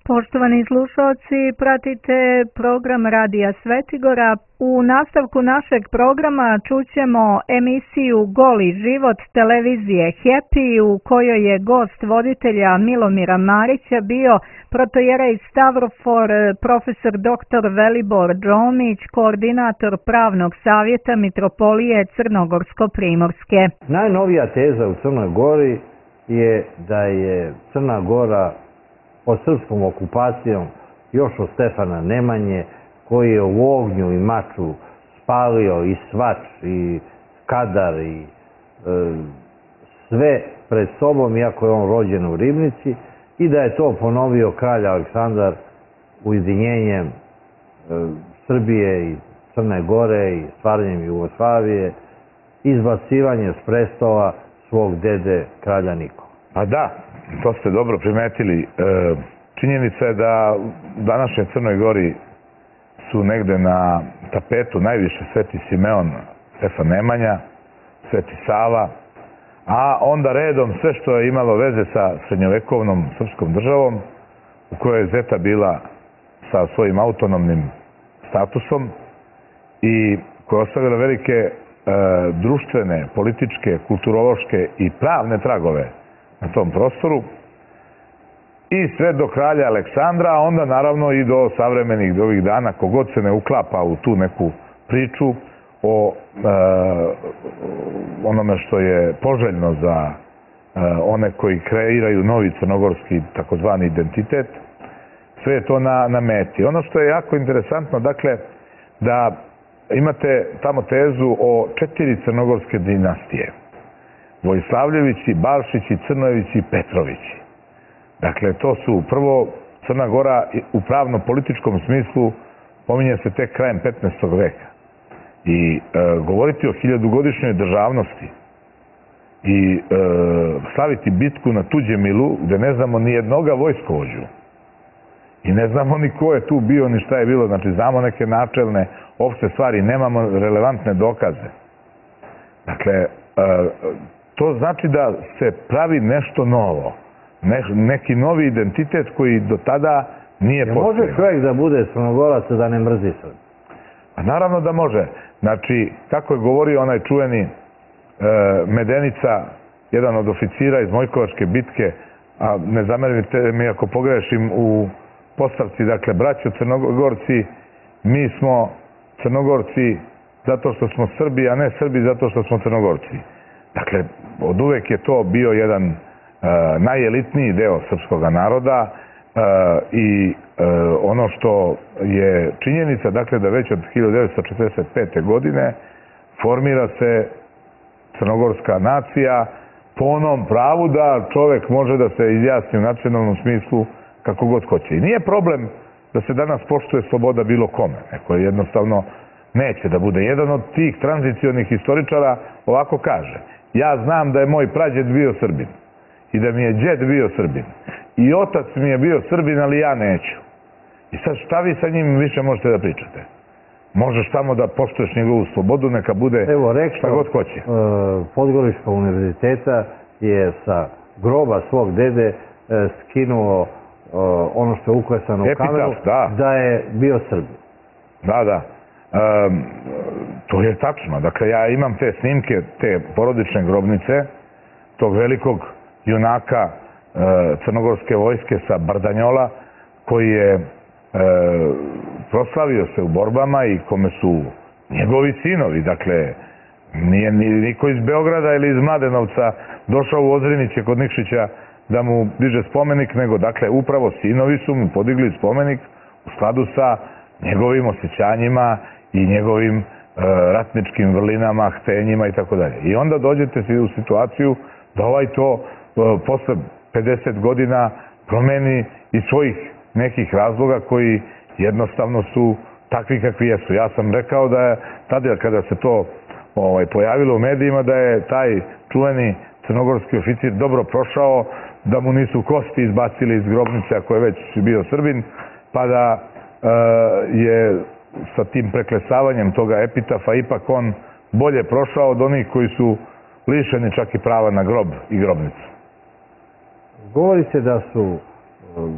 Poštovani slušalci, pratite program Radija Svetigora. U nastavku našeg programa čućemo emisiju Goli život televizije Happy, u kojoj je gost voditelja Milomira Marića bio protojerej Stavrofor, profesor dr. Velibor Đomić, koordinator pravnog savjeta Mitropolije Crnogorsko-Primorske. Najnovija teza u Crnoj Gori je da je Crna Gora pod srpskom okupacijom još od Stefana Nemanje, koji je u ognju i maču spalio i Svač i Kadar i sve pred sobom, iako je on rođen u Ribnici, i da je to ponovio kralj Aleksandar ujedinjenjem Srbije i Crne Gore i stvaranjem Jugoslavije, izbacivanje s prestola svog dede kralja Nikola. A da, to ste dobro primetili. Činjenica je da u današnjoj Crnoj Gori su negde na tapetu najviše Sveti Simeon, Stefan Nemanja, Sveti Sava, a onda redom sve što je imalo veze sa srednjovekovnom srpskom državom, u kojoj je Zeta bila sa svojim autonomnim statusom i koja je ostavila velike društvene, političke, kulturološke i pravne tragove na tom prostoru, i sve do kralja Aleksandra, a onda naravno i do savremenih do ovih dana, kogod se ne uklapa u tu neku priču o onome što je poželjno za one koji kreiraju novi crnogorski takozvani identitet, sve je to na meti. Ono što je jako interesantno, dakle, da imate tamo tezu o 4 crnogorske dinastije. Vojslavljevići, Balšići, Crnojevići i Petrovići. Dakle, to su prvo Crna Gora u pravno-političkom smislu pominje se tek krajem 15. veka. I govoriti o 1000-godišnjoj državnosti i slaviti bitku na Tuđemilu, gde ne znamo ni jednoga vojskovođu i ne znamo ni ko je tu bio, ni šta je bilo. Znači, znamo neke načelne, opšte stvari, nemamo relevantne dokaze. Dakle, to znači da se pravi nešto novo. Neki novi identitet koji do tada nije postojao. Može čovjek da bude Crnogorac da ne mrzi Srbiju? Naravno da može. Znači, kako je govorio onaj čuveni Medenica, jedan od oficira iz Mojkovačke bitke, a ne zamerite mi ako pogrešim u postavci, dakle, braćo Crnogorci, mi smo Crnogorci zato što smo Srbi, a ne Srbi zato što smo Crnogorci. Dakle, od uvek je to bio jedan najelitniji deo srpskog naroda i ono što je činjenica, dakle, da već od 1945. godine formira se crnogorska nacija po onom pravu da čovek može da se izjasni u nacionalnom smislu kako god hoće. I nije problem da se danas poštuje sloboda bilo kome. Neko jednostavno neće da bude. Jedan od tih tranzicionih historičara ovako kaže: ja znam da je moj prađed bio Srbin i da mi je đed bio Srbin i otac mi je bio Srbin, ali ja neću. I sad šta vi sa njim više možete da pričate? Možeš samo da poštuješ njegovu slobodu, neka bude šta god hoće. Podgorička univerziteta je sa groba svog dede skinuo ono što je uklesano u kamenu, da je bio Srbin. Da, da. To je tačno. Dakle, ja imam te snimke, te porodične grobnice, tog velikog junaka crnogorske vojske sa Bardanjola, koji je proslavio se u borbama i kome su njegovi sinovi, dakle, nije niko iz Beograda ili iz Mladenovca došao u Ozriniće kod Nikšića da mu diže spomenik, nego, dakle, upravo sinovi su mu podigli spomenik u skladu sa njegovim osjećanjima i njegovim ratničkim vrlinama, htenjima i tako dalje. I onda dođete u situaciju da ovaj to posle 50 godina promeni iz svojih nekih razloga koji jednostavno su takvi kakvi jesu. Ja sam rekao da je tada kada se to pojavilo u medijima, da je taj čuveni crnogorski oficir dobro prošao, da mu nisu kosti izbacili iz grobnice ako je već bio Srbin, pa da je sa tim preklesavanjem toga epitafa ipak on bolje prošao od onih koji su lišeni čak i prava na grob i grobnicu. Govori se da su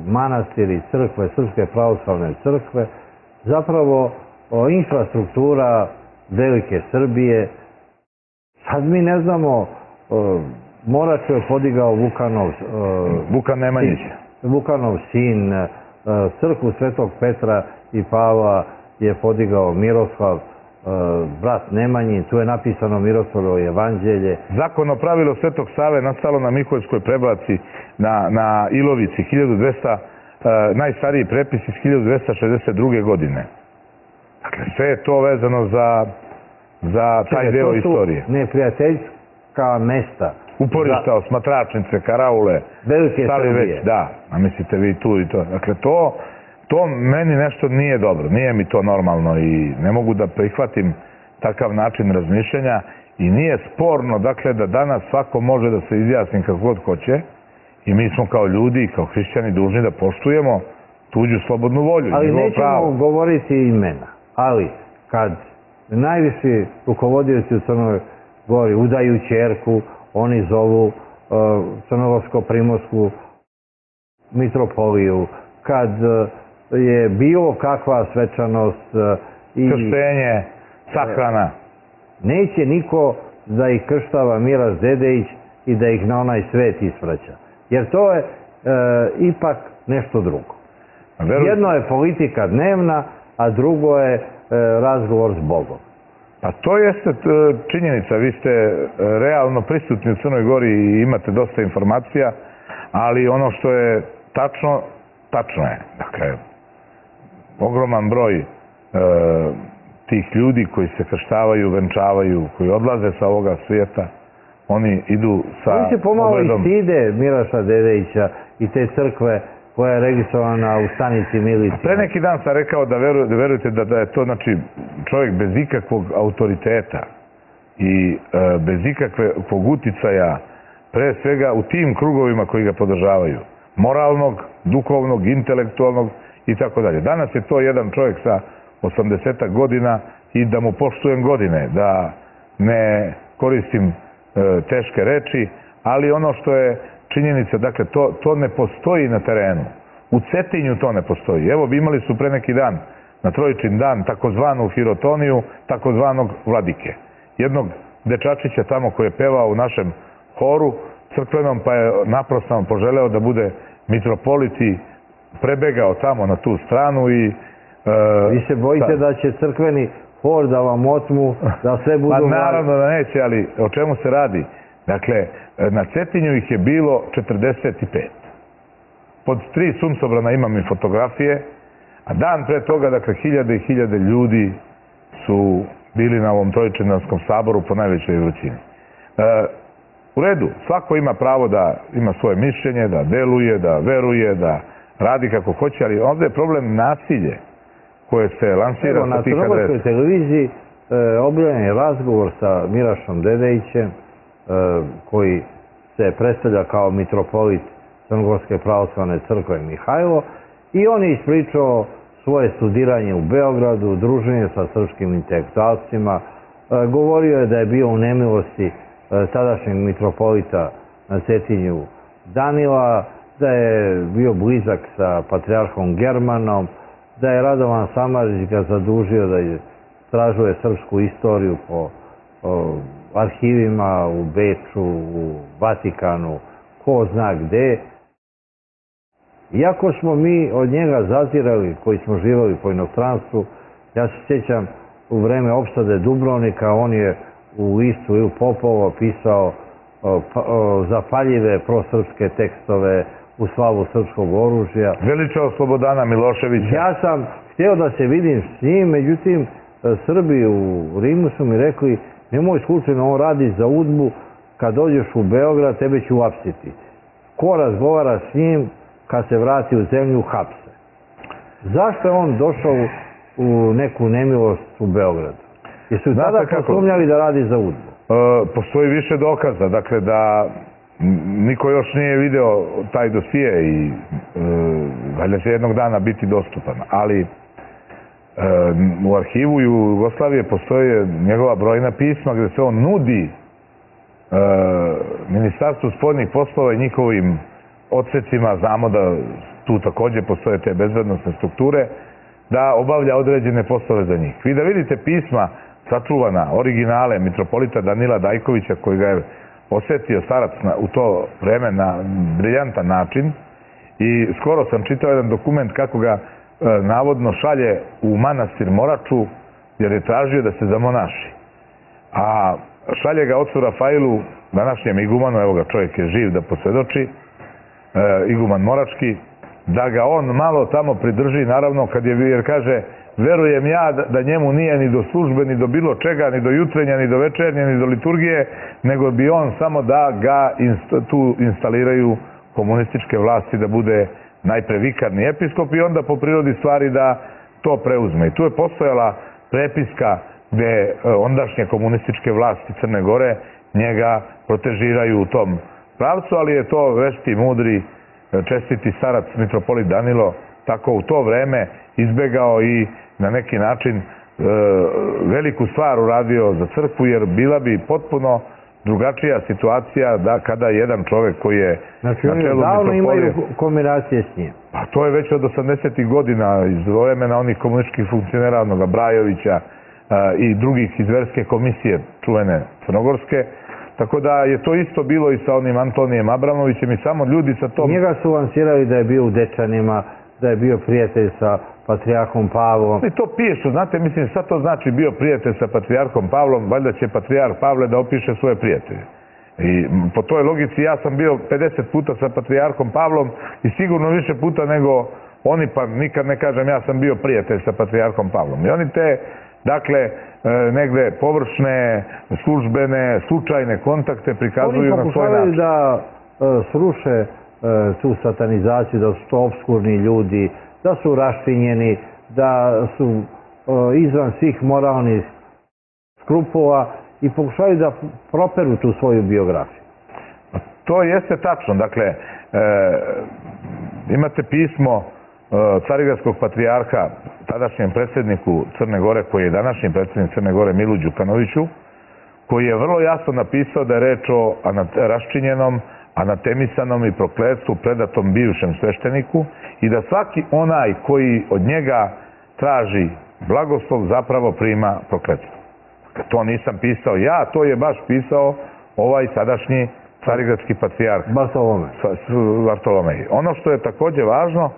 manastiri, crkve, Srpske pravoslavne crkve, zapravo infrastruktura velike Srbije. Sad mi ne znamo, Moraču je podigao Vukan Nemanjić. Vukanov sin, crkvu Svetog Petra i Pavla je podigao Miroslav, brat Nemanjin, tu je napisano Miroslavljevo evanđelje. Zakonno pravilo Svetog Save nastalo na Miholjskoj prebaci na Ilovici, 1200, najstariji prepis iz 1262. godine. Dakle, sve je to vezano za taj deo istorije. To su neprijateljska mesta. Uporišta, osmatračnice, karaule, velike Srbije. Da, a mislite vi tu i to. Dakle, to meni nešto nije dobro, nije mi to normalno i ne mogu da prihvatim takav način razmišljanja i nije sporno, dakle, da danas svako može da se izjasni kako god hoće i mi smo kao ljudi i kao hrišćani dužni da poštujemo tuđu slobodnu volju. Ali nećemo govoriti imena, ali kad najviši rukovodioci u Crnoj Gori udaju ćerku, oni zovu Crnogorsko-Primorsku mitropoliju, kad je bilo kakva svečanost i krštenje, sahrana. Neće niko da ih krštava Miras Dedejić i da ih na onaj svet ispraća. Jer to je ipak nešto drugo. Jedno je politika dnevna, a drugo je razgovor s Bogom. Pa to jeste činjenica. Vi ste realno prisutni u Crnoj Gori i imate dosta informacija, ali ono što je tačno, tačno je. Dakle, ogroman broj tih ljudi koji se krštavaju, venčavaju, koji odlaze sa ovoga svijeta, oni idu sa obredom. Oni se pomalo i stide Miraša Dedejića i te crkve koja je registrovana u stanici milicije. Pre neki dan sam rekao da verujete da je to, znači, čovjek bez ikakvog autoriteta i bez ikakvog uticaja, pre svega u tim krugovima koji ga podržavaju. Moralnog, duhovnog, intelektualnog i tako dalje. Danas je to jedan čovjek sa 80 godina i da mu poštujem godine, da ne koristim teške reči, ali ono što je činjenica, dakle, to ne postoji na terenu. U Cetinju to ne postoji. Evo, imali su pre neki dan, na Trojičin dan, takozvanu hirotoniju, takozvanog vladike. Jednog dečačića tamo koji je pevao u našem horu crkvenom, pa je naprosto poželeo da bude mitropolit i prebegao tamo na tu stranu i... Vi se bojite da će crkveni hor da vam otmu, da sve budu... Pa naravno da neće, ali o čemu se radi? Dakle, na Cetinju ih je bilo 45. Pod 3 suncobrana imam i fotografije, a dan pre toga, dakle, hiljade i hiljade ljudi su bili na ovom Trojičinarskom saboru po najvećoj vrućini. U redu, svako ima pravo da ima svoje mišljenje, da deluje, da veruje, da radi kako hoće, ali ovdje je problem nasilje koje se lansira sa tih adresa. Na Crnogorskoj televiziji objavljen je razgovor sa Mirašom Dedejićem, koji se predstavlja kao mitropolit Crnogorske pravoslavne crkve Mihajlo, i on je ispričao svoje studiranje u Beogradu, druženje sa srpskim intelektualcima, govorio je da je bio u nemilosti tadašnjeg mitropolita na Cetinju Danila, da je bio blizak sa patrijarhom Germanom, da je Radovan Samardžić ga zadužio da istražuje srpsku istoriju po arhivima u Beču, u Vatikanu, ko zna gde. Iako smo mi od njega zazirali, koji smo živali po inostranstvu, ja se sjećam u vreme opsade Dubrovnika, on je u listu Ili Popovo pisao zapaljive prosrpske tekstove u slavu srpskog oružja. Veličao Slobodana Miloševića. Ja sam htio da se vidim s njim, međutim Srbi u Rimu su mi rekli: nemoj slučajno, on radi za UDBU, kad dođeš u Beograd tebe ću uhapsiti. Ko razgovara s njim, kad se vrati u zemlju, hapse. Zašto je on došao u neku nemilost u Beogradu? Jesu tada posumnjali da radi za UDBU? Postoji više dokaza, dakle da niko još nije video taj dosije i valjda će jednog dana biti dostupan, ali u arhivu Jugoslavije postoje njegova brojna pisma gde se on nudi Ministarstvu spoljnih poslova i njihovim odsecima. Znamo da tu takođe postoje te bezbednosne strukture, da obavlja određene poslove za njih. Vi da vidite pisma sačuvana, originale mitropolita Danila Dajkovića, koji ga je osetio starac u to vreme na briljantan način, i skoro sam čitao jedan dokument kako ga navodno šalje u manastir Moraču, jer je tražio da se zamonaši. A šalje ga ocu Rafailu, današnjem igumanu, evo ga čovjek je živ da posvedoči, iguman Morački, da ga on malo tamo pridrži, naravno, jer kaže, verujem ja da njemu nije ni do službe, ni do bilo čega, ni do jutrenja, ni do večernje, ni do liturgije, nego bi on samo da ga tu instaliraju komunističke vlasti, da bude najpre vikarni episkop i onda po prirodi stvari da to preuzme. I tu je postojala prepiska gde ondašnje komunističke vlasti Crne Gore njega protežiraju u tom pravcu, ali je to vešti, mudri, čestiti starac mitropolit Danilo tako u to vreme izbegao i na neki način veliku stvar uradio za crkvu, jer bila bi potpuno drugačija situacija da kada jedan čovek koji je na čelu mitropolije... Znači oni davno imaju kombinacije s njim. Pa to je već od 80. godina iz vremena onih komunističkih funkcionera, onoga Brajovića i drugih iz verske komisije čuvene crnogorske. Tako da je to isto bilo i sa onim Antonijem Abramovićem i samo ljudi sa tom... Njega su lansirali da je bio u Dečanima, da je bio prijatelj sa patrijarhom Pavlom. I to pišu, znate, mislim, sad to znači bio prijatelj sa patrijarhom Pavlom, valjda će patrijarh Pavle da opiše svoje prijatelje. I po toj logici ja sam bio 50 puta sa patrijarhom Pavlom i sigurno više puta nego oni, pa nikad ne kažem ja sam bio prijatelj sa patrijarhom Pavlom. I oni te, dakle, negde površne, službene, slučajne kontakte prikazuju na svoj način. Oni pokušavaju da sruše tu satanizaciju, da su to obskurni ljudi, da su raštinjeni, da su izvan svih moralnih skrupula i pokušavaju da properu tu svoju biografiju. To jeste tačno. Dakle, imate pismo carigradskog patrijarha tadašnjem predsjedniku Crne Gore, koji je današnji predsjednik Crne Gore, Milu Đukanoviću, koji je vrlo jasno napisao da je reč o raščinjenom, anatemisanom i prokletstvu predatom bivšem svešteniku i da svaki onaj koji od njega traži blagoslov zapravo prima prokletstvo. To nisam pisao ja, to je baš pisao ovaj sadašnji carigradski patrijarh Bartolomej. Ono što je takođe važno,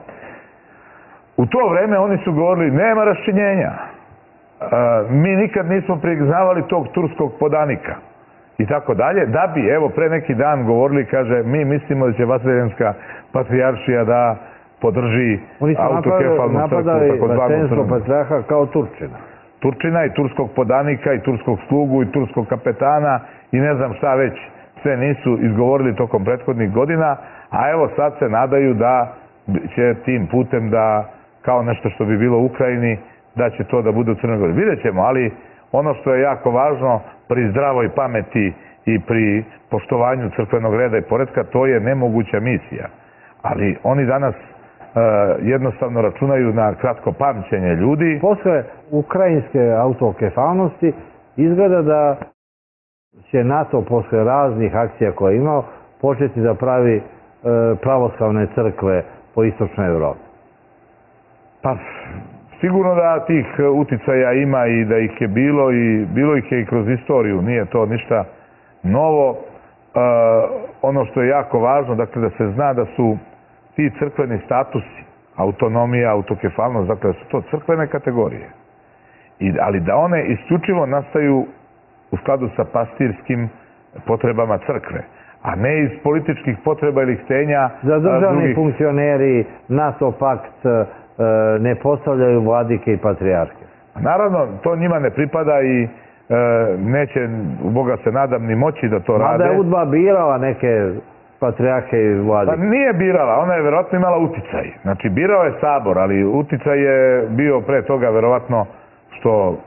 u to vreme oni su govorili nema raščinjenja. Mi nikad nismo priznavali tog turskog podanika i tako dalje, da bi, evo, pre neki dan govorili, kaže, mi mislimo da će Vaseljenska patrijaršija da podrži autokefalnu crkvu, takozvanu crkvu. Patrijarha kao Turčina. Turčina i turskog podanika i turskog slugu i turskog kapetana i ne znam šta već sve nisu izgovorili tokom prethodnih godina, a evo sad se nadaju da će tim putem da, kao nešto što bi bilo u Ukrajini, da će to da bude u Crnoj Gori. Vidjet ćemo, ali ono što je jako važno pri zdravoj pameti i pri poštovanju crkvenog reda i poretka, to je nemoguća misija. Ali oni danas jednostavno računaju na kratko pamćenje ljudi. Posle ukrajinske autokefalnosti izgleda da će NATO posle raznih akcija koje je imao početi da pravi pravoslavne crkve po istočnoj Evropi. Pa, sigurno da tih uticaja ima i da ih je bilo i bilo ih je i kroz istoriju, nije to ništa novo. Ono što je jako važno, dakle, da se zna da su ti crkveni statusi, autonomija, autokefalnost, dakle, da su to crkvene kategorije. Ali da one isključivo nastaju u skladu sa pastirskim potrebama crkve, a ne iz političkih potreba ili htenja za državni funkcioneri, NATO pakt ne postavljaju vladike i patrijarhe. Naravno, to njima ne pripada i neće, u Boga se nadam, ni moći da to rade. Mada je UDBA birala neke patrijarhe i vladike. Pa nije birala, ona je verovatno imala uticaj. Znači, birao je sabor, ali uticaj je bio pre toga verovatno što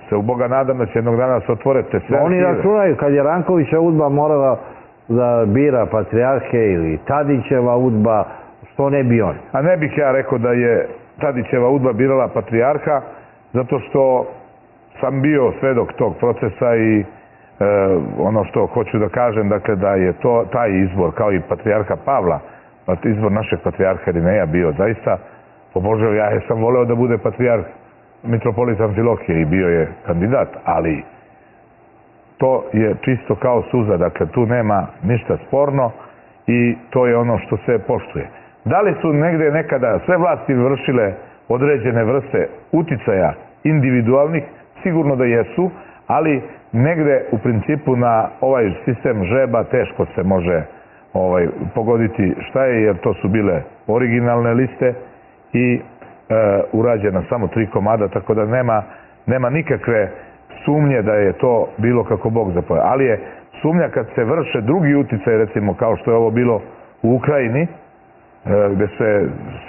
se u Boga nadam da će jednog dana se otvore te sve. Oni računaju, kad je Rankovića UDBA morala da bira patrijarhe ili Tadićeva UDBA, što ne bi on? A ne bih ja rekao da je Tadićeva UDBA birala patrijarha, zato što sam bio svedok tog procesa i ono što hoću da kažem, dakle, da je to taj izbor, kao i patrijarha Pavla, izbor našeg patrijarha Irineja bio zaista pobožao. Ja sam voleo da bude patrijarh mitropolit Amfilohije i bio je kandidat, ali to je čisto kao suza, dakle tu nema ništa sporno i to je ono što se poštuje. Da li su negde nekada sve vlasti vršile određene vrste uticaja individualnih? Sigurno da jesu, ali negde u principu na ovaj sistem žreba teško se može pogoditi šta je, jer to su bile originalne liste i urađena samo 3 komada, tako da nema nikakve sumnje da je to bilo kako Bog zapoveda. Ali je sumnja kad se vrše drugi uticaj, recimo kao što je ovo bilo u Ukrajini, gde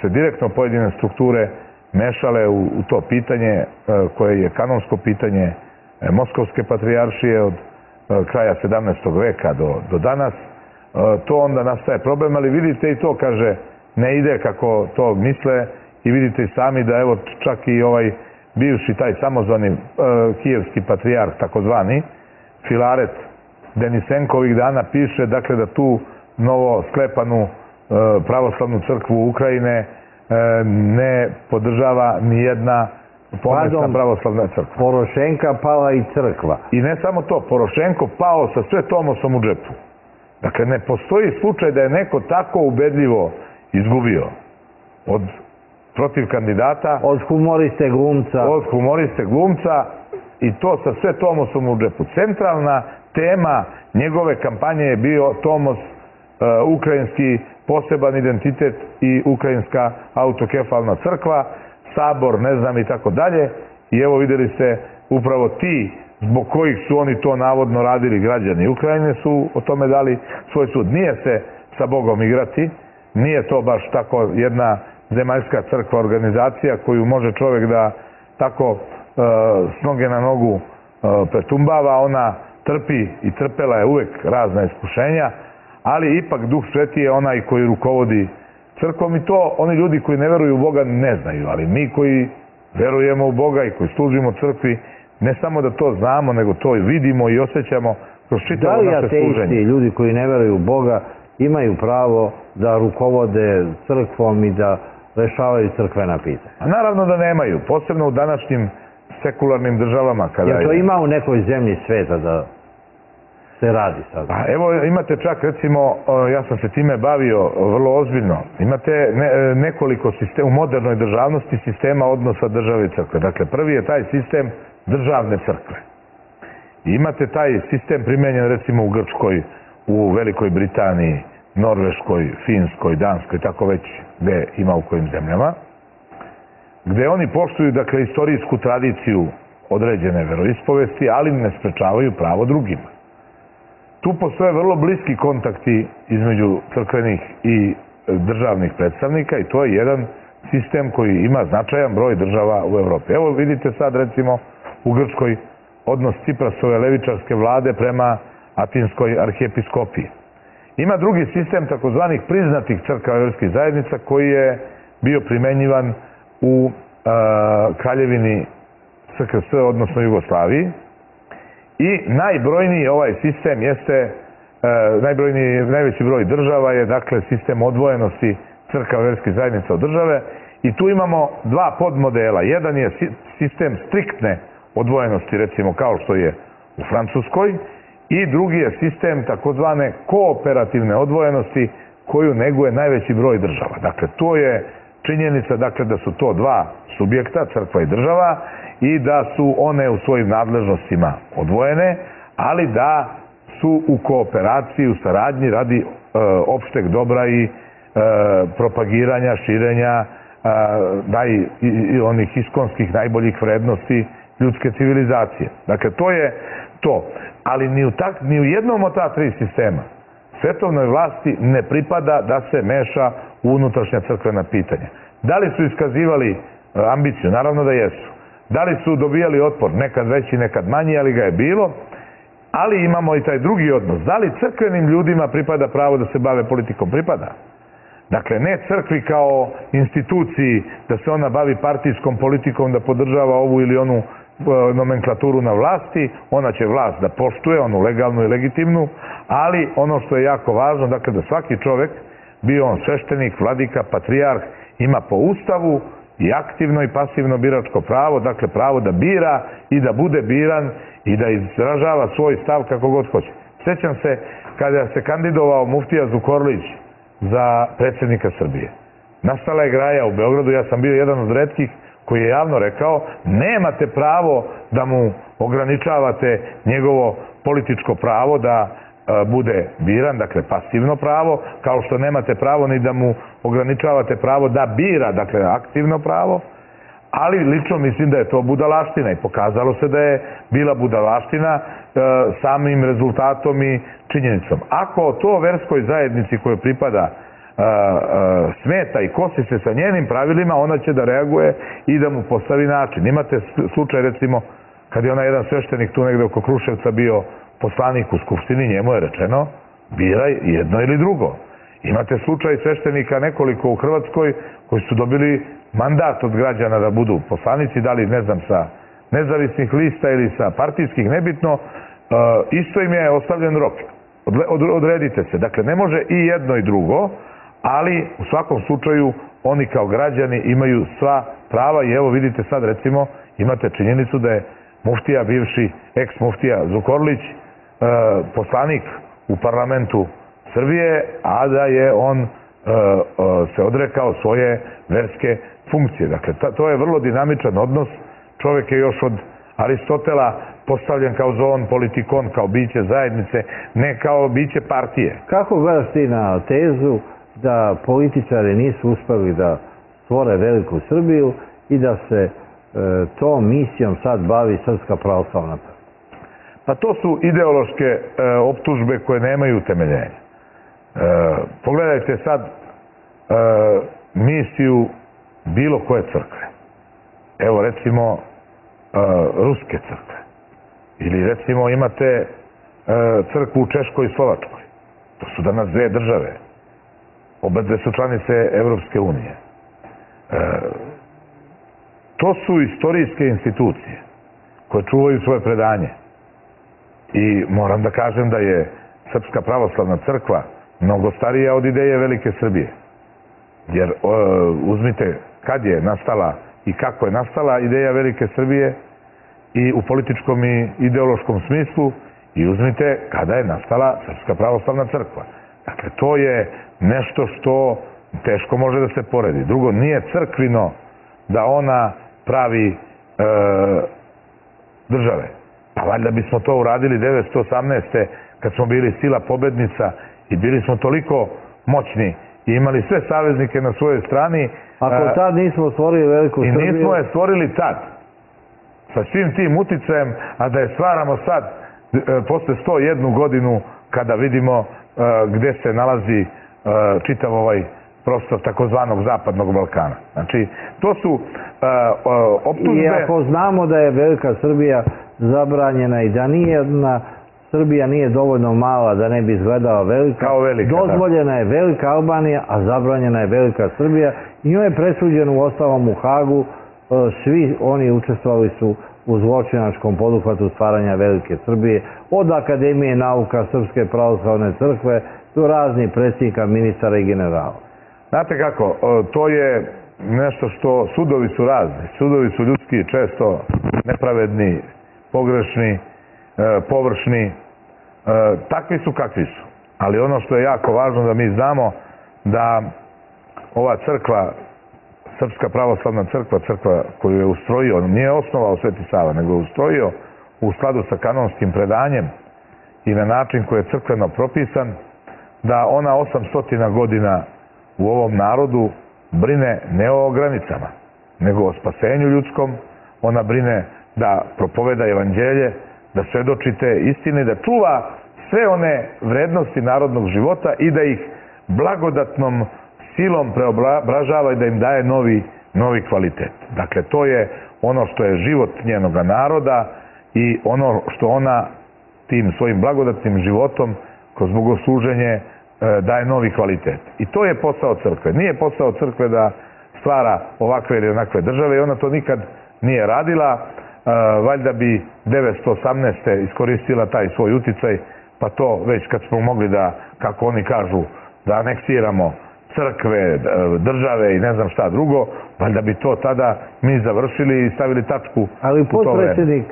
se direktno pojedine strukture mešale u to pitanje koje je kanonsko pitanje Moskovske patrijaršije od kraja 17. veka do danas. To onda nastaje problem, ali vidite i to, kaže, ne ide kako to misle i vidite i sami da evo čak i ovaj bivši taj samozvani kijevski patrijarh, takozvani Filaret Denisenko ovih dana piše, dakle, da tu novo sklepanu pravoslavnu crkvu Ukrajine ne podržava ni jedna pomesna pravoslavna crkva. Porošenka pala i crkva. I ne samo to, Porošenko pao sa sve Tomosom u džepu. Dakle, ne postoji slučaj da je neko tako ubedljivo izgubio protiv kandidata. Od humoriste glumca. Od humoriste glumca i to sa sve Tomosom u džepu. Centralna tema njegove kampanje je bio Tomos, ukrajinski poseban identitet i ukrajinska autokefalna crkva, sabor, ne znam i tako dalje. I evo videli ste upravo ti zbog kojih su oni to navodno radili, građani Ukrajine su o tome dali svoj sud. Nije se sa Bogom igrati, nije to baš tako jedna zemaljska crkva, organizacija koju može čovjek da tako s noge na nogu pretumbava. Ona trpi i trpela je uvek razna iskušenja, ali ipak Duh Sveti je onaj koji rukovodi crkvom i to oni ljudi koji ne veruju u Boga ne znaju, ali mi koji verujemo u Boga i koji služimo crkvi, ne samo da to znamo, nego to i vidimo i osjećamo kroz čitavo naše služenje. Da li ateisti, ljudi koji ne veruju u Boga, imaju pravo da rukovode crkvom i da rešavaju crkvena pitanja? A naravno da nemaju, posebno u današnjim sekularnim državama. Jer to ima u nekoj zemlji sveta da se radi sad? Evo imate čak, recimo, ja sam se time bavio vrlo ozbiljno, imate nekoliko sistema, u modernoj državnosti sistema odnosa države i crkve. Dakle, prvi je taj sistem državne crkve. I imate taj sistem primenjen recimo u Grčkoj, u Velikoj Britaniji, Norveškoj, Finskoj, Danskoj, tako već gde ima u kojim zemljama, gde oni poštuju, dakle, istorijsku tradiciju određene veroispovesti, ali ne sprečavaju pravo drugima. Tu postoje vrlo bliski kontakti između crkvenih i državnih predstavnika i to je jedan sistem koji ima značajan broj država u Evropi. Evo vidite sad recimo u Grčkoj odnos Ciprasove levičarske vlade prema Atinskoj arhijepiskopiji. Ima drugi sistem takozvanih priznatih crkava verskih zajednica koji je bio primenjivan u Kraljevini SKS, odnosno Jugoslaviji. I najbrojniji ovaj sistem jeste, najveći broj država je dakle sistem odvojenosti crkava verskih zajednica od države i tu imamo dva podmodela. Jedan je sistem striktne odvojenosti, recimo kao što je u Francuskoj, i drugi je sistem takozvane kooperativne odvojenosti koju neguje najveći broj država. Dakle, to je činjenica dakle, da su to dva subjekta, crkva i država, i da su one u svojim nadležnostima odvojene, ali da su u kooperaciji, u saradnji radi opšteg dobra i propagiranja, širenja onih iskonskih najboljih vrednosti ljudske civilizacije. Dakle, to je to. Ali ni u jednom od ta tri sistema svetovnoj vlasti ne pripada da se meša u unutrašnja crkvena pitanja. Da li su iskazivali ambiciju? Naravno da jesu. Da li su dobijali otpor? Nekad veći, nekad manji, ali ga je bilo. Ali imamo i taj drugi odnos. Da li crkvenim ljudima pripada pravo da se bave politikom? Pripada. Dakle, ne crkvi kao instituciji da se ona bavi partijskom politikom, da podržava ovu ili onu nomenklaturu na vlasti. Ona će vlast da poštuje, onu legalnu i legitimnu, ali ono što je jako važno, dakle, da svaki čovek bio on sveštenik, vladika, patrijarh, ima po ustavu i aktivno i pasivno biračko pravo, dakle pravo da bira i da bude biran i da izražava svoj stav kako god hoće. Sjećam se kada se kandidovao muftija Zukorlić za predsjednika Srbije. Nastala je graja u Beogradu, ja sam bio jedan od retkih koji je javno rekao nemate pravo da mu ograničavate njegovo političko pravo da bude biran, dakle pasivno pravo, kao što nemate pravo ni da mu ograničavate pravo da bira, dakle aktivno pravo, ali lično mislim da je to budalaština i pokazalo se da je bila budalaština samim rezultatom i činjenicom. Ako to verskoj zajednici kojoj pripada smeta i kosi se sa njenim pravilima, ona će da reaguje i da mu postavi način. Imate slučaj recimo kad je onaj jedan sveštenik tu negde oko Kruševca bio poslanik u Skupštini, njemu je rečeno biraj jedno ili drugo. Imate slučaj sveštenika nekoliko u Hrvatskoj koji su dobili mandat od građana da budu poslanici, da li ne znam sa nezavisnih lista ili sa partijskih, nebitno, isto im je ostavljen rok. Odredite se. Dakle, ne može i jedno i drugo, ali u svakom slučaju oni kao građani imaju sva prava i evo vidite sad recimo imate činjenicu da je muftija, bivši ex-muftija Zukorlić, poslanik u parlamentu Srbije, a da je on se odrekao svoje verske funkcije. Dakle, to je vrlo dinamičan odnos. Čovjek je još od Aristotela postavljen kao zoon politikon, kao biće zajednice, ne kao biće partije. Kako gledaš ti na tezu da političari nisu uspeli da stvore veliku Srbiju i da se tom misijom sad bavi Srpska pravoslavna crkva? Pa to su ideološke optužbe koje nemaju utemeljenja. Pogledajte sad misiju bilo koje crkve. Evo recimo ruske crkve. Ili recimo imate crkvu u Češkoj i Slovačkoj. To su danas dve države. Obe dve su članice Evropske unije. To su istorijske institucije koje čuvaju svoje predanje. I moram da kažem da je Srpska pravoslavna crkva mnogo starija od ideje Velike Srbije. Jer uzmite kad je nastala i kako je nastala ideja Velike Srbije i u političkom i ideološkom smislu i uzmite kada je nastala Srpska pravoslavna crkva. Dakle, to je nešto što teško može da se poredi. Drugo, nije crkvino da ona pravi države. Pa valjda bismo to uradili 1918. kad smo bili sila pobednica i bili smo toliko moćni i imali sve saveznike na svojoj strani. Ako tad nismo stvorili veliku Srbiju... I nismo je stvorili tad. Sa svim tim uticajem, a da je stvaramo sad posle 101 godinu kada vidimo gde se nalazi čitav ovaj prostor takozvanog Zapadnog Balkana. Znači, to su optužbe... I ako znamo da je Velika Srbija zabranjena i da Srbija nije dovoljno mala da ne bi izgledala velika, dozvoljena je Velika Albanija, a zabranjena je Velika Srbija i njoj je presuđeno u ostalom u Hagu, svi oni učestvovali su u zločinačkom poduhvatu stvaranja Velike Srbije, od Akademije nauka Srpske pravoslavne crkve do raznih predsjednika, ministara i generala. Znate kako, to je nešto što sudovi su razni. Sudovi su ljudski, često nepravedni, pogrešni, površni. Takvi su kakvi su. Ali ono što je jako važno da mi znamo da ova crkva, Srpska pravoslavna crkva, crkva koju je ustrojio, nije osnovao Sveti Sava, nego je ustrojio u skladu sa kanonskim predanjem i na način koji je crkveno propisan, da ona 800 godina u ovom narodu brine ne o granicama, nego o spasenju ljudskom. Ona brine da propoveda evanđelje, da svedočite istine, da čuva sve one vrednosti narodnog života i da ih blagodatnom silom preobražava i da im daje novi kvalitet. Dakle, to je ono što je život njenog naroda i ono što ona tim svojim blagodatnim životom kroz bogosluženje daje novi kvalitet. I to je posao crkve. Nije posao crkve da stvara ovakve ili onakve države i ona to nikad nije radila. Valjda bi 918. iskoristila taj svoj uticaj, pa to već kad smo mogli da, kako oni kažu, da aneksiramo crkve, države i ne znam šta drugo, valjda bi to tada mi završili i stavili tačku. Ali potpredsjednik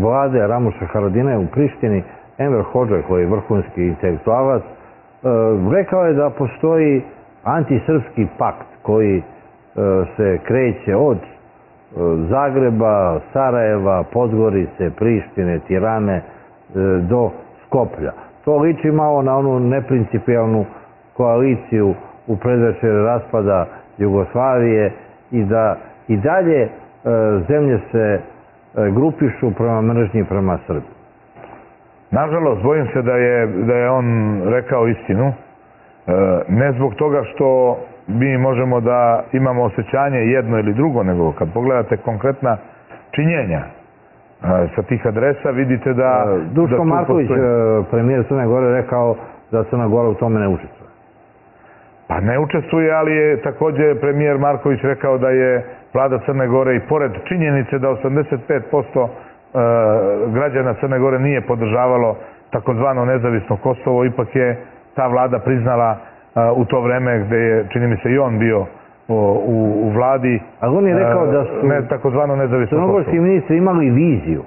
vlade Ramuša Haradinaja u Prištini, Enver Hodža, koji je vrhunski intelektualac, rekao je da postoji antisrpski pakt koji se kreće od Zagreba, Sarajeva, Podgorice, Prištine, Tirane do Skoplja. To liči malo na onu neprincipijalnu koaliciju u predvečer raspada Jugoslavije i da i dalje zemlje se grupišu prema mržnji prema Srbiji. Nažalost, bojim se da je on rekao istinu. Ne zbog toga što mi možemo da imamo osjećanje jedno ili drugo, nego kad pogledate konkretna činjenja sa tih adresa, vidite da... Duško Marković, premijer Crne Gore, rekao da Crna Gora u tome ne učestvuje. Pa ne učestvuje, ali je također premijer Marković rekao da je vlada Crne Gore i pored činjenice da 85% građana Crne Gore nije podržavalo takozvano nezavisno Kosovo, ipak je ta vlada priznala u to vreme gde je, čini mi se, i on bio u vladi. Ali on je rekao da su takozvano nezavisno Kosovo. crnogorski ministri imali viziju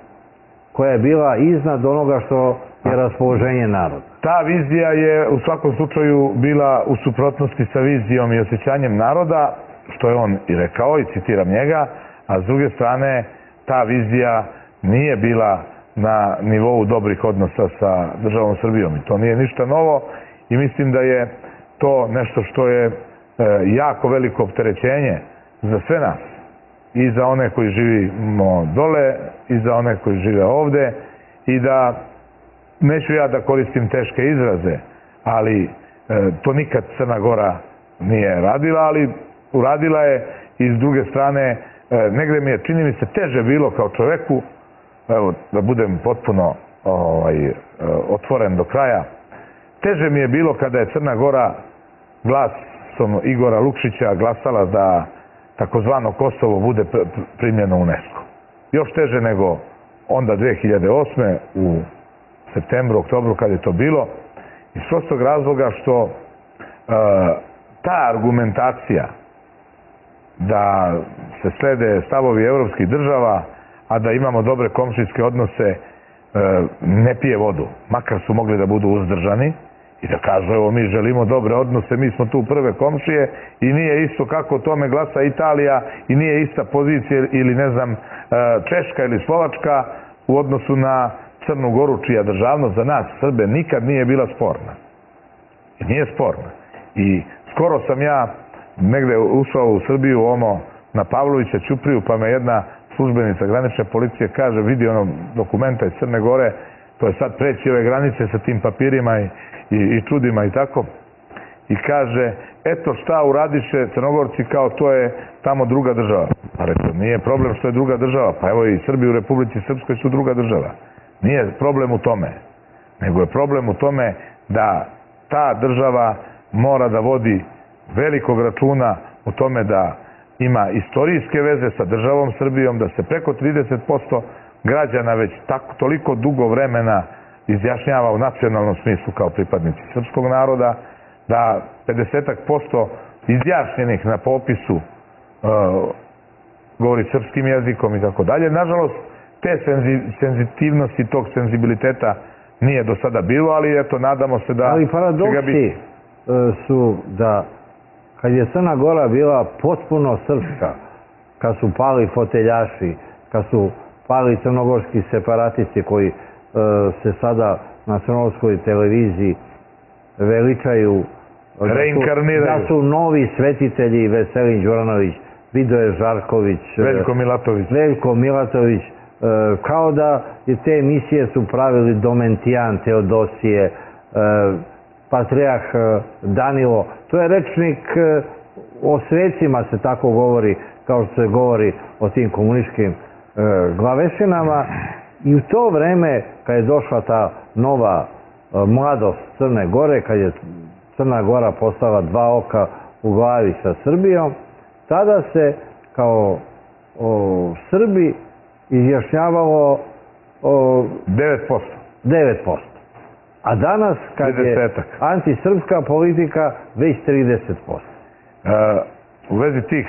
koja je bila iznad onoga što je raspoloženje naroda. Ta vizija je u svakom slučaju bila u suprotnosti sa vizijom i osjećanjem naroda, što je on i rekao i citiram njega, a s druge strane ta vizija nije bila na nivou dobrih odnosa sa državom Srbijom i to nije ništa novo i mislim da je to nešto što je jako veliko opterećenje za sve nas i za one koji živimo dole i za one koji žive ovde i da neću ja da koristim teške izraze, ali to nikad Crna Gora nije radila, ali uradila je i s druge strane negde mi je, čini mi se, teže bilo kao čoveku, evo da budem potpuno otvoren do kraja, teže mi je bilo kada je Crna Gora glasom Igora Lukšića glasala da takozvano Kosovo bude primljeno u UNESCO. Još teže nego onda 2008. u septembru, oktobru kad je to bilo, iz prostog razloga što ta argumentacija da se slede stavovi evropskih država, a da imamo dobre komšijske odnose, ne pije vodu. Makar su mogli da budu uzdržani i da kažu, evo, mi želimo dobre odnose, mi smo tu prve komšije i nije isto kako tome glasa Italija i nije ista pozicija ili, ne znam, Češka ili Slovačka u odnosu na Crnu Goru, čija državnost za nas, Srbe, nikad nije bila sporna. I nije sporna. I skoro sam ja negde ušao u Srbiju, na Pavlovića Ćupriju, pa me jedna službenica granične policije kaže, vidi dokumenta iz Crne Gore, to je sad preći ove granice sa tim papirima i čudima i tako. I kaže, eto šta uradiše Crnogorci, kao to je tamo druga država. Pa rekao, nije problem što je druga država, pa evo i Srbi u Republici Srpskoj su druga država. Nije problem u tome, nego je problem u tome da ta država mora da vodi velikog računa u tome da ima istorijske veze sa državom Srbijom, da se preko 30% građana već toliko dugo vremena izjašnjava u nacionalnom smislu kao pripadnici srpskog naroda, da 50% izjašnjenih na popisu govori srpskim jezikom i tako dalje. Nažalost, te senzitivnosti, tog senzibiliteta nije do sada bilo, ali eto, nadamo se da... Ali paradoksi su da kad je Crna Gora bila potpuno srpska, kad su pali foteljaši, kad su pali crnogorski separatisti koji se sada na crnogorskoj televiziji veličaju, reinkarniraju, da su novi svetitelji Veselin Đuranović, Vidoje Žarković, Veljko Milatović, kao da te emisije su pravili Domentijan, Teodosije, Patrijarh Danilo. To je rečnik o svecima, se tako govori, kao što se govori o tim komunističkim glavešinama. I u to vreme, kad je došla ta nova mladost Crne Gore, kad je Crna Gora postala dva oka u glavi sa Srbijom, tada se kao Srbi izjašnjavalo 9%. A danas, kad je antisrpska politika, već 30%. U vezi tih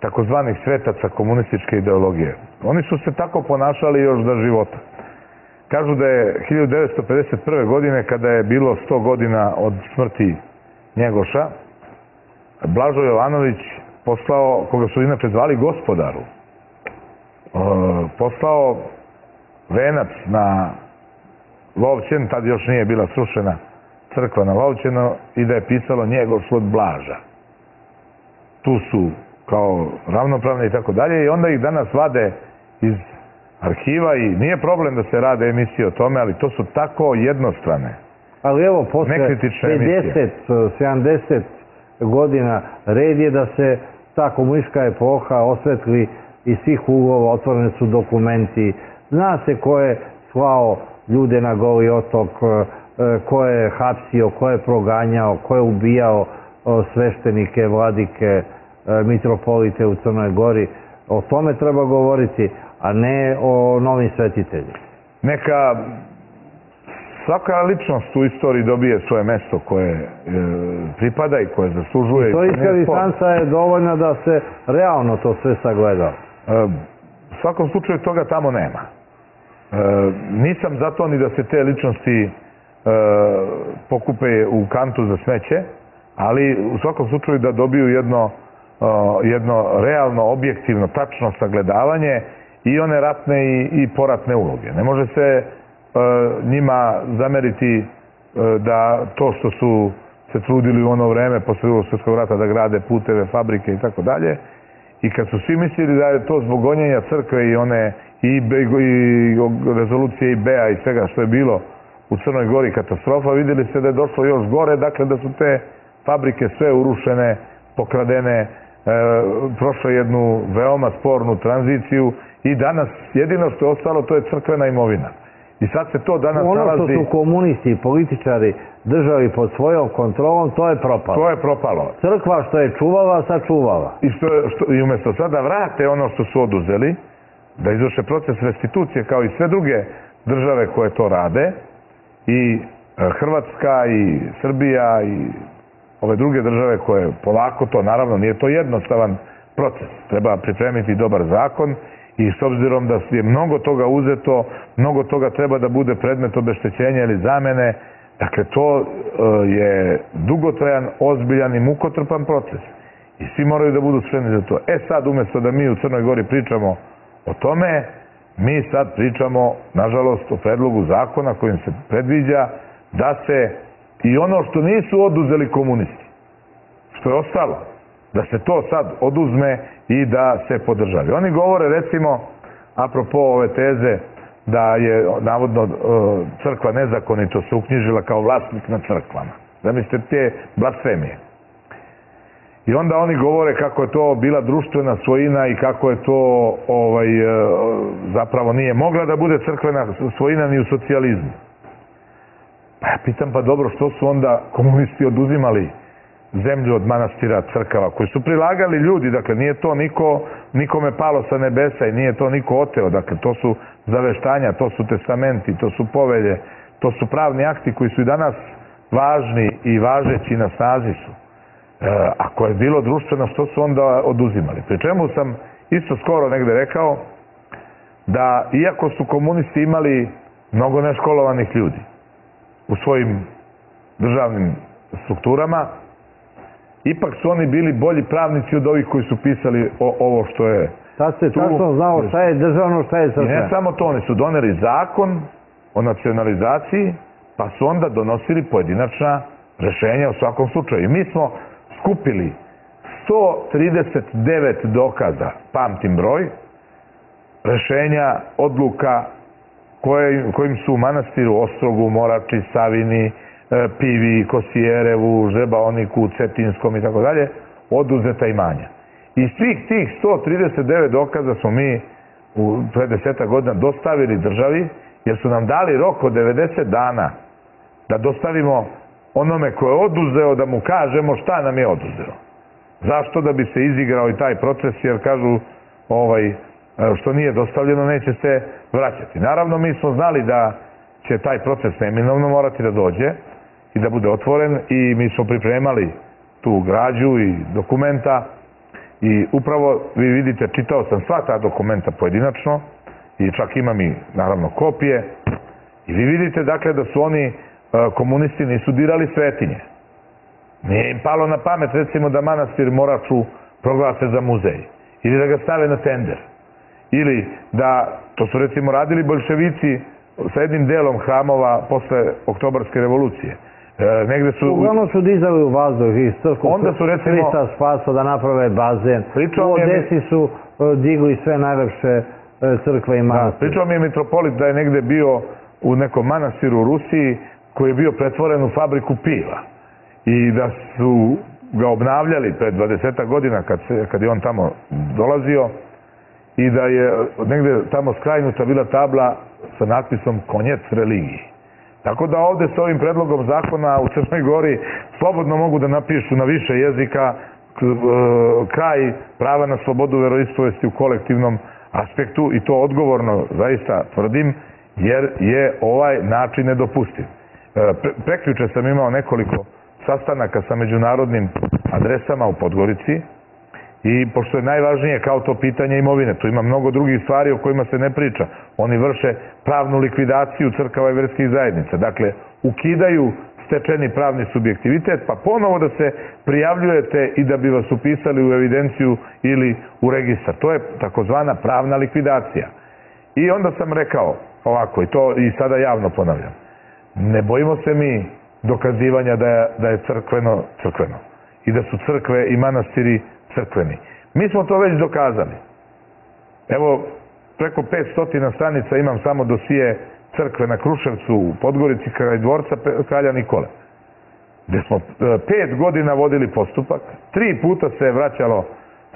takozvanih svetaca komunističke ideologije, oni su se tako ponašali još za života. Kažu da je 1951. godine, kada je bilo 100 godina od smrti Njegoša, Blažo Jovanović poslao, koga su inače zvali Gospodaru, poslao venac na Lovćen, tad još nije bila srušena crkva na Lovćenu, i da je pisalo Njegoš od Blaža. Tu su kao ravnopravni i tako dalje, i onda ih danas vade iz arhiva i nije problem da se rade emisije o tome, ali to su tako jednostrane. Ali evo, posle 50-70 godina red je da se ta komunistička epoha osvetli iz svih uglova, otvoreni su dokumenti, zna se ko je slao ljude na Goli otok, ko je hapsio, ko je proganjao, ko je ubijao sveštenike, vladike, mitropolite u Crnoj Gori. O tome treba govoriti, a ne o novim svetiteljima. Neka svaka ličnost u istoriji dobije svoje mesto koje pripada i koje zaslužuje. Istorijska distanca je dovoljna da se realno to sve sagleda. U svakom slučaju toga tamo nema. Nisam za to ni da se te ličnosti pokupe u kantu za smeće, ali u svakom slučaju da dobiju jedno realno, objektivno, tačno sagledavanje i one ratne i poratne uloge. Ne može se njima zameriti da to što su se trudili u ono vreme posle Drugog svjetskog rata da grade puteve, fabrike i tako dalje, i kad su svi mislili da je to zbog gonjenja crkve i one i rezolucije IB-a i svega što je bilo u Crnoj Gori katastrofa, vidjeli se da je došlo još gore, dakle da su te fabrike sve urušene, pokradene, prošle jednu veoma spornu tranziciju i danas jedino što je ostalo to je crkvena imovina. I sad se to danas nalazi... Ono što su komunisti i političari držali pod svojom kontrolom, to je propalo. To je propalo. Crkva što je čuvala, sačuvala. I umjesto sada vrate ono što su oduzeli, da izvrše proces restitucije kao i sve druge države koje to rade, i Hrvatska i Srbija i ove druge države koje polako to, naravno nije to jednostavan proces. Treba pripremiti dobar zakon i s obzirom da je mnogo toga uzeto, mnogo toga treba da bude predmet obeštećenja ili zamene. Dakle, to je dugotrajan, ozbiljan i mukotrpan proces. I svi moraju da budu spremni za to. Sad, umjesto da mi u Crnoj Gori pričamo o tome, mi sad pričamo, nažalost, o predlogu zakona kojim se predviđa da se i ono što nisu oduzeli komunisti, što je ostalo, da se to sad oduzme i da se podržavi. Oni govore, recimo, apropo ove teze da je navodno crkva nezakonito se uknjižila kao vlasnik na crkvama. Zamislite te blasfemije. I onda oni govore kako je to bila društvena svojina i kako je to zapravo nije mogla da bude crkvena svojina ni u socijalizmu. Pa ja pitam, pa dobro, što su onda komunisti oduzimali zemlju od manastira, crkava, koji su prilagali ljudi, dakle nije to nikome palo sa nebesa i nije to niko oteo, dakle to su zaveštanja, to su testamenti, to su povelje, to su pravni akti koji su i danas važni i važeći na snazi su. Ako je bilo društveno, što su onda oduzimali? Pri čemu sam isto skoro negde rekao da iako su komunisti imali mnogo neškolovanih ljudi u svojim državnim strukturama, ipak su oni bili bolji pravnici od ovih koji su pisali ovo što je... Sad se tačno znao šta je državno, šta je crkveno. I ne samo to, oni su doneli zakon o nacionalizaciji, pa su onda donosili pojedinačna rešenja u svakom slučaju. I mi smo skupili 139 dokaza, pamtim broj, rešenja, odluka kojim su u manastiru Ostrogu, Morači, Savini, Pivi, Kosijerevu, Žebaoniku, Cetinskom i tako dalje, oduzeta imanja. I svih tih 139 dokaza smo mi pre 10 godina dostavili državi, jer su nam dali rok od 90 dana da dostavimo onome ko je oduzeo, da mu kažemo šta nam je oduzeo. Zašto? Da bi se izigrao i taj proces, jer kažu što nije dostavljeno neće se vraćati. Naravno, mi smo znali da će taj proces neminovno morati da dođe i da bude otvoren i mi smo pripremali tu građu i dokumenta i upravo vi vidite, čitao sam sva ta dokumenta pojedinačno i čak imam i naravno kopije i vi vidite dakle da su oni komunisti nisu dirali svetinje. Nije im palo na pamet recimo da manastir Moraču proglase za muzej ili da ga stave na tender ili da, to su recimo radili boljševici sa jednim delom hramova posle Oktobarske revolucije. Negde su... Uglavnom su dizali u vazduh iz crkvu Hrista Spasa da naprave bazen. U Odesi su digli sve najlepše crkve i manastire. Pričao mi je mitropolit da je negde bio u nekom manastiru u Rusiji koji je bio pretvoren u fabriku piva i da su ga obnavljali pred 20 godina kad je on tamo dolazio i da je negde tamo skrajnuta bila tabla sa natpisom konjec religiji. Tako da ovde s ovim predlogom zakona u Crnoj Gori slobodno mogu da napišu na više jezika kraj prava na slobodu veroispovesti u kolektivnom aspektu i to odgovorno zaista tvrdim jer je ovaj način nedopustiv. Prekjuče sam imao nekoliko sastanaka sa međunarodnim adresama u Podgorici i pošto je najvažnije kao to pitanje imovine, tu ima mnogo drugih stvari o kojima se ne priča. Oni vrše pravnu likvidaciju crkava i verskih zajednica. Dakle, ukidaju stečeni pravni subjektivitet, pa ponovo da se prijavljujete i da bi vas upisali u evidenciju ili u registar. To je takozvana pravna likvidacija. I onda sam rekao ovako, i to i sada javno ponavljam, ne bojimo se mi dokazivanja da je crkveno i da su crkve i manastiri crkveni. Mi smo to već dokazali. Evo, preko 500 stranica imam samo dosije crkve na Kruševcu u Podgorici kraj dvorca kralja Nikole, gde smo 5 godina vodili postupak, 3 puta se je vraćalo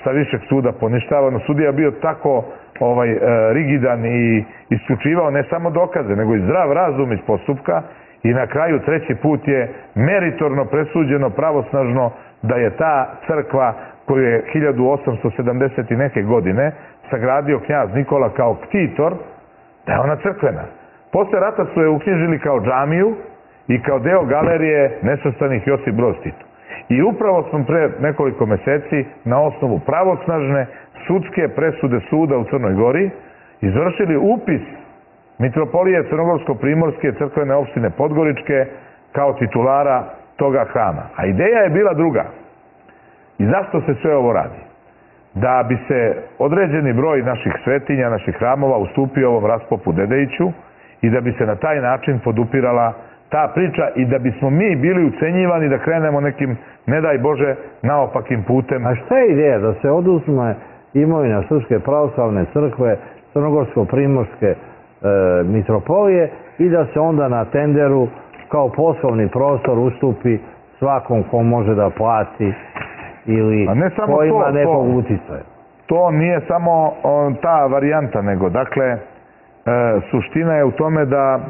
sa višeg suda poništavano. Sudija bio tako rigidan i isključivao ne samo dokaze, nego i zdrav razum iz postupka i na kraju 3. put je meritorno presuđeno pravosnažno da je ta crkva koju je 1870 i neke godine sagradio knjaz Nikola kao ktitor, da je ona crkvena. Posle rata su je uknjižili kao džamiju i kao deo galerije nesvrstanih Josip Broz Tito. I upravo smo pre nekoliko meseci na osnovu pravosnažne sudske presude suda u Crnoj Gori izvršili upis mitropolije Crnogorsko-Primorske crkvene opštine Podgoričke kao titulara toga hrama. A ideja je bila druga. I zašto se sve ovo radi? Da bi se određeni broj naših svetinja, naših hramova ustupio ovom Raspopu Dedejiću i da bi se na taj način podupirala ta priča i da bismo mi bili ucenjivani da krenemo nekim, ne daj Bože, naopakim putem. A šta je ideja? Da se oduzme imovina Srpske pravoslavne crkve, Crnogorsko-Primorske mitropolije i da se onda na tenderu kao poslovni prostor ustupi svakom ko može da plati ili ko ima nekog uticaja. To nije samo ta varijanta, nego dakle suština je u tome da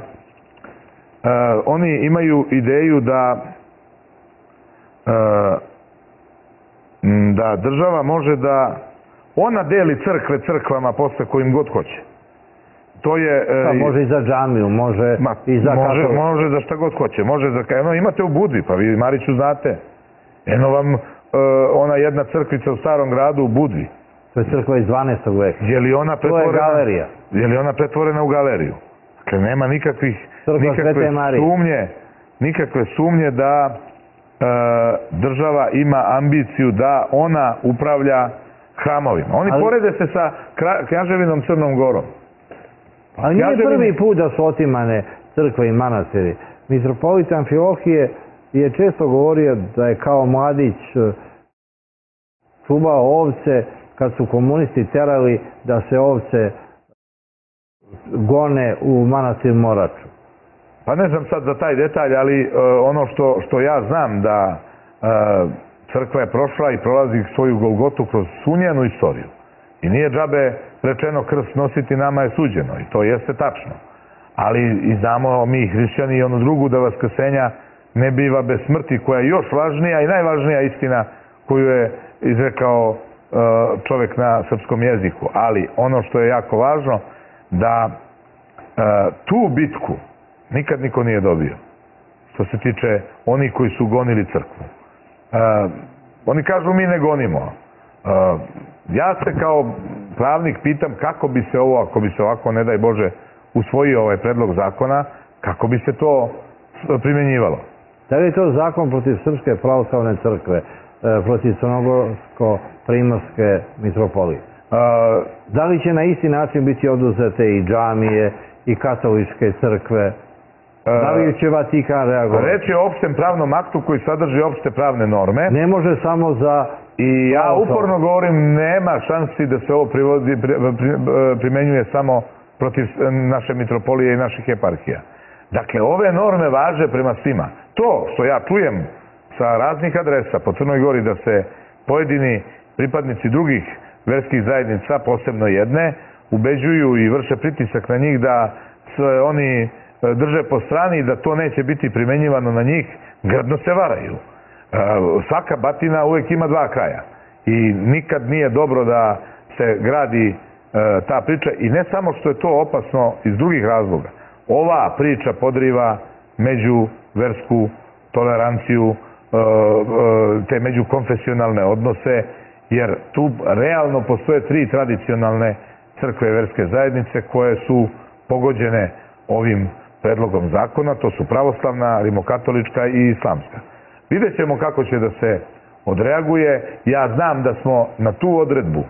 oni imaju ideju da država može da ona deli crkve crkvama posle kojim god hoće. To je... Može i za džamiju, može i za katoliku. Može za šta god hoće. Imate u Budvi, pa vi Mariću znate. Eno vam ona jedna crkvica u Starom gradu u Budvi. To je crkva iz 12. veka. To je galerija. Je li ona pretvorena u galeriju? Dakle, nema nikakve sumnje da država ima ambiciju da ona upravlja hramovima. Oni porede se sa Kneževinom Crnom Gorom. Ali nije prvi put da su otimane crkve i manastiri. Mitropolit Amfilohije je često govorio da je kao mladić čuvao ovce kad su komunisti terali da se ovce gone u manastir Moraču. Pa ne znam sad za taj detalj, ali ono što ja znam da crkva je prošla i prolazi svoju Golgotu kroz svu njenu istoriju. I nije džabe rečeno krst nositi nama je suđeno i to jeste tačno. Ali i znamo mi hrišćani i onu drugu da vaskrsenja ne biva bez smrti, koja je još važnija i najvažnija istina koju je izrekao čovek na srpskom jeziku. Ali ono što je jako važno, da tu bitku nikad niko nije dobio. Što se tiče onih koji su gonili crkvu. Oni kažu mi ne gonimo. Ja se kao pravnik pitam kako bi se ovo, ako bi se ovako, ne daj Bože, usvojio ovaj predlog zakona, kako bi se to primjenjivalo. Da li je to zakon protiv Srpske pravoslavne crkve, protiv Crnogorsko-Primorske mitropolije? Da li će na isti način biti oduzete i džamije i katoličke crkve? Da li će Vatikan reagovati? Reč je o opštem pravnom aktu koji sadrži opšte pravne norme. Ne može samo za... I ja uporno govorim, nema šansi da se ovo primenjuje samo protiv naše mitropolije i naših eparhija. Dakle, ove norme važe prema svima. To što ja čujem sa raznih adresa po Crnoj Gori da se pojedini pripadnici drugih verskih zajednica, posebno jedne, ubeđuju i vrše pritisak na njih da se oni drže po strani i da to neće biti primenjivano na njih, grdno se varaju. Svaka batina uvek ima dva kraja i nikad nije dobro da se gradi ta priča i ne samo što je to opasno iz drugih razloga. Ova priča podriva međuversku toleranciju, te međukonfesionalne odnose, jer tu realno postoje tri tradicionalne crkve verske zajednice koje su pogođene ovim predlogom zakona, to su pravoslavna, rimokatolička i islamska. Vidjet ćemo kako će da se odreaguje. Ja znam da smo na tu odredbu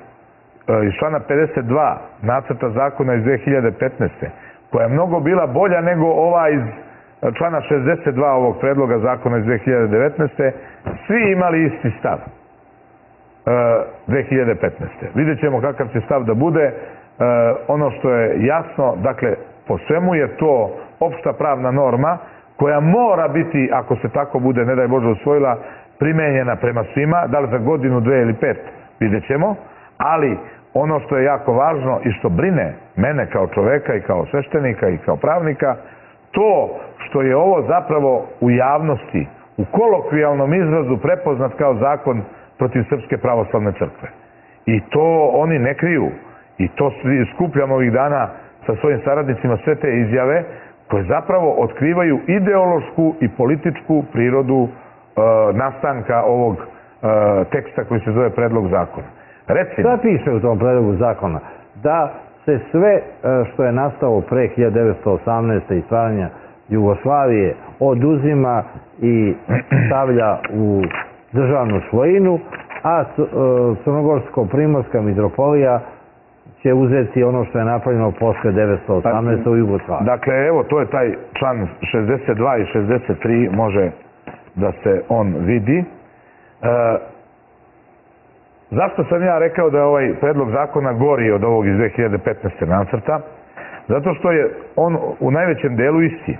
iz člana 52 nacrta zakona iz 2015. koja je mnogo bila bolja nego ova iz člana 62 ovog predloga zakona iz 2019. svi imali isti stav 2015. Vidjet ćemo kakav će stav da bude. Ono što je jasno, dakle, po svemu je to opšta pravna norma koja mora biti, ako se tako bude, ne daj Bože, usvojila, primenjena prema svima, da li za godinu, 2 ili 5, vidjet ćemo, ali ono što je jako važno i što brine mene kao čoveka i kao sveštenika i kao pravnika, to što je ovo zapravo u javnosti, u kolokvijalnom izrazu prepoznat kao zakon protiv Srpske pravoslavne crkve. I to oni ne kriju. I to skupljamo ovih dana sa svojim saradnicima sve te izjave koje zapravo otkrivaju ideološku i političku prirodu nastanka ovog teksta koji se zove predlog zakona. Šta piše u tom predlogu zakona? Da se sve što je nastalo pre 1918. i stvaranja Jugoslavije oduzima i stavlja u državnu svojinu, a Crnogorsko-Primorska mitropolija će uzeti ono što je napravljeno posle 1918. u Jugoslaviji. Dakle, evo, to je taj član 62 i 63, može da se on vidi. Zašto sam ja rekao da je ovaj predlog zakona gori od ovog iz 2015. nacrta? Zato što je on u najvećem delu isti.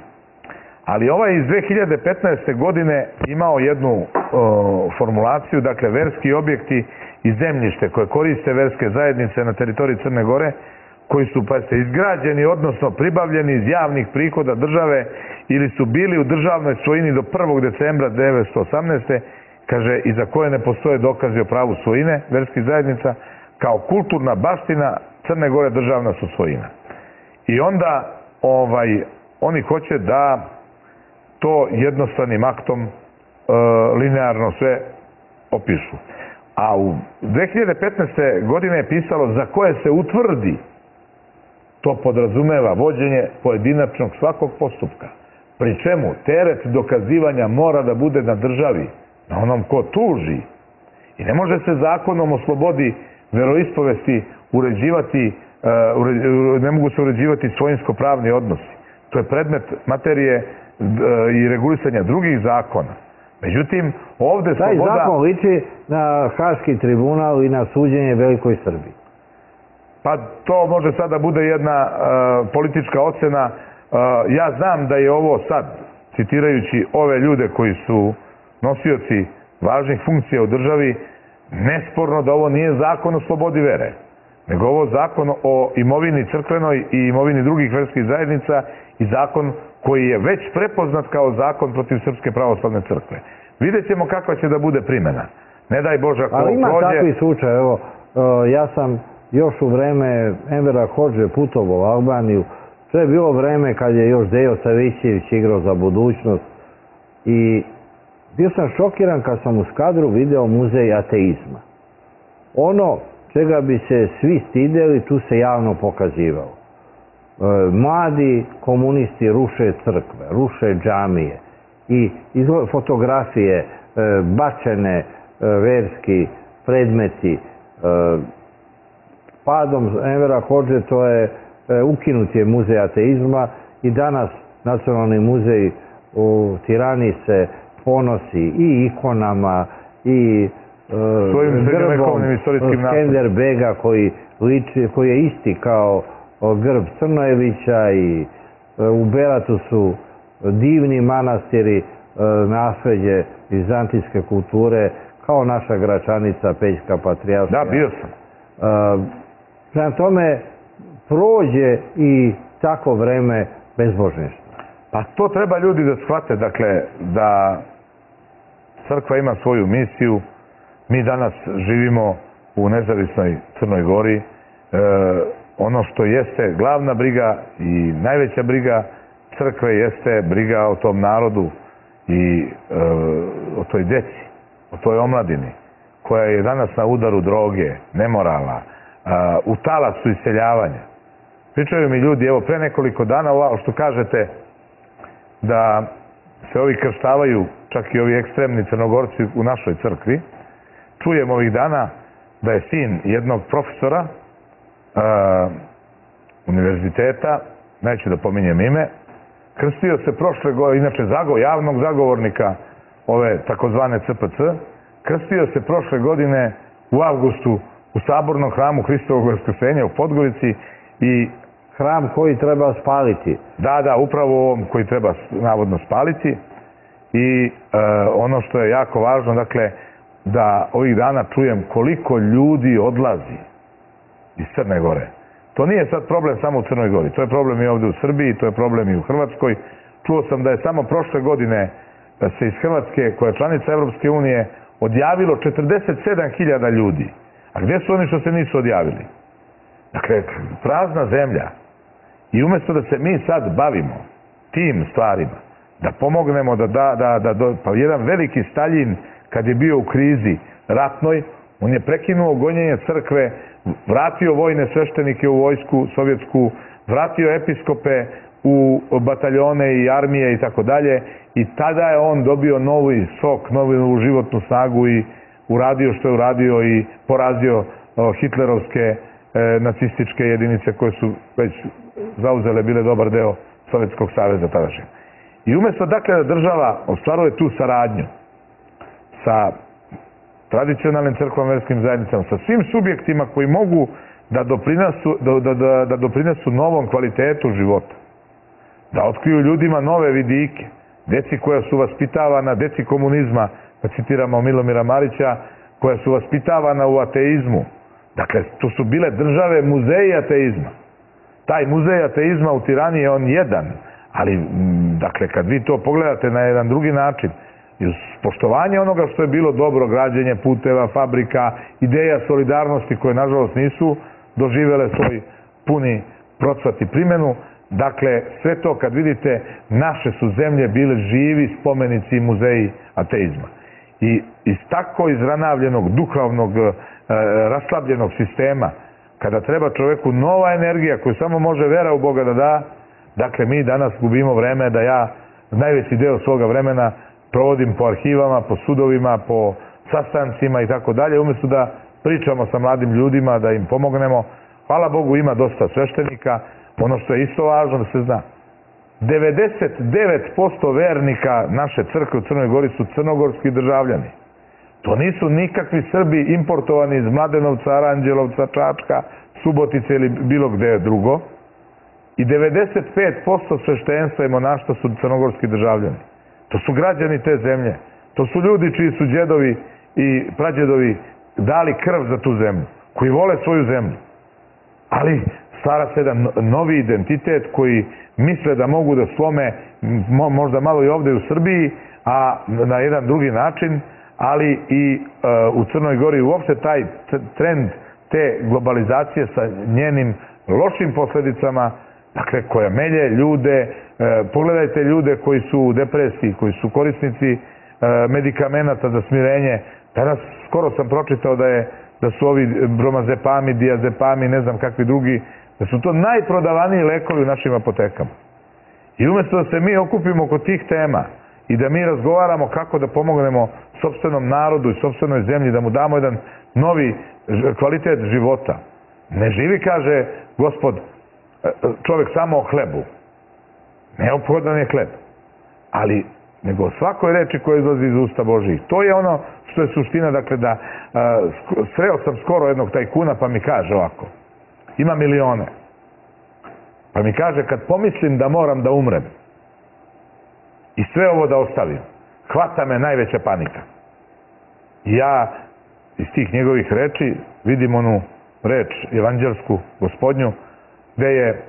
Ali ovaj iz 2015. godine imao jednu formulaciju, dakle, verski objekti i zemljište koje koriste verske zajednice na teritoriji Crne Gore, koji su, pa se izgrađeni, odnosno pribavljeni iz javnih prihoda države ili su bili u državnoj svojini do 1. decembra 1918. kaže, i za koje ne postoje dokazi o pravu svojine verskih zajednica, kao kulturna baština Crne Gore državna su svojina. I onda oni hoće da to jednostavnim aktom linearno sve opišu. A u 2015. godine je pisalo za koje se utvrdi, to podrazumeva vođenje pojedinačnog svakog postupka. Pri čemu teret dokazivanja mora da bude na državi, na onom ko tuži. I ne može se zakonom o slobodi veroispovesti uređivati, ne mogu se uređivati svojinsko-pravni odnosi. To je predmet materije i regulisanja drugih zakona. Međutim, ovde sloboda... Taj zakon liči na Haški tribunal i na suđenje Velikoj Srbiji. Pa to može sad da bude jedna politička ocena. Ja znam da je ovo sad, citirajući ove ljude koji su nosioci važnih funkcija u državi, nesporno da ovo nije zakon o slobodi vere, nego ovo zakon o imovini crkvenoj i imovini drugih verskih zajednica i zakon koji je već prepoznat kao zakon protiv Srpske pravoslavne crkve. Vidjet ćemo kakva će da bude primjena. Ne daj Bože ako ali ima prođe... takvi slučaj, evo, ja sam još u vreme Envera Hodže putovao u Albaniju To je bilo vreme kad je još Dejo Savićević igrao za budućnost i bio sam šokiran kad sam u Skadru video muzej ateizma. Ono čega bi se svi stideli, tu se javno pokazivalo. Mladi komunisti ruše crkve, ruše džamije i fotografije, bačene verski predmeti. Padom Envera Hodže to je ukinut je muzej ateizma i danas Nacionalni muzej u Tirani se ponosi i ikonama i grbom Skenderbega koji je isti kao grb Crnojevića i u Beratu su divni manastiri, nasleđe vizantijske kulture kao naša Gračanica, Pećka Patrijaršija. Da, bio sam. Prema tome prođe i tako vreme bezbožništva. Pa to treba ljudi da shvate, dakle, da crkva ima svoju misiju. Mi danas živimo u nezavisnoj Crnoj Gori. Ono što jeste glavna briga i najveća briga crkve jeste briga o tom narodu i o toj deci, o toj omladini koja je danas na udaru droge, nemorala, u talasu iseljavanja. Pričaju mi ljudi, evo pre nekoliko dana, ovo što kažete da se ovi krštavaju, čak i ovi ekstremni Crnogorci u našoj crkvi, čujem ovih dana da je sin jednog profesora univerziteta, neću da pominjem ime, krstio se prošle godine, inače javnog zagovornika ove takozvane CPC, krstio se prošle godine u avgustu u Sabornom hramu Hristovog Vaskrsenja u Podgorici i hram koji treba spaliti. Da, upravo ovom koji treba navodno spaliti i ono što je jako važno, dakle, da ovih dana čujem koliko ljudi odlazi iz Crne Gore. To nije sad problem samo u Crnoj Gori, to je problem i ovde u Srbiji, to je problem i u Hrvatskoj. Čuo sam da je samo prošle godine da se iz Hrvatske, koja je članica Evropske unije, odjavilo 47.000 ljudi. A gdje su oni što se nisu odjavili? Dakle, prazna zemlja. I umjesto da se mi sad bavimo tim stvarima, da pomognemo, pa jedan veliki Staljin kad je bio u krizi ratnoj, on je prekinuo gonjenje crkve, vratio vojne sveštenike u vojsku sovjetsku, vratio episkope u bataljone i armije i tako dalje, i tada je on dobio novi sok, novu životnu snagu i uradio što je uradio i porazio hitlerovske nacističke jedinice koje su već zauzele bile dobar deo Sovjetskog saveza tadašnjeg. I umjesto dakle da država ostvaruje tu saradnju sa tradicionalnim crkvama, verskim zajednicama, sa svim subjektima koji mogu da doprinesu novom kvalitetu života, da otkriju ljudima nove vidike, deci koja su vaspitavana, deci komunizma, da citiramo Milomira Marića, koja su vaspitavana u ateizmu. Dakle, to su bile države muzeji ateizma. Taj muzej ateizma u Tirani je on jedan, ali, dakle, kad vi to pogledate na jedan drugi način, i uz poštovanje onoga što je bilo dobro, građenje puteva, fabrika, ideja solidarnosti koje, nažalost, nisu doživele svoj puni procvat i primjenu, dakle, sve to kad vidite, naše su zemlje bile živi spomenici i muzeji ateizma. I iz tako izranavljenog, duhovnog, raslabljenog sistema, kada treba čoveku nova energija koju samo može vera u Boga da da, dakle, mi danas gubimo vreme da ja najveći deo svoga vremena provodim po arhivama, po sudovima, po sastancima i tako dalje, umjesto da pričamo sa mladim ljudima, da im pomognemo. Hvala Bogu, ima dosta sveštenika. Ono što je isto važno da se zna, 99% vernika naše crkve u Crnoj Gori su crnogorski državljani. To nisu nikakvi Srbi importovani iz Mladenovca, Aranđelovca, Čačka, Subotice ili bilo gde drugo. I 95% sveštenstva i monaštva su crnogorski državljani. To su građani te zemlje. To su ljudi čiji su djedovi i prađedovi dali krv za tu zemlju, koji vole svoju zemlju. Ali stvara se jedan novi identitet koji misle da mogu da slome možda malo i ovde u Srbiji, a na jedan drugi način, ali i u Crnoj Gori uopšte taj trend te globalizacije sa njenim lošim posledicama Dakle, koja melje ljude, pogledajte ljude koji su u depresiji, koji su korisnici medikamenata za smirenje. Danas skoro sam pročitao da su ovi bromazepami, diazepami, ne znam kakvi drugi, da su to najprodavaniji lekovi u našim apotekama. I umjesto da se mi okupimo oko tih tema i da mi razgovaramo kako da pomognemo sopstvenom narodu i sopstvenoj zemlji, da mu damo jedan novi kvalitet života. Ne živi, kaže Gospod, čovjek samo o hlebu. Neophodan je hleb. Ali, nego o svakoj reči koja izlazi iz usta Božih. To je ono što je suština, dakle, da sreo sam skoro jednog tajkuna pa mi kaže ovako, ima milione. Pa mi kaže, kad pomislim da moram da umrem i sve ovo da ostavim, hvata me najveća panika. I ja iz tih njegovih reči vidim onu reč evanđelsku, Gospodnju, gde je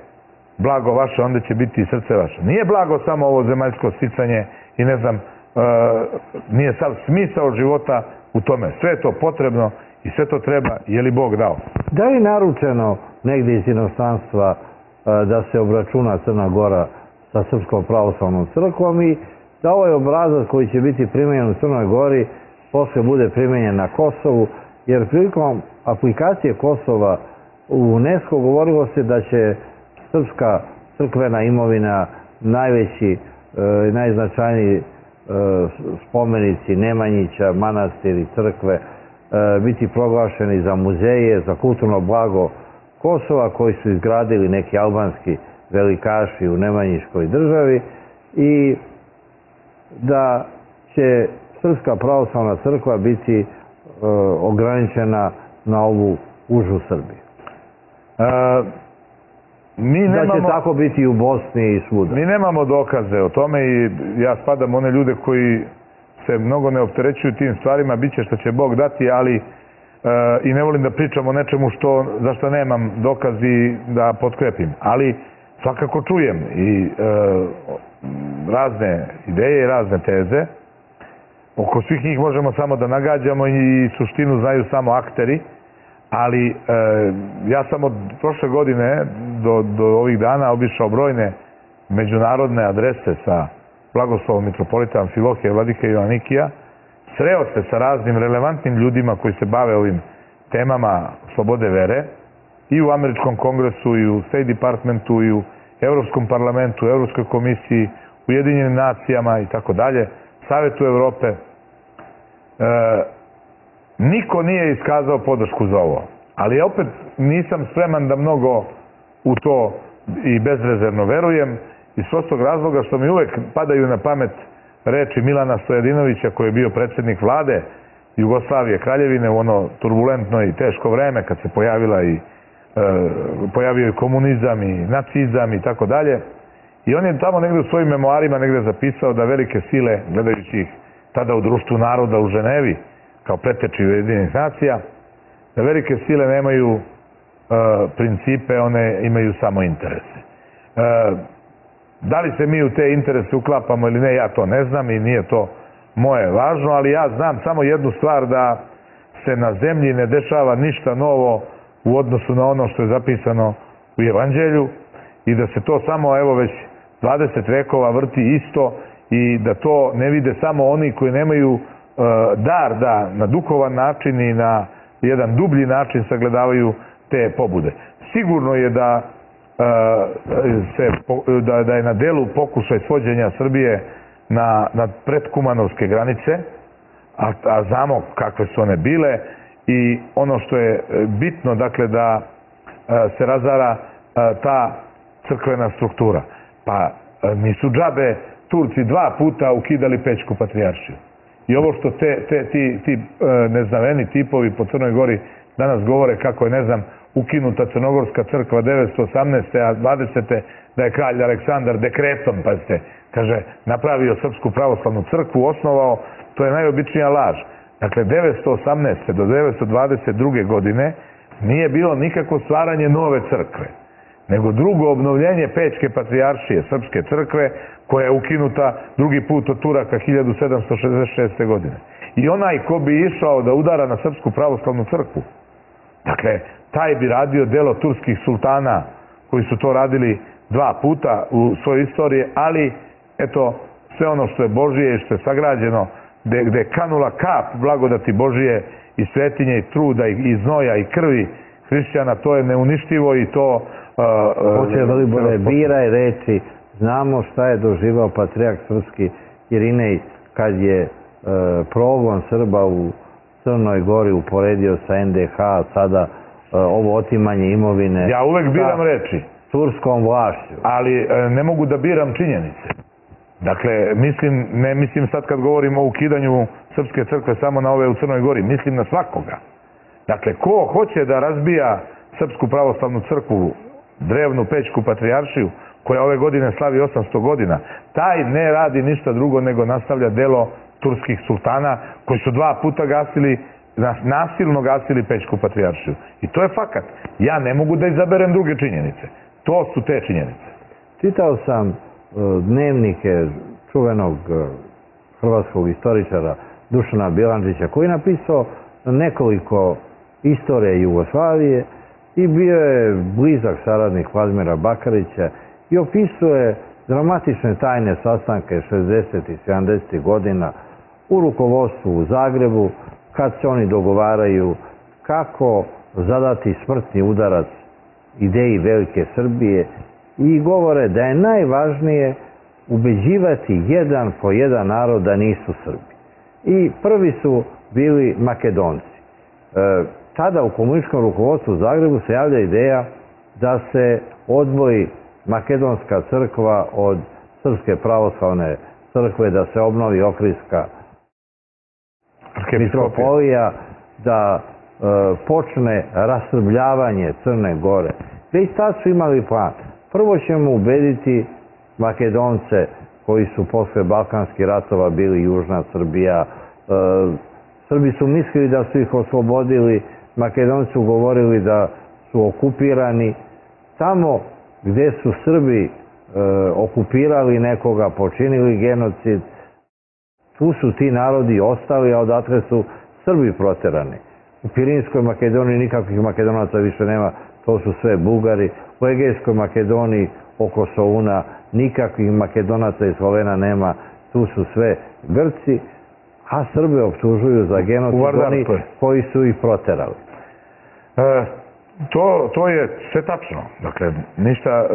blago vaše, onda će biti i srce vaše. Nije blago samo ovo zemaljsko sticanje i ne znam, nije sav smisao života u tome. Sve je to potrebno i sve to treba, je li Bog dao. Da li naručeno negdje iz inostranstva da se obračuna Crna Gora sa Srpskom pravoslavnom crkvom i da ovaj obrazac koji će biti primenjen u Crnoj Gori posle bude primenjen na Kosovu, jer prilikom aplikacije Kosova u UNESCO govorilo se da će srpska crkvena imovina, najveći, najznačajniji spomenici Nemanjića, manastiri, crkve, biti proglašeni za muzeje, za kulturno blago Kosova koji su izgradili neki albanski velikaši u Nemanjiškoj državi i da će Srpska pravoslavna crkva biti ograničena na ovu užu Srbiju. Da će tako biti i u Bosni i svuda. Mi nemamo dokaze o tome i ja spadam one ljude koji se mnogo ne opterećuju tim stvarima, bit će što će Bog dati, ali i ne volim da pričam o nečemu za što nemam dokazi da potkrepim. Ali svakako čujem i razne ideje i razne teze. Oko svih njih možemo samo da nagađamo i suštinu znaju samo akteri. Ali ja sam od prošle godine do ovih dana obišao brojne međunarodne adrese sa blagoslovom mitropolita Amfilohija, vladike Joanikija. Sreo se sa raznim relevantnim ljudima koji se bave ovim temama slobode vere i u Američkom kongresu, i u State Departmentu, i u Evropskom parlamentu, u Evropskoj komisiji, u Ujedinjenim nacijama i tako dalje, Savetu Evrope. Niko nije iskazao podršku za ovo, ali ja opet nisam spreman da mnogo u to i bezrezervno verujem, iz prostog razloga što mi uvek padaju na pamet reči Milana Stojadinovića, koji je bio predsjednik vlade Jugoslavije, Kraljevine, u ono turbulentno i teško vreme kad se pojavio i komunizam i nacizam i tako dalje. I on je tamo negde u svojim memoarima negde zapisao da velike sile, gledajući ih tada u Društvu naroda u Ženevi, kao preteči Ujedinjenih nacija, da velike sile nemaju principe, one imaju samo interese. Da li se mi u te interese uklapamo ili ne, ja to ne znam i nije to moje važno, ali ja znam samo jednu stvar, da se na zemlji ne dešava ništa novo u odnosu na ono što je zapisano u Evanđelju i da se to samo, evo, već 20 vekova vrti isto i da to ne vide samo oni koji nemaju dar da na duhovan način i na jedan dublji način sagledavaju te pobude. Sigurno je da je na delu pokušaj svođenja Srbije na predkumanovske granice, a znamo kakve su one bile, i ono što je bitno, dakle, da se razara ta crkvena struktura. Pa nisu džabe Turci 2 puta ukidali Pećku patrijaršiju. I ovo što ti neznaveni tipovi po Crnoj Gori danas govore kako je, ne znam, ukinuta Crnogorska crkva 918. a 20. da je kralj Aleksandar dekretom, pazite, kaže, napravio Srpsku pravoslavnu crkvu, osnovao, to je najobičnija laž. Dakle, 918. do 922. godine nije bilo nikakvo stvaranje nove crkve, nego drugo obnovljenje Pećke patrijaršije, Srpske crkve, koja je ukinuta drugi put od Turaka 1766. godine. I onaj ko bi išao da udara na Srpsku pravoslavnu crkvu, dakle, taj bi radio delo turskih sultana koji su to radili 2 puta u svojoj istoriji, ali eto, sve ono što je Božije i što je sagrađeno, gde je kanula kap blagodati Božije i svetinje i truda i znoja i krvi hrišćana, to je neuništivo i to... Hoće Velibore, biraj reči, znamo šta je doživao patrijarh srpski Irinej kad je progon Srba u Crnoj Gori uporedio sa NDH, sada ovo otimanje imovine... Ja uvek biram reči. Turskom vlašću. Ali ne mogu da biram činjenice. Dakle, ne mislim sad kad govorimo o ukidanju Srpske crkve samo na ove u Crnoj Gori, mislim na svakoga. Dakle, ko hoće da razbija Srpsku pravoslavnu crkvu, drevnu Pećku patrijaršiju, koja ove godine slavi 800 godina, taj ne radi ništa drugo nego nastavlja delo turskih sultana koji su 2 puta nasilno gasili Pećku patrijaršiju. I to je fakat. Ja ne mogu da izaberem druge činjenice. To su te činjenice. Čitao sam dnevnike čuvenog hrvatskog istoričara Dušana Bjelančića, koji je napisao nekoliko istorije Jugoslavije i bio je blizak saradnik Vladimira Bakarića i opisuje dramatične tajne sastanke 60. i 70. godina u rukovodstvu u Zagrebu, kad se oni dogovaraju kako zadati smrtni udarac ideji Velike Srbije i govore da je najvažnije ubeđivati jedan po jedan narod da nisu Srbi. I prvi su bili Makedonci. Tada u komunističkom rukovodstvu u Zagrebu se javlja ideja da se odvoji Makedonska crkva od Srpske pravoslavne crkve, da se obnovi Ohridska mitropolija, da počne rasrbljavanje Crne Gore. Već tad su imali plan. Prvo ćemo ubediti Makedonce koji su posle Balkanskih ratova bili Južna Srbija. Srbi su mislili da su ih oslobodili, Makedonci su govorili da su okupirani. Tamo gde su Srbi okupirali nekoga, počinili genocid, tu su ti narodi ostali, a odatle su Srbi proterani. U Pirinskoj Makedoniji nikakvih Makedonaca više nema, to su sve Bugari. U Egejskoj Makedoniji oko Soluna nikakvih Makedonaca i Slovena nema, tu su sve Grci, a Srbe optužuju za genocid oni koji su ih proterali. To je sve tačno. Dakle,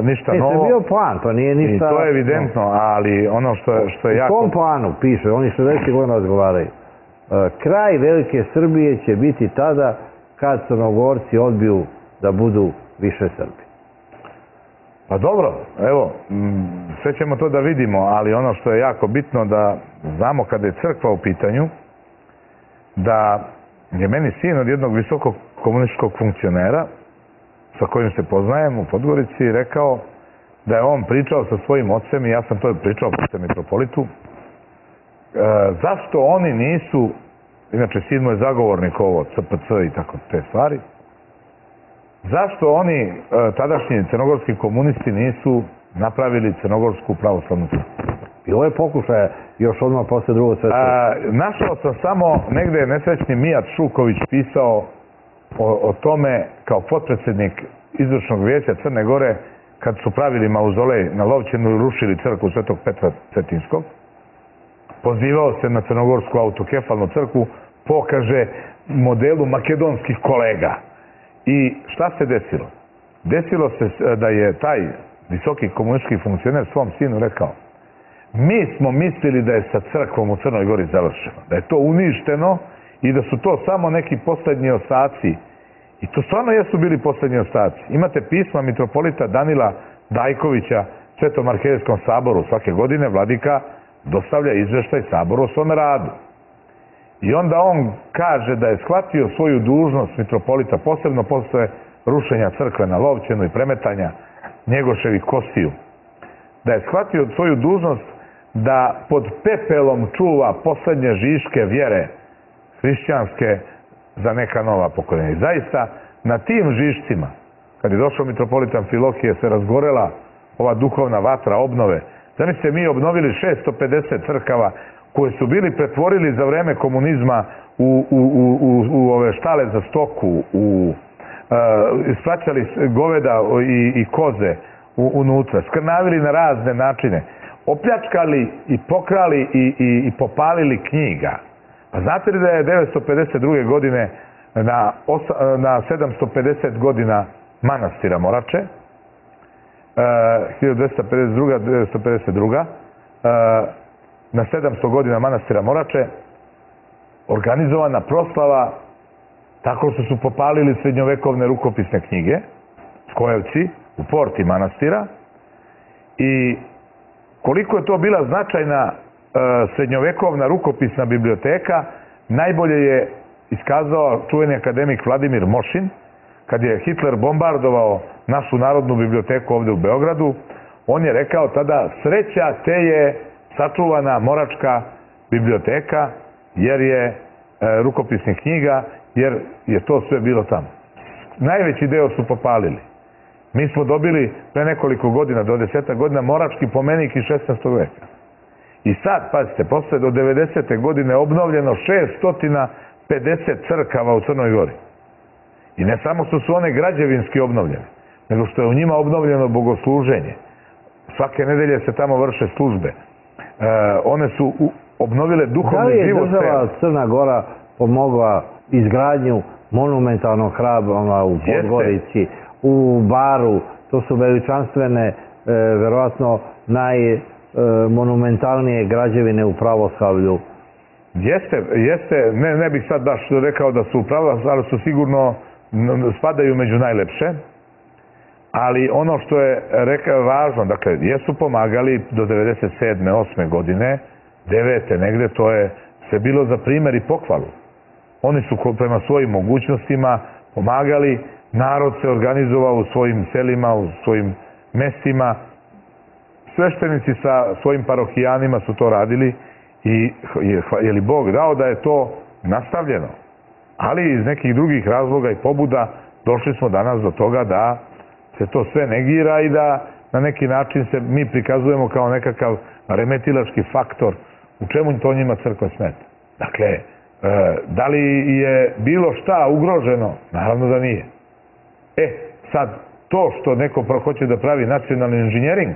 ništa novo. To je bio plan, to nije ništa... I to je evidentno, ali ono što je jako... U kom planu piše, oni 60 godina razgovaraju. Kraj Velike Srbije će biti tada kad Crnogorci odbiju da budu više Srbi. Pa dobro, evo, sve ćemo to da vidimo, ali ono što je jako bitno da znamo kada je crkva u pitanju, da je meni sin od jednog visokog komunističkog funkcionera sa kojim se poznajem u Podgorici rekao da je on pričao sa svojim ocem i ja sam to pričao sa mitropolitu, zašto oni nisu, inače sin mu je zagovornik ovo, CPC i tako te stvari, zašto oni, tadašnji crnogorski komunisti, nisu napravili Crnogorsku pravoslavnu crkvu? Bilo je pokušaja još odmah posle Drugog svetskog. Našao sam samo, negde je nesrećni Mijat Šuković pisao o tome kao potpredsednik izvršnog vijeća Crne Gore kad su pravili mauzolej na Lovćenu i rušili crkvu Svetog Petra Cetinskog. Pozivao se na Crnogorsku autokefalnu crkvu, pokaže modelu makedonskih kolega. I šta se desilo? Desilo se da je taj visoki komunistički funkcioner svom sinu rekao: mi smo mislili da je sa crkvom u Crnoj Gori završeno, da je to uništeno i da su to samo neki poslednji ostaci. I to stvarno jesu bili poslednji ostaci. Imate pisma mitropolita Danila Dajkovića Svetom arhijejskom saboru. Svake godine vladika dostavlja izveštaj saboru o svome radu. I onda on kaže da je shvatio svoju dužnost mitropolita, posebno posle rušenja crkve na Lovćenu i premetanja Njegoševih kostiju, da je shvatio svoju dužnost da pod pepelom čuva poslednje žiške vjere hrišćanske za neka nova pokoljenja. I zaista na tim žišcima, kad je došao mitropolitan Filohije, se razgorela ova duhovna vatra obnove. Zamislite, mi obnovili 650 crkava koje su bili pretvorili za vreme komunizma u ove štale za stoku, ispraćali goveda i koze, unutra, skrnavili na razne načine, opljačkali i pokrali i popalili knjiga. Pa znate li da je 952. godine na 750 godina manastira Morače, 1252. Na 700 godina manastira Morače organizovana proslava tako što su popalili srednjovekovne rukopisne knjige, Skojevci, u porti manastira, i koliko je to bila značajna srednjovekovna rukopisna biblioteka, najbolje je iskazao čuveni akademik Vladimir Mošin, kad je Hitler bombardovao našu Narodnu biblioteku ovde u Beogradu. On je rekao tada: sreća te je sačuvana Moračka biblioteka, jer je rukopisnih knjiga, jer je to sve bilo tamo. Najveći deo su popalili. Mi smo dobili pre nekoliko godina, do 10 godina, Morački pomenik iz 16. veka. I sad, pazite, posle do 90. godine obnovljeno 650 crkava u Crnoj Gori. I ne samo što su one građevinski obnovljene, nego što je u njima obnovljeno bogosluženje. Svake nedelje se tamo vrše službe. One su obnovile duhovni život. Da li je država Crna Gora pomogla izgradnju monumentalnog hrama u Podgorici, u Baru? To su veličanstvene, verovatno najmonumentalnije građevine u pravoslavlju. Jeste, ne bih sad baš rekao da su u pravoslavlju, ali su sigurno spadaju među najlepše. Ali ono što je važno, dakle, jesu pomagali do 97. 8. godine, 9. negde, to je sve bilo za primer i pohvalu. Oni su prema svojim mogućnostima pomagali, narod se organizovao u svojim selima, u svojim mestima, sveštenici sa svojim parohijanima su to radili i je li Bog dao da je to nastavljeno. Ali iz nekih drugih razloga i pobuda došli smo danas do toga da se to sve negira i da na neki način se mi prikazujemo kao nekakav remetilački faktor. U čemu to njima crkva smeta? Dakle, da li je bilo šta ugroženo? Naravno da nije. Sad, to što neko hoće da pravi nacionalni inženjering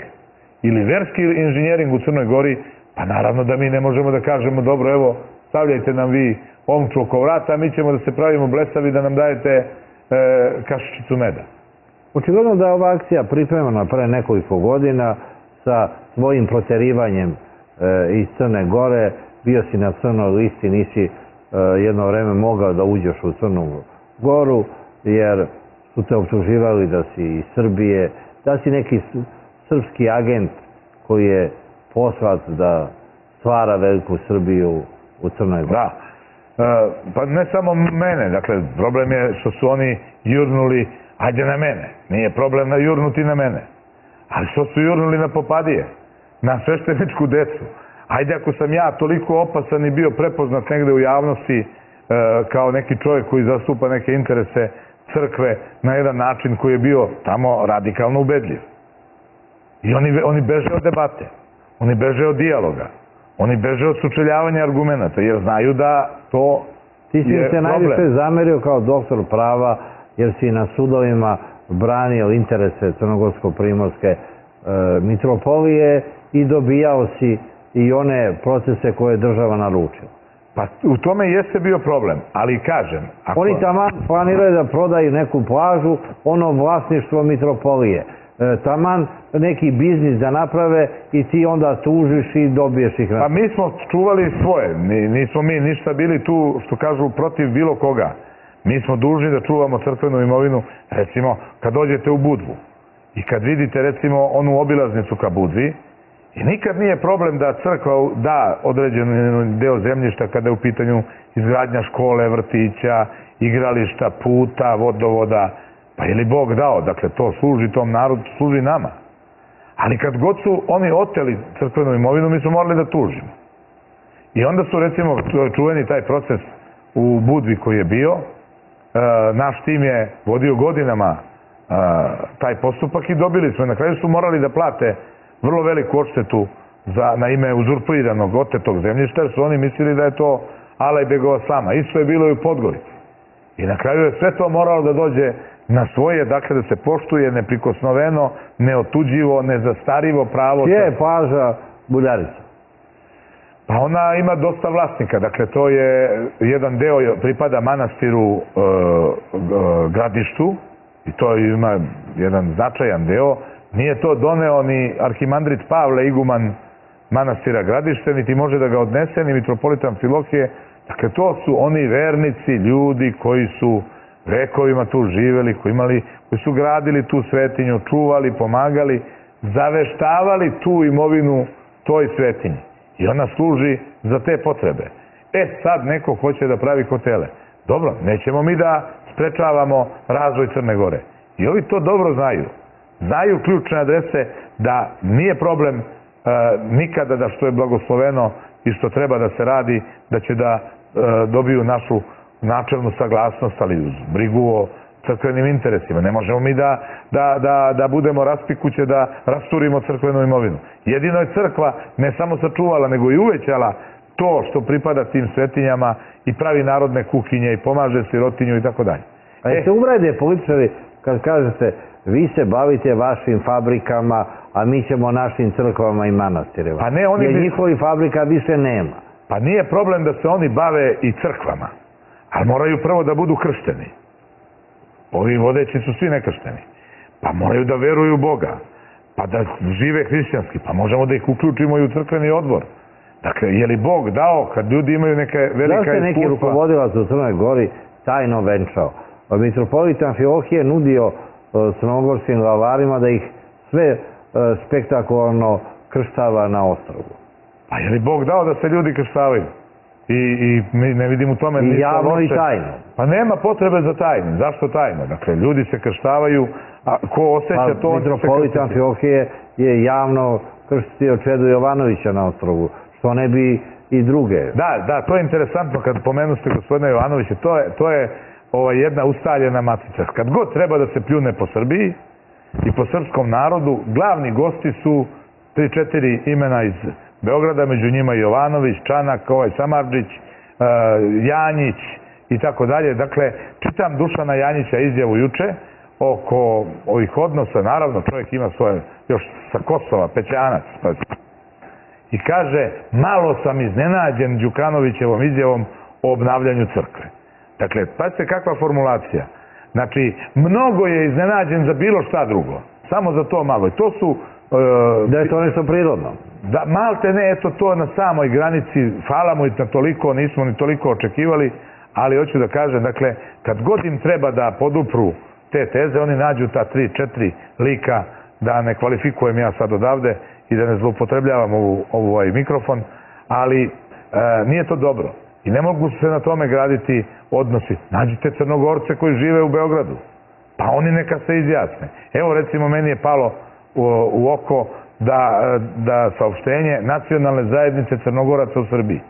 ili verski inženjering u Crnoj Gori, pa naravno da mi ne možemo da kažemo: dobro, evo, stavljajte nam vi omču oko vrata, a mi ćemo da se pravimo blesavi da nam dajete kašičicu meda. Očigledno da je ova akcija pripremana pre nekoliko godina sa svojim proterivanjem iz Crne Gore. Bio si na crnoj listi, nisi jedno vreme mogao da uđeš u Crnu Goru, jer su te optuživali da si iz Srbije, da si neki srpski agent koji je poslat da stvara veliku Srbiju u Crnoj Gori. Da, pa ne samo mene, dakle, problem je što su oni jurnuli, ajde na mene, nije problem jurnuti na mene, ali što su jurnuli na popadije, na svešteničku decu. Ajde, ako sam ja toliko opasan i bio prepoznat negde u javnosti kao neki čovjek koji zastupa neke interese crkve na jedan način koji je bio tamo radikalno ubedljiv. I oni beže od debate, oni beže od dijaloga, oni beže od sučeljavanja argumenta, jer znaju da to je problem. Ti si se najviše zamerio kao doktor prava, jer si na sudovima branio interese crnogorsko-primorske mitropolije i dobijao si i one procese koje je država naručila. Pa u tome jeste bio problem, ali kažem... Oni taman planiraju da prodaju neku plažu, ono vlasništvo mitropolije. Taman neki biznis da naprave i ti onda tužiš i dobiješ ih. Pa mi smo čuvali svoje, nismo mi ništa bili tu, što kažu, protiv bilo koga. Mi smo dužni da čuvamo crkvenu imovinu, recimo, kad dođete u Budvu i kad vidite, recimo, onu obilaznicu ka Budvi, i nikad nije problem da crkva da određen deo zemljišta kada je u pitanju izgradnja škole, vrtića, igrališta, puta, vodovoda. Pa je li Bog dao? Dakle, to služi tom narodu, služi nama. Ali kad god su oni oteli crkvenu imovinu, mi smo morali da tužimo. I onda su, recimo, čuveni taj proces u Budvi koji je bio. Naš tim je vodio godinama taj postupak i dobili smo. Na kraju su morali da plate vrlo veliku odštetu na ime uzurpiranog, otetog zemljišta, jer su oni mislili da je to Alajbegova slama. Isto je bilo i u Podgorici. I na kraju je sve to moralo da dođe na svoje, dakle da se poštuje neprikosnoveno, neotuđivo, nezastarivo pravo. Čija je plaža Buljarica? Pa ona ima dosta vlasnika, dakle to je jedan deo pripada manastiru Gradištu i to ima jedan značajan deo. Nije to doneo ni arhimandrit Pavle, iguman manastira Gradište, niti može da ga odnese, ni mitropolitan Filohije. Dakle, to su oni vernici, ljudi koji su vekovima tu živeli, koji su gradili tu svetinju, čuvali, pomagali, zaveštavali tu imovinu toj svetinji. I ona služi za te potrebe. Sad neko hoće da pravi hotele. Dobro, nećemo mi da sprečavamo razvoj Crne Gore. I ovi to dobro znaju. Znaju ključne adrese da nije problem nikada da što je blagosloveno i što treba da se radi, da će da dobiju našu načelnu saglasnost, ali uz brigu o crkvenim interesima. Ne možemo mi da budemo raspikuće, da rasturimo crkvenu imovinu. Jedino je crkva ne samo sačuvala, nego i uvećala to što pripada tim svetinjama i pravi narodne kuhinje i pomaže sirotinju i tako dalje. A se uvrede političari kad kažete vi se bavite vašim fabrikama, a mi ćemo našim crkvama i manastirima. Jer njihovih fabrika više nema. Pa nije problem da se oni bave i crkvama, ali moraju prvo da budu kršteni. Ovi vodeći su svi nekršteni. Pa moraju da veruju u Boga, pa da žive hrišćanski, pa možemo da ih uključimo i u crkveni odbor. Dakle, je li Bog dao kad ljudi imaju neke velika iskustva? Zašto je neki rukovodilac u Crnoj Gori tajno venčao? Mitropolitan Filohije nudio crnogorskim glavarima da ih sve spektakularno krštava na ostrvu. Pa je li Bog dao da se ljudi krštavaju? I mi ne vidimo u tome ništa loše. I javno i tajno. Pa nema potrebe za tajno. Zašto tajno? Dakle, ljudi se krštavaju, a ko osjeća to... Mitropolitan Filohije je javno krstio Čedu Jovanovića na ostrovu, što ne bi i druge. Da, to je interesantno kad pomenuste gospodina Jovanovića. To je jedna ustaljena matica. Kad god treba da se pljune po Srbiji i po srpskom narodu, glavni gosti su 3-4 imena iz Beograda, među njima Jovanović, Čanak, Samardžić, Janjić i tako dalje. Dakle, čitam Dušana Janjića izjavu juče oko ovih odnosa, naravno čovjek ima svoje, još sa Kosova, Pećanac, i kaže, malo sam iznenađen Đukanovićevom izjavom o obnavljanju crkve. Dakle, pazite kakva formulacija. Znači, mnogo je iznenađen za bilo šta drugo. Samo za to malo. I to su... Da je to nešto prirodno. Da, malte ne, eto to na samoj granici, hvala mu i na toliko, nismo ni toliko očekivali, ali hoću da kažem, dakle, kad god im treba da podupru te teze, oni nađu ta 3-4 lika, da ne kvalifikujem ja sad odavde i da ne zloupotrebljavam ovaj mikrofon, ali nije to dobro. I ne mogu se na tome graditi odnosi. Nađite Crnogorce koji žive u Beogradu, pa oni neka se izjasne. Evo, recimo, meni je palo u oko da saopštenje Nacionalne zajednice Crnogoraca u Srbiji.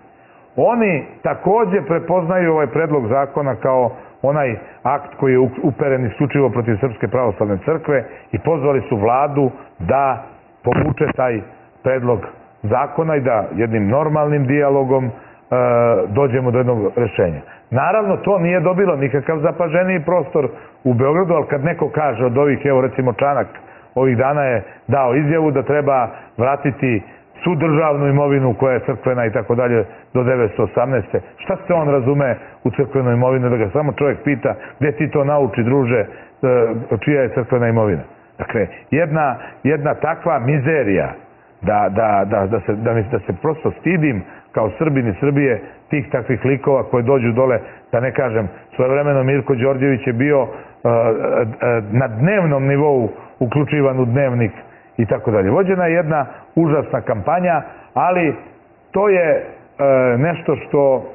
Oni takođe prepoznaju ovaj predlog zakona kao onaj akt koji je uperen isključivo protiv Srpske pravoslavne crkve i pozvali su vladu da povuče taj predlog zakona i da jednim normalnim dijalogom dođemo do jednog rešenja. Naravno, to nije dobilo nikakav zapaženiji prostor u Beogradu, ali kad neko kaže od ovih, evo recimo Čanak, ovih dana je dao izjavu da treba vratiti svu državnu imovinu koja je crkvena i tako dalje do 1918. Šta se on razume u crkvenu imovinu, da ga samo čovjek pita gdje ti to nauči, druže, čija je crkvena imovina. Dakle, jedna takva mizerija da se prosto stidim kao Srbin i Srbije tih takvih likova koji dođu dole, da ne kažem, svojevremeno Mirko Đorđević je bio na dnevnom nivou uključivan u dnevnik i tako dalje. Vođena je jedna užasna kampanja, ali to je nešto što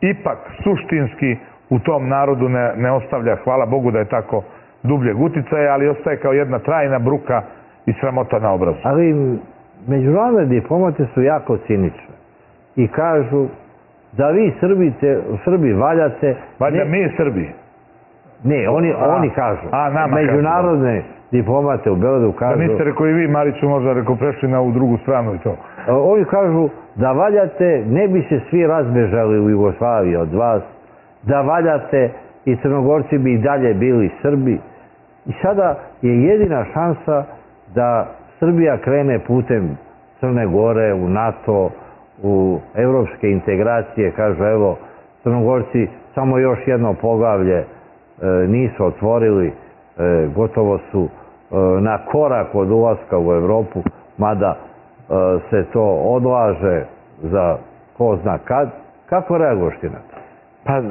ipak suštinski u tom narodu ne ostavlja, hvala Bogu da je tako, dubljeg uticaja, ali ostaje kao jedna trajna bruka i sramota na obrazu. Ali međunarodne diplomate su jako cinične i kažu da vi Srbi valjate... Valjda mi Srbi? Ne, oni kažu. Međunarodne diplomate u Beogradu kažu... Da niste rekao i vi, Mariću, možda rekao prešli na ovu drugu stranu i to. Oni kažu da valjate, ne bi se svi razbežali u Jugoslaviji od vas, da valjate i Crnogorci bi i dalje bili Srbi I sada je jedina šansa da Srbija krene putem Crne Gore u NATO, u evropske integracije, kažu evo, Crnogorci samo još jedno poglavlje nisu otvorili, gotovo su na korak od ulaska u Evropu, mada se to odlaže za ko zna kad. Kako reaguješ ti na to? Pa,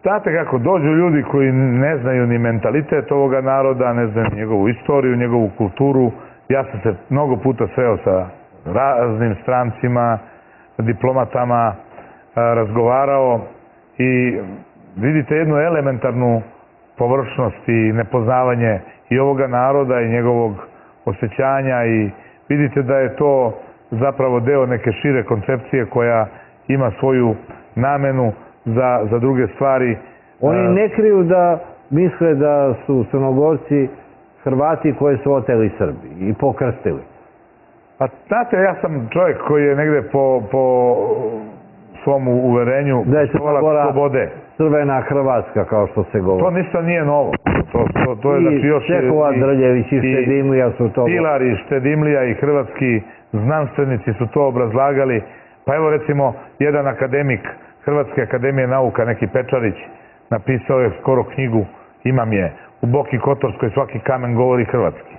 znate kako, dođu ljudi koji ne znaju ni mentalitet ovoga naroda, ne znaju njegovu istoriju, njegovu kulturu. Ja sam se mnogo puta sreo sa raznim strancima, diplomatama, razgovarao i vidite jednu elementarnu površnost i nepoznavanje i ovoga naroda i njegovog osjećanja i vidite da je to zapravo deo neke šire koncepcije koja ima svoju namenu za druge stvari. Oni ne kriju da misle da su Crnogorci Hrvati koji su oteli Srbi i pokrstili. Pa znate, ja sam čovjek koji je negde po svom uverenju slobode. Crvena Hrvatska, kao što se govori. To ništa nije novo. To je, znači, još Čehova, Drljević i Štedimlija su to... Pilar i Štedimlija i hrvatski znanstvenici su to obrazlagali. Pa evo recimo, jedan akademik Hrvatske akademije nauka, neki Pečarić, napisao je skoro knjigu, imam je, u Boki Kotorskoj svaki kamen govori hrvatski.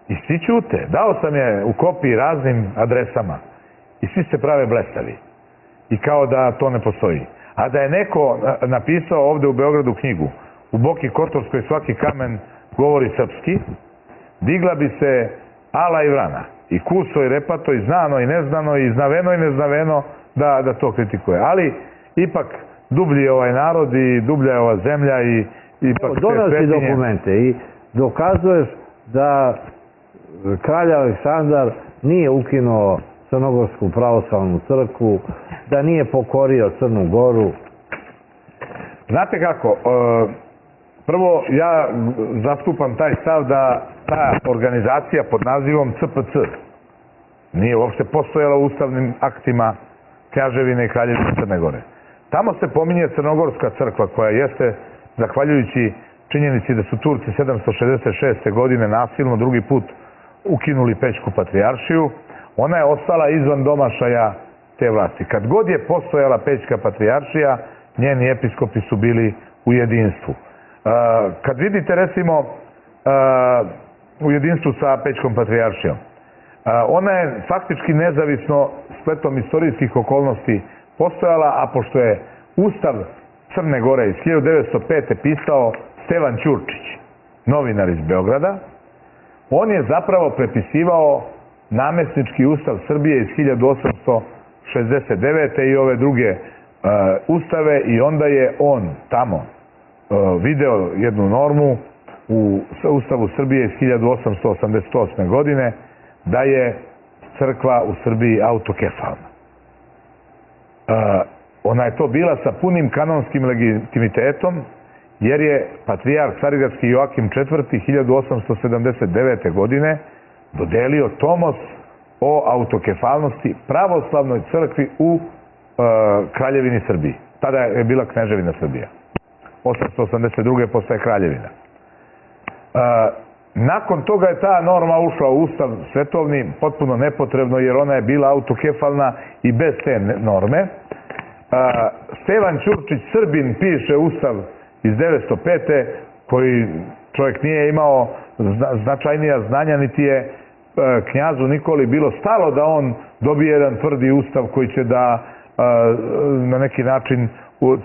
I svi ćute. Dao sam je u kopiji raznim adresama i svi se prave blesavi. I kao da to ne postoji. A da je neko napisao ovde u Beogradu knjigu, u Boki Kotorskoj svaki kamen govori srpski, digla bi se ala i vrana. I kuso i repato, i znano i neznano, i znaveno i neznaveno da to kritikuje. Ali ipak dublji je ovaj narod i dublja je ova zemlja i ipak te donosi svetinje. Dokumente i dokazuješ da kralj Aleksandar nije ukinuo Crnogorsku pravoslavnu crkvu, da nije pokorio Crnu Goru. Znate kako, prvo ja zastupam taj stav da ta organizacija pod nazivom CPC nije uopšte postojala u ustavnim aktima Kneževine i Kraljevine Crne Gore. Tamo se pominje Crnogorska crkva koja jeste, zahvaljujući činjenici da su Turci 766. godine nasilno drugi put ukinuli Pećku patrijaršiju, ona je ostala izvan domašaja te vlasti. Kad god je postojala Pećka patrijaršija, njeni episkopi su bili u jedinstvu. Kad vidite recimo u jedinstvu sa Pećkom patrijaršijom, ona je faktički nezavisno spletom istorijskih okolnosti postojala, a pošto je Ustav Crne Gore iz 1905. pisao Stevan Ćurčić, novinar iz Beograda, on je zapravo prepisivao namesnički Ustav Srbije iz 1869. i ove druge ustave i onda je on tamo video jednu normu u Ustavu Srbije iz 1888. godine da je crkva u Srbiji autokefalna. Ona je to bila sa punim kanonskim legitimitetom jer je patrijarh Carigradski Joakim IV. 1879. godine dodelio tomos o autokefalnosti pravoslavnoj crkvi u Kraljevini Srbiji. Tada je bila Kneževina Srbija. 882. postaje Kraljevina. Nakon toga je ta norma ušla u Ustav svetovni, potpuno nepotrebno jer ona je bila autokefalna i bez te norme. Stevan Ćurčić, Srbin, piše Ustav iz 1905. koji čovjek nije imao značajnija znanja, niti je knjazu Nikoli bilo stalo da on dobije jedan tvrdi ustav koji će da na neki način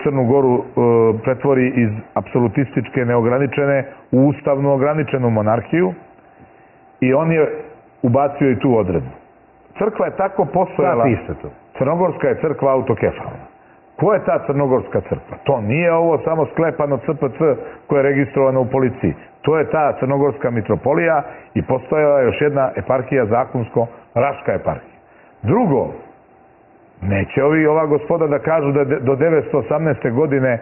Crnu Goru pretvori iz apsolutističke neograničene u ustavno ograničenu monarhiju i on je ubacio i tu odredbu. Crkva je tako postojala. Šta piše to? Crnogorska je crkva autokefalna. Ko je ta Crnogorska crkva? To nije ovo samo sklepano CPC koje je registrovano u policiji. To je ta Crnogorska mitropolija i postojala je još jedna eparhija zakonsko, Raška eparhija. Drugo, neće ova gospoda da kažu da do 918. godine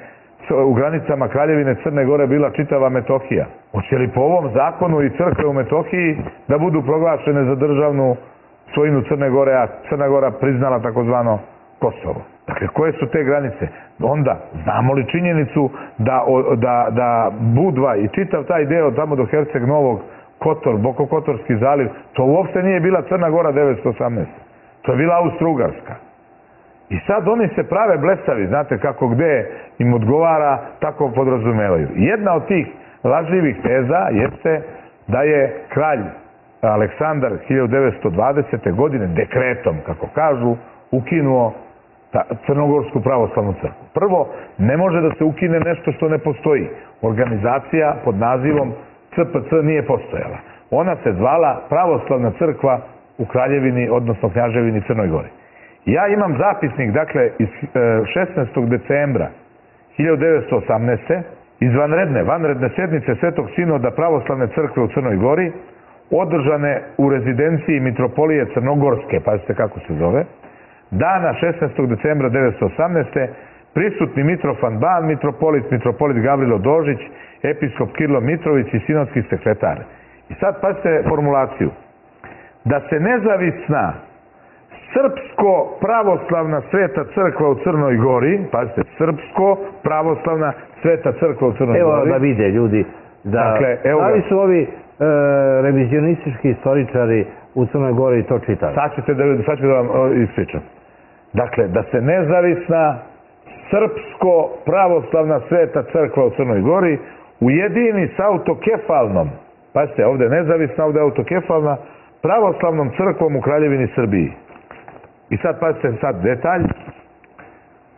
u granicama Kraljevine Crne Gore bila čitava Metohija. Hoće li po ovom zakonu i crkve u Metohiji da budu proglašene za državnu svojinu Crne Gore, a Crna Gora priznala takozvano Kosovo? Dakle, koje su te granice? Onda, znamo li činjenicu da Budva i čitav taj deo tamo do Herceg Novog, Kotor, Bokokotorski zaliv, to uopšte nije bila Crna Gora 918. To je bila Austro-Ugarska. I sad oni se prave blesavi, znate kako gde im odgovara, tako podrazumevaju. Jedna od tih lažljivih teza jeste da je kralj Aleksandar 1920. godine dekretom, kako kažu, ukinuo Crnogorsku pravoslavnu crkvu. Prvo, ne može da se ukine nešto što ne postoji. Organizacija pod nazivom CPC nije postojala. Ona se zvala Pravoslavna crkva u Kraljevini, odnosno Kneževini Crnoj Gori. Ja imam zapisnik, dakle, iz 16. decembra 1918. iz vanredne sednice Svetog Sinoda Pravoslavne crkve u Crnoj Gori, održane u rezidenciji Mitropolije Crnogorske, pazite kako se zove, dana 16. decembra 1918. prisutni Mitrofan Ban, mitropolit Gavrilo Dožić, episkop Kirilo Mitrović i sinodski sekretar. I sad pazite formulaciju. Da se nezavisna Srpsko-pravoslavna sveta crkva u Crnoj Gori, pazite, Srpsko-pravoslavna sveta crkva u Crnoj Gori. Evo da vide ljudi, da li su ovi revizionistički istoričari u Crnoj Gori to čitali? Sad ću da vam ispričam. Dakle, da se nezavisna Srpsko-pravoslavna sveta crkva u Crnoj Gori ujedini s autokefalnom, pazite, ovde nezavisna, ovde autokefalna, pravoslavnom crkvom u Kraljevini Srbiji. I sad pazite sad detalj.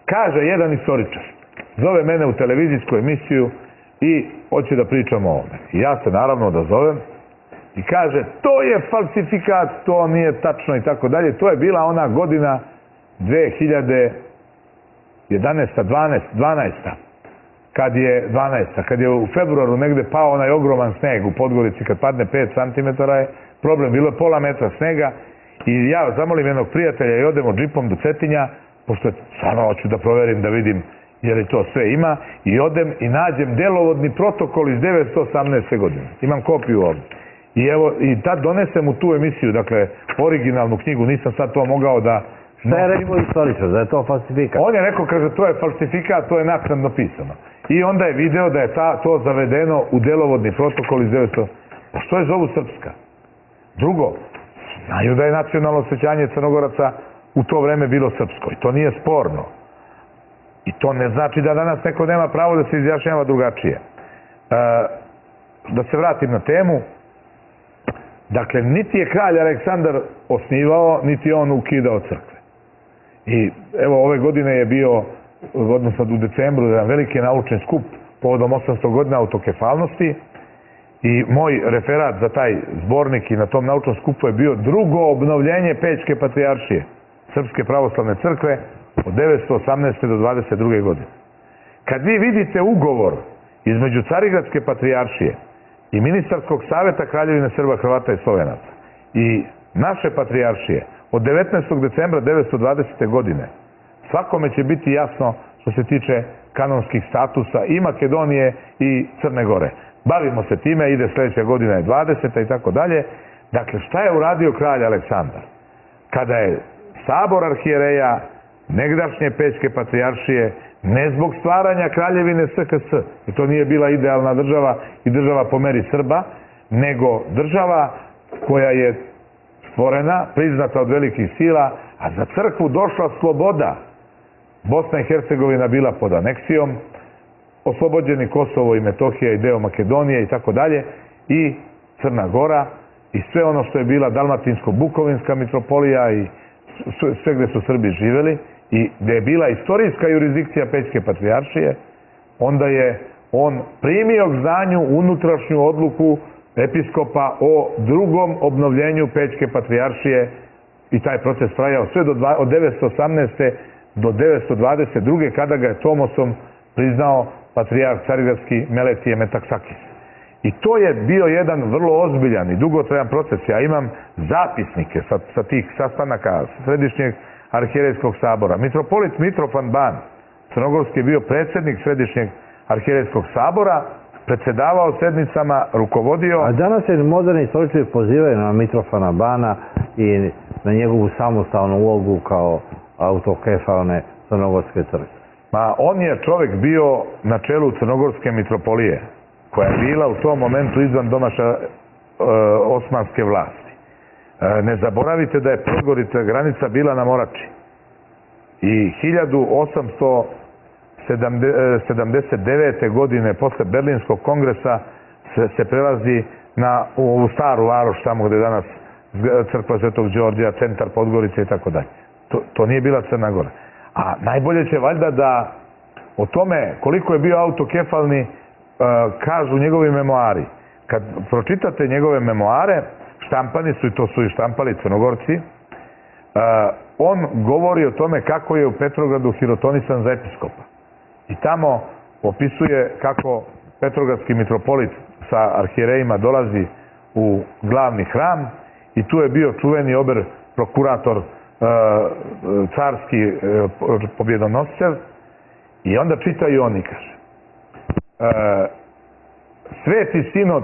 Kaže jedan istoričar, zove mene u televizijsku emisiju i hoće da pričam o ovome. I ja se naravno odazovem i kaže, to je falsifikat, to nije tačno i tako dalje. To je bila ona godina 2011. 12. Kad je u februaru negde pao onaj ogroman sneg u Podgorici, kad padne 5 cm je problem, bilo je pola metra snega i ja zamolim jednog prijatelja i odemo džipom do Cetinja, pošto stvarno hoću da proverim, da vidim je li to sve ima, i odem i nađem delovodni protokol iz 1918. godine. Imam kopiju ovdje. I evo, i tad donesem u tu emisiju, dakle, originalnu knjigu, nisam sad to mogao da... Šta je rekao istoričar, da je to falsifikat? On je rekao, kaže, to je falsifikat, to je naknadno pisano. I onda je video da je to zavedeno u delovodni protokol iz 1918. Pa što je zovu Srpska? Drugo, znaju da je nacionalno osjećanje Crnogoraca u to vreme bilo srpsko i to nije sporno. I to ne znači da danas neko nema pravo da se izjašnjava drugačije. Da se vratim na temu. Dakle, niti je kralj Aleksandar osnivao, niti on ukidao crkve. I evo, ove godine je bio, odnosno u decembru, jedan veliki naučni skup povodom 800 godina autokefalnosti i moj referat za taj zbornik i na tom naučnom skupu je bio drugo obnovljenje Pećke patrijaršije Srpske pravoslavne crkve od 1918. do 22. godine. Kad vi vidite ugovor između Carigradske patrijaršije i Ministarskog saveta Kraljevine Srba, Hrvata i Slovenaca i naše patrijaršije od 19. decembra 1920. godine, svakome će biti jasno što se tiče kanonskih statusa i Makedonije i Crne Gore. Bavimo se time, ide sljedeća godina je 20. i tako dalje. Dakle, šta je uradio kralj Aleksandar? Kada je sabor arhijereja negdašnje Pećke patrijaršije, ne zbog stvaranja kraljevine SHS, i to nije bila idealna država i država po meri Srba, nego država koja je stvorena, priznata od velikih sila, a za crkvu došla sloboda. Bosna i Hercegovina bila pod aneksijom, oslobođeni Kosovo i Metohija i deo Makedonije i tako dalje, i Crna Gora i sve ono što je bila Dalmatinsko-Bukovinska mitropolija i sve gde su Srbi živeli i gde je bila istorijska jurisdikcija Pećke patrijaršije, onda je on primio k znanju unutrašnju odluku episkopa o drugom obnovljenju Pećke patrijaršije i taj proces trajao sve od 918. do 922. kada ga je Tomosom priznao patrijarh carigradski Meletije Metaksakis. I to je bio jedan vrlo ozbiljan i dugotrajan proces. Ja imam zapisnike sa tih sastanaka Središnjeg arhijerejskog sabora. Mitropolit Mitrofan Ban, crnogorski, je bio predsjednik Središnjeg arhijerejskog sabora, predsjedavao sednicama, rukovodio... A danas se moderni istoričari pozivaju na Mitrofana Bana i na njegovu samostalnu ulogu kao autokefalne Crnogorske crkve. Ma on je čovjek bio na čelu Crnogorske mitropolije, koja je bila u tom momentu izvan domaša osmanske vlasti. Ne zaboravite da je Podgorica granica bila na Morači. I 1879. godine posle Berlinskog kongresa se prelazi u Staru Varoš, tamo gde je danas crkva Svetog Đorđa, centar Podgorice i tako dalje. To nije bila Crna Gora. A najbolje će valjda da o tome koliko je bio autokefalni kažu njegovi memoari. Kad pročitate njegove memoare, štampani su, i to su i štampali Crnogorci, on govori o tome kako je u Petrogradu hirotonisan za episkopa. I tamo opisuje kako petrogradski mitropolit sa arhijerejima dolazi u glavni hram i tu je bio čuveni ober prokurator carski pobjedonositelj i onda čita i on i kaže Sveti sinod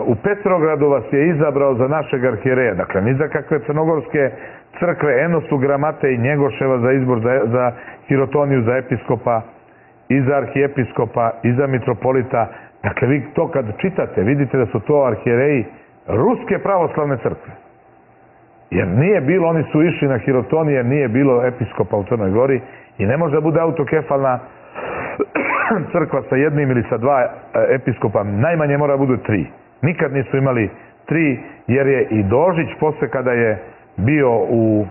u Petrogradu vas je izabrao za našeg arhijereja, dakle ni za kakve crnogorske crkve, eno su Gramate i Njegoševa za izbor za hirotoniju za episkopa i za arhijepiskopa i za mitropolita. Dakle, vi to kad čitate, vidite da su to arhijereji Ruske pravoslavne crkve. Jer nije bilo, oni su išli na hirotonije, jer nije bilo episkopa u Crnoj Gori i ne može da bude autokefalna crkva sa jednim ili sa dva episkopa, najmanje mora budu 3. Nikad nisu imali 3, jer je i Dožić posle kada je bio u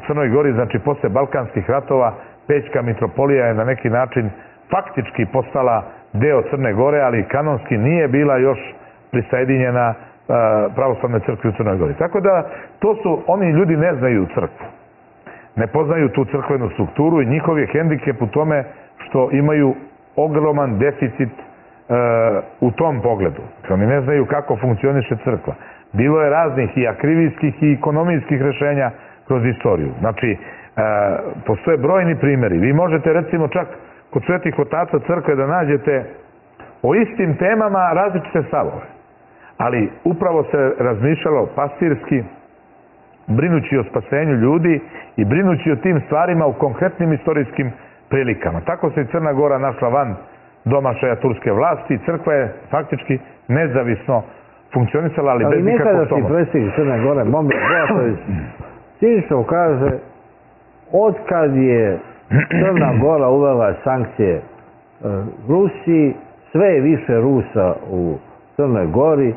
Crnoj Gori, znači posle Balkanskih ratova, Pećka mitropolija je na neki način faktički postala deo Crne Gore, ali kanonski nije bila još prisajedinjena pravoslavne crkve u Crnoj Gori. Tako da, to su, oni ljudi ne znaju crkvu. Ne poznaju tu crkvenu strukturu i njihov je hendikep u tome što imaju ogroman deficit u tom pogledu. Oni ne znaju kako funkcioniše crkva. Bilo je raznih i akrivijskih i ekonomijskih rešenja kroz istoriju. Znači, postoje brojni primjeri. Vi možete recimo čak kod svetih otaca crkve da nađete o istim temama različite stavove. Ali upravo se razmišljalo pastirski, brinući o spasenju ljudi i brinući o tim stvarima u konkretnim istorijskim prilikama. Tako se i Crna Gora našla van domašaja turske vlasti i crkva je faktički nezavisno funkcionisala, ali bez nikakvog pomoći. Ali nekada si predsjednik Crne Gore, Momir Bulatović, cinično kaže, otkad je Crna Gora uvela sankcije Rusiji, sve je više Rusa u Crnoj Gori,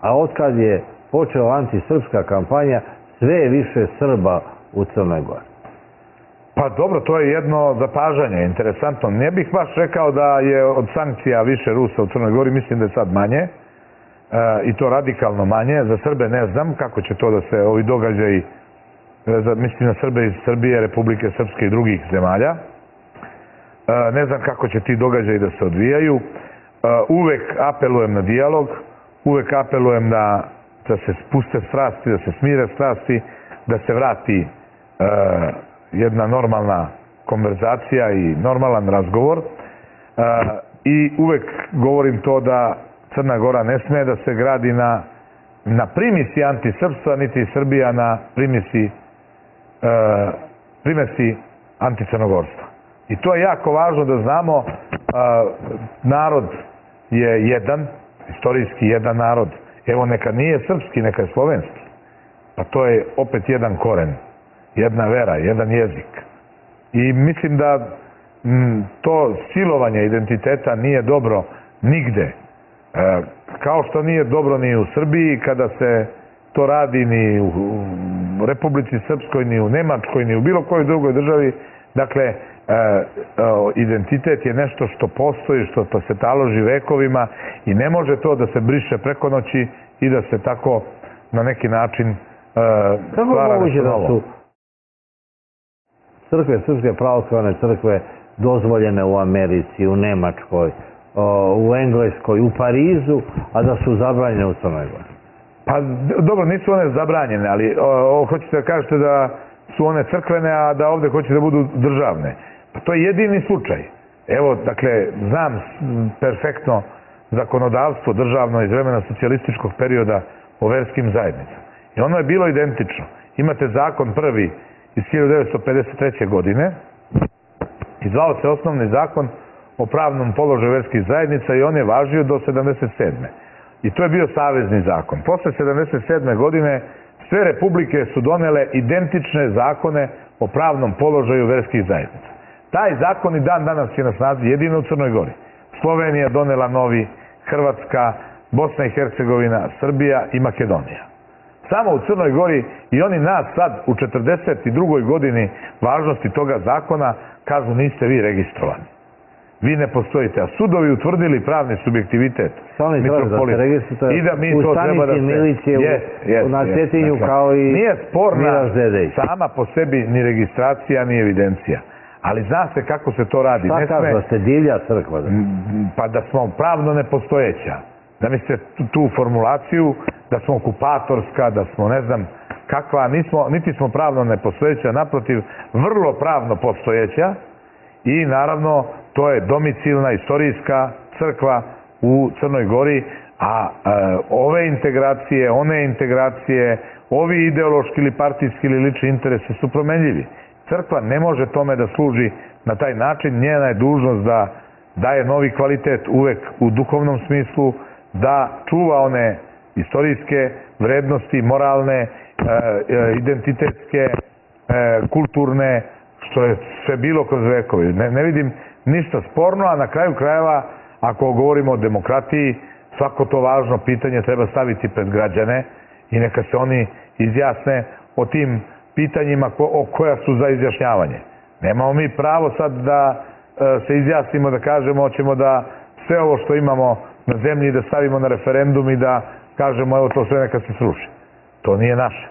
a otkad je počela antisrpska kampanja, sve je više Srba u Crnoj Gori. Pa dobro, to je jedno zapažanje, interesantno. Ne bih baš rekao da je od sankcija više Rusa u Crnoj Gori, mislim da je sad manje, i to radikalno manje. Za Srbe ne znam kako će to da se ovi događaji, mislim na Srbe iz Srbije, Republike Srpske i drugih zemalja. Ne znam kako će ti događaji da se odvijaju. Uvek apelujem na dijalog, uvek apelujem da se spuste strasti, da se smire strasti, da se vrati jedna normalna konverzacija i normalan razgovor. I uvek govorim to da Crna Gora ne sme da se gradi na primisi antisrpstva, niti Srbija na primesi anticrnogorstva. I to je jako važno da znamo. Narod je jedan, istorijski jedan narod. Evo, neka nije srpski, neka je slovenski. Pa to je opet jedan koren, jedna vera, jedan jezik. I mislim da to silovanje identiteta nije dobro nigde. Kao što nije dobro ni u Srbiji, kada se to radi ni u Republici Srpskoj, ni u Nemačkoj, ni u bilo kojoj drugoj državi. Dakle, identitet je nešto što postoji, što se taloži vekovima i ne može to da se briše preko noći i da se tako na neki način stvara nešto novo. Crkve, srpske pravoslavne crkve dozvoljene u Americi, u Nemačkoj, u Engleskoj, u Parizu, a da su zabranjene u Crnoj Gori? Pa dobro, nisu one zabranjene, ali hoćete da kažete da su one crkvene, a da ovde hoće da budu državne. Pa to je jedini slučaj. Evo, dakle, znam perfektno zakonodavstvo državno iz vremena socijalističkog perioda o verskim zajednicama. I ono je bilo identično. imate zakon prvi iz 1953. godine i zvao se osnovni zakon o pravnom položaju verskih zajednica i on je važio do 77. I to je bio savezni zakon. Posle 77. godine sve republike su donele identične zakone o pravnom položaju verskih zajednica. Taj zakon i dan danas je na snazi jedino u Crnoj Gori. Slovenija donela novi, Hrvatska, Bosna i Hercegovina, Srbija i Makedonija. Samo u Crnoj Gori i oni nas sad u 42. godini važnosti toga zakona kažu niste vi registrovani. Vi ne postojite, a sudovi utvrdili pravni subjektivitet mitropolita. I da mi to treba da se... na Cetinju kao i nije sporna Miraž Dedej. sama po sebi ni registracija, ni evidencija. Ali zna se kako se to radi. Šta kažu, da ste divlja crkva? Pa da smo pravno nepostojeća. Da mislite tu formulaciju, da smo okupatorska, da smo ne znam kakva, niti smo pravno nepostojeća, naprotiv, vrlo pravno postojeća i naravno to je domicilna istorijska crkva u Crnoj Gori, a ove integracije, one integracije, ovi ideološki ili partijski ili lični interesi su promenljivi. Crkva ne može tome da služi na taj način, njena je dužnost da daje novi kvalitet uvek u duhovnom smislu, da čuva one istorijske vrednosti, moralne, identitetske, kulturne, što je sve bilo kroz vekovi. Ne vidim ništa sporno, a na kraju krajeva, ako govorimo o demokratiji, svako to važno pitanje treba staviti pred građane i neka se oni izjasne o tim pitanjima koja su za izjašnjavanje. Nemamo mi pravo sad da se izjasnimo, da kažemo hoćemo da sve ovo što imamo na zemlji da stavimo na referendum i da kažemo evo to sve neka se sruši. To nije naše.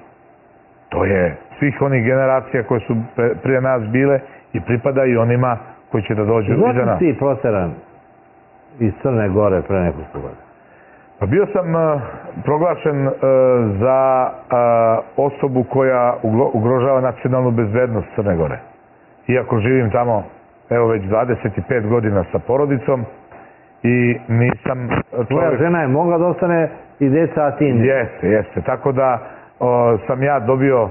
To je svih onih generacija koje su prije nas bile i pripada i onima koji će da dođu iza nas. Zašto ti proteran iz Crne Gore pre nekoliko godina? Pa bio sam proglašen za osobu koja ugrožava nacionalnu bezbednost Crne Gore. Iako živim tamo evo već 25 godina sa porodicom i nisam... Tvoja žena je mogla da ostane i deca, a ti ne? Jeste. Tako da sam ja dobio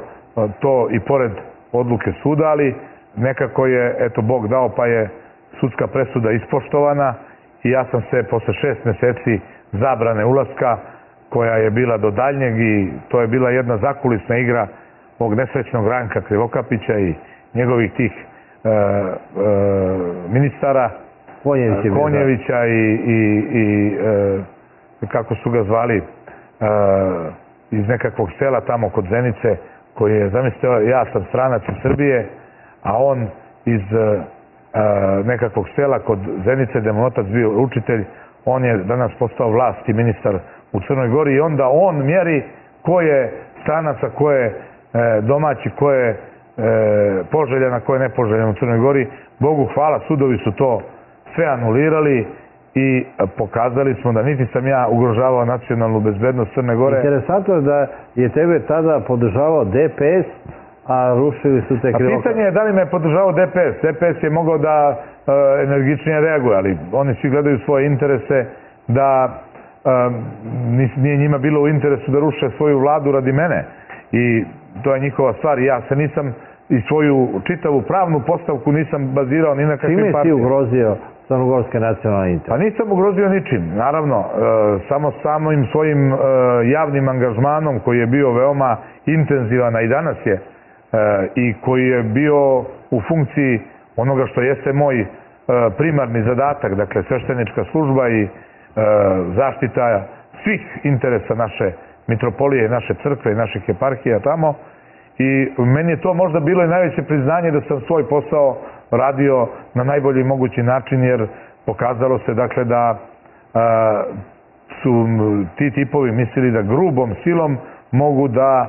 to i pored odluke suda, ali nekako je, eto, Bog dao pa je sudska presuda ispoštovana i ja sam se posle 6 meseci zabrane ulaska koja je bila do daljnjeg i to je bila jedna zakulisna igra ovog nesrećnog Ranka Krivokapića i njegovih tih ministara Konjevića i kako su ga zvali iz nekakvog sela tamo kod Zenice koji je, zamislite, ja sam stranac iz Srbije, a on iz nekakvog sela kod Zenice, gde mu otac bio učitelj, on je danas postao vlast i ministar u Crnoj Gori i onda on mjeri ko je stranac, a ko je domaći, ko je poželjan, a ko je nepoželjan u Crnoj Gori. Bogu hvala, sudovi su to sve anulirali i pokazali smo da niti sam ja ugrožavao nacionalnu bezbednost Crne Gore. Interesantno je da je tebe tada podržavao DPS, a rušili su te Krivokapića. A pitanje je da li me je podržavao DPS. DPS je mogao da energičnije reaguje, ali oni svi gledaju svoje interese, da nije njima bilo u interesu da ruše svoju vladu radi mene. I to je njihova stvar. Ja se nisam i svoju čitavu pravnu postavku nisam bazirao ni na kakvim partijama. Čime si ugrozio crnogorske nacionalne interese? Pa nisam ugrozio ničim, naravno. Samo samim svojim javnim angažmanom koji je bio veoma intenzivan, a i danas je, i koji je bio u funkciji onoga što jeste moj primarni zadatak, dakle sveštenička služba i zaštita svih interesa naše mitropolije, naše crkve i naših eparhija tamo. I meni je to možda bilo i najveće priznanje da sam svoj posao radio na najbolji mogući način, jer pokazalo se dakle da su ti tipovi mislili da grubom silom mogu da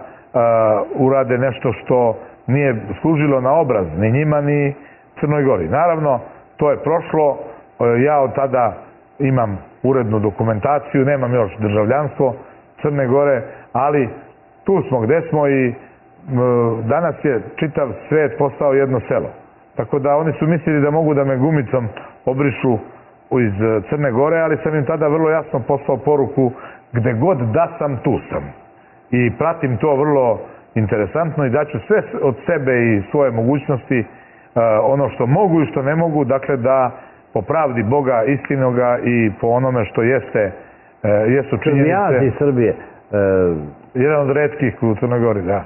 urade nešto što nije služilo na obraz ni njima ni Crnoj Gori. Naravno, to je prošlo, ja od tada imam urednu dokumentaciju, nemam još državljanstvo Crne Gore, ali tu smo gde smo i danas je čitav svet postao jedno selo. Tako da oni su mislili da mogu da me gumicom obrišu iz Crne Gore, ali sam im tada vrlo jasno poslao poruku gde god da sam, tu sam. I pratim to vrlo interesantno i daću sve od sebe i svoje mogućnosti, ono što mogu i što ne mogu, dakle da po pravdi Boga istinoga i po onome što jesu činjenice. Srbije. Jedan od retkih u Crnoj Gori, da.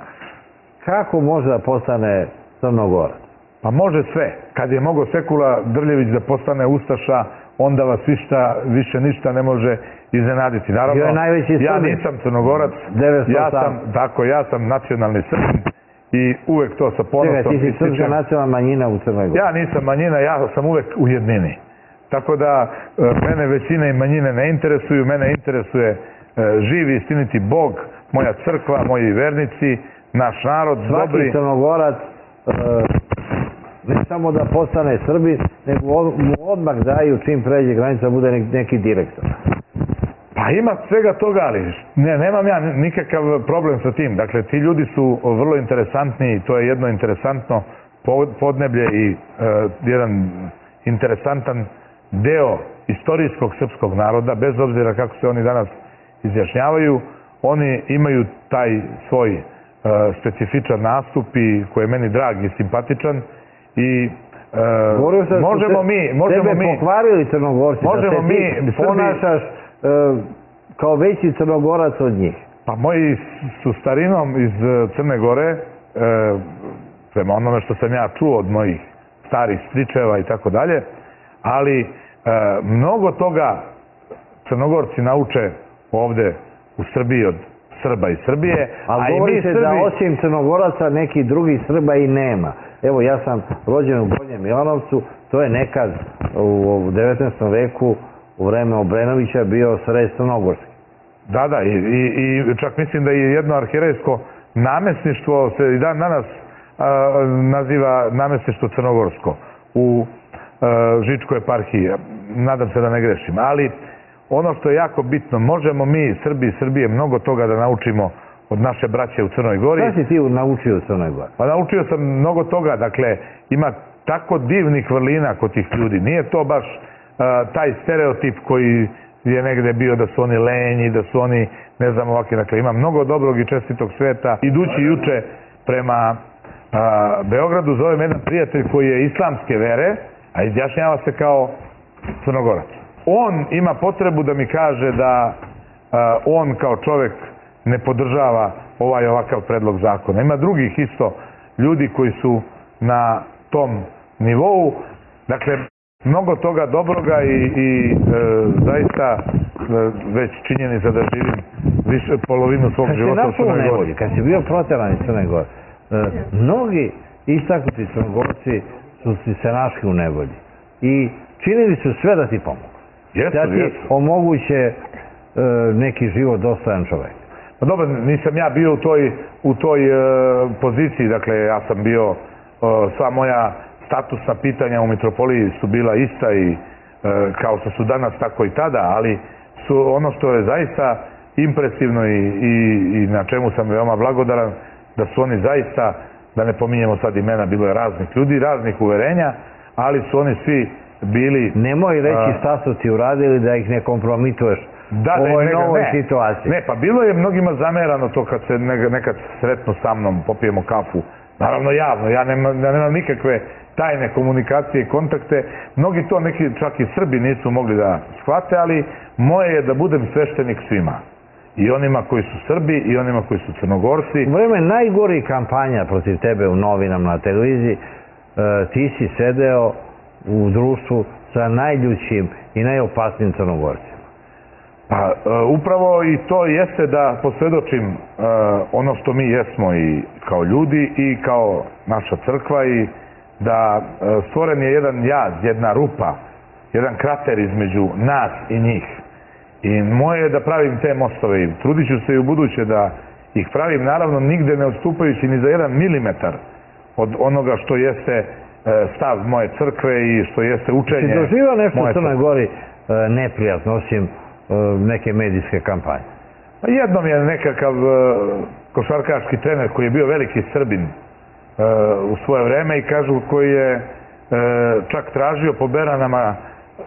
Kako može da postane Crnogorac? Pa može sve. Kad je mogao Sekula Drljević da postane ustaša, onda vas više ništa ne može iznenaditi. Naravno, ja nisam Crnogorac, ja sam nacionalni Srbin i uvek to sa ponosom ističem. Ti si srpska nacionalna manjina u Crnoj Gori. Ja nisam manjina, ja sam uvek u jednini. Tako da mene većine i manjine ne interesuju, mene interesuje živi istiniti Bog, moja crkva, moji vernici, naš narod, dobri. Svaki Crnogorac ne samo da postane Srbin, nego mu odmah daju čim pređe granica bude neki direktor. Pa ima svega toga, ali nemam ja nikakav problem sa tim. Dakle, ti ljudi su vrlo interesantni i to je jedno interesantno podneblje i jedan interesantan deo istorijskog srpskog naroda, bez obzira kako se oni danas izjašnjavaju. Oni imaju taj svoj specifičan nastup i koji je meni drag i simpatičan i možemo mi pokvarili Crnogorci, da se ti ponašaš kao veći Crnogorac od njih. Pa moji su starinom iz Crne Gore, prema onome što sam ja čuo od mojih starih stričeva i tako dalje, ali mnogo toga Crnogorci nauče ovde u Srbiji od Srba i Srbije. Ali govori se da osim Crnogoraca neki drugi Srba i nema. Evo, ja sam rođen u Gornjem Milanovcu, to je nekad u 19. veku u vreme Obrenovića bio sred Crnogorski. Da, i čak mislim da je jedno arhijerejsko namestništvo se i dan danas naziva namestništvo Crnogorsko u Žičkoj eparhiji. Nadam se da ne grešim. Ali ono što je jako bitno, možemo mi, Srbi i Srbije, mnogo toga da naučimo od naše braće u Crnoj Gori. Šta si ti naučio u Crnoj Gori? Pa naučio sam mnogo toga. Dakle, ima tako divnih vrlina kod tih ljudi. Nije to baš taj stereotip koji je negde bio da su oni lenji, da su oni, ne znam, ovakvi. Dakle, ima mnogo dobrog i čestitog sveta. Idući juče prema Beogradu zove me jedan prijatelj koji je islamske vere, a izjašnjava se kao Crnogorac. On ima potrebu da mi kaže da on kao čovek ne podržava ovakav predlog zakona. Ima drugih isto ljudi koji su na tom nivou. Dakle, mnogo toga dobroga i zaista već činjenica da živim polovinu svog života u Crnoj Gori. Kad si bio proteran iz Crne Gore, mnogi istaknuti Crnogorci su se našli u nevolji i činili su sve da ti pomogu. Da ti omoguće neki život dostojan čovek. Pa dobro, nisam ja bio u toj poziciji, dakle ja sam bio, sva moja statusna pitanja u mitropoliji su bila ista i kao što su danas, tako i tada, ali su ono što je zaista impresivno i na čemu sam veoma blagodaran, da su oni zaista, da ne pominjemo sad imena, bilo je raznih ljudi, raznih uverenja, ali su oni svi bili... Nemoj reći šta su ti uradili da ih ne kompromituješ u ovoj novoj situaciji. Ne, pa bilo je mnogima zamerano to kad se nekad sretnu sa mnom, popijemo kafu, naravno javno, ja nemam nikakve tajne komunikacije i kontakte. Mnogi to, neki čak i Srbi nisu mogli da shvate, ali moje je da budem sveštenik svima. I onima koji su Srbi i onima koji su Crnogorci. U vreme najgorih kampanja protiv tebe u novinama, na televiziji, ti si sedeo u društvu sa najljućim i najopasnijim Crnogorcima. Pa upravo i to jeste da posvedočim ono što mi jesmo i kao ljudi i kao naša crkva i da stvoren je jedan jaz, jedna rupa, jedan krater između nas i njih. I moje je da pravim te mostove i trudit ću se i u buduće da ih pravim, naravno nigde ne odstupajući ni za 1 milimetar od onoga što jeste stav moje crkve i što jeste učenje moje crkve. Si doživao nešto u Crnoj Gori neprijatno, osim neke medijske kampanje? Jednom je nekakav košarkaški trener koji je bio veliki Srbin u svoje vreme i kažu koji je čak tražio po beranama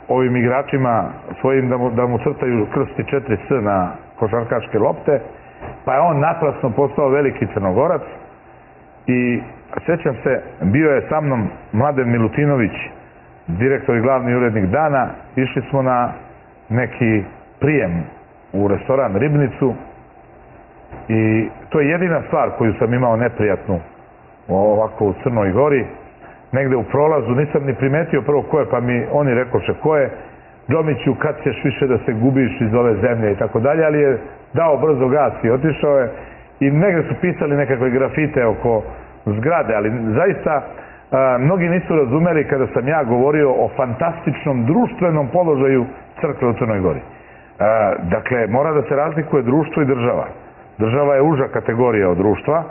ovim igračima svojim da mu crtaju krst i 4 S na košarkaške lopte pa je on naprasno postao veliki Crnogorac. I sjećam se, bio je sa mnom Mladen Milutinović, direktor i glavni urednik Dana. Išli smo na neki prijem u restoran Ribnicu i to je jedina stvar koju sam imao neprijatnu ovako u Crnoj Gori. Negde u prolazu nisam ni primetio prvo ko je, pa mi oni rekoše ko je. Džomiću, kad ćeš više da se gubiš iz ove zemlje i tako dalje, ali je dao brzo gas i otišao je. I negde su pisali nekakve grafite oko zgrade, ali zaista mnogi nisu razumeli kada sam ja govorio o fantastičnom društvenom položaju crkve u Crnoj Gori. Dakle, mora da se razlikuje društvo i država. Država je uža kategorija od društva.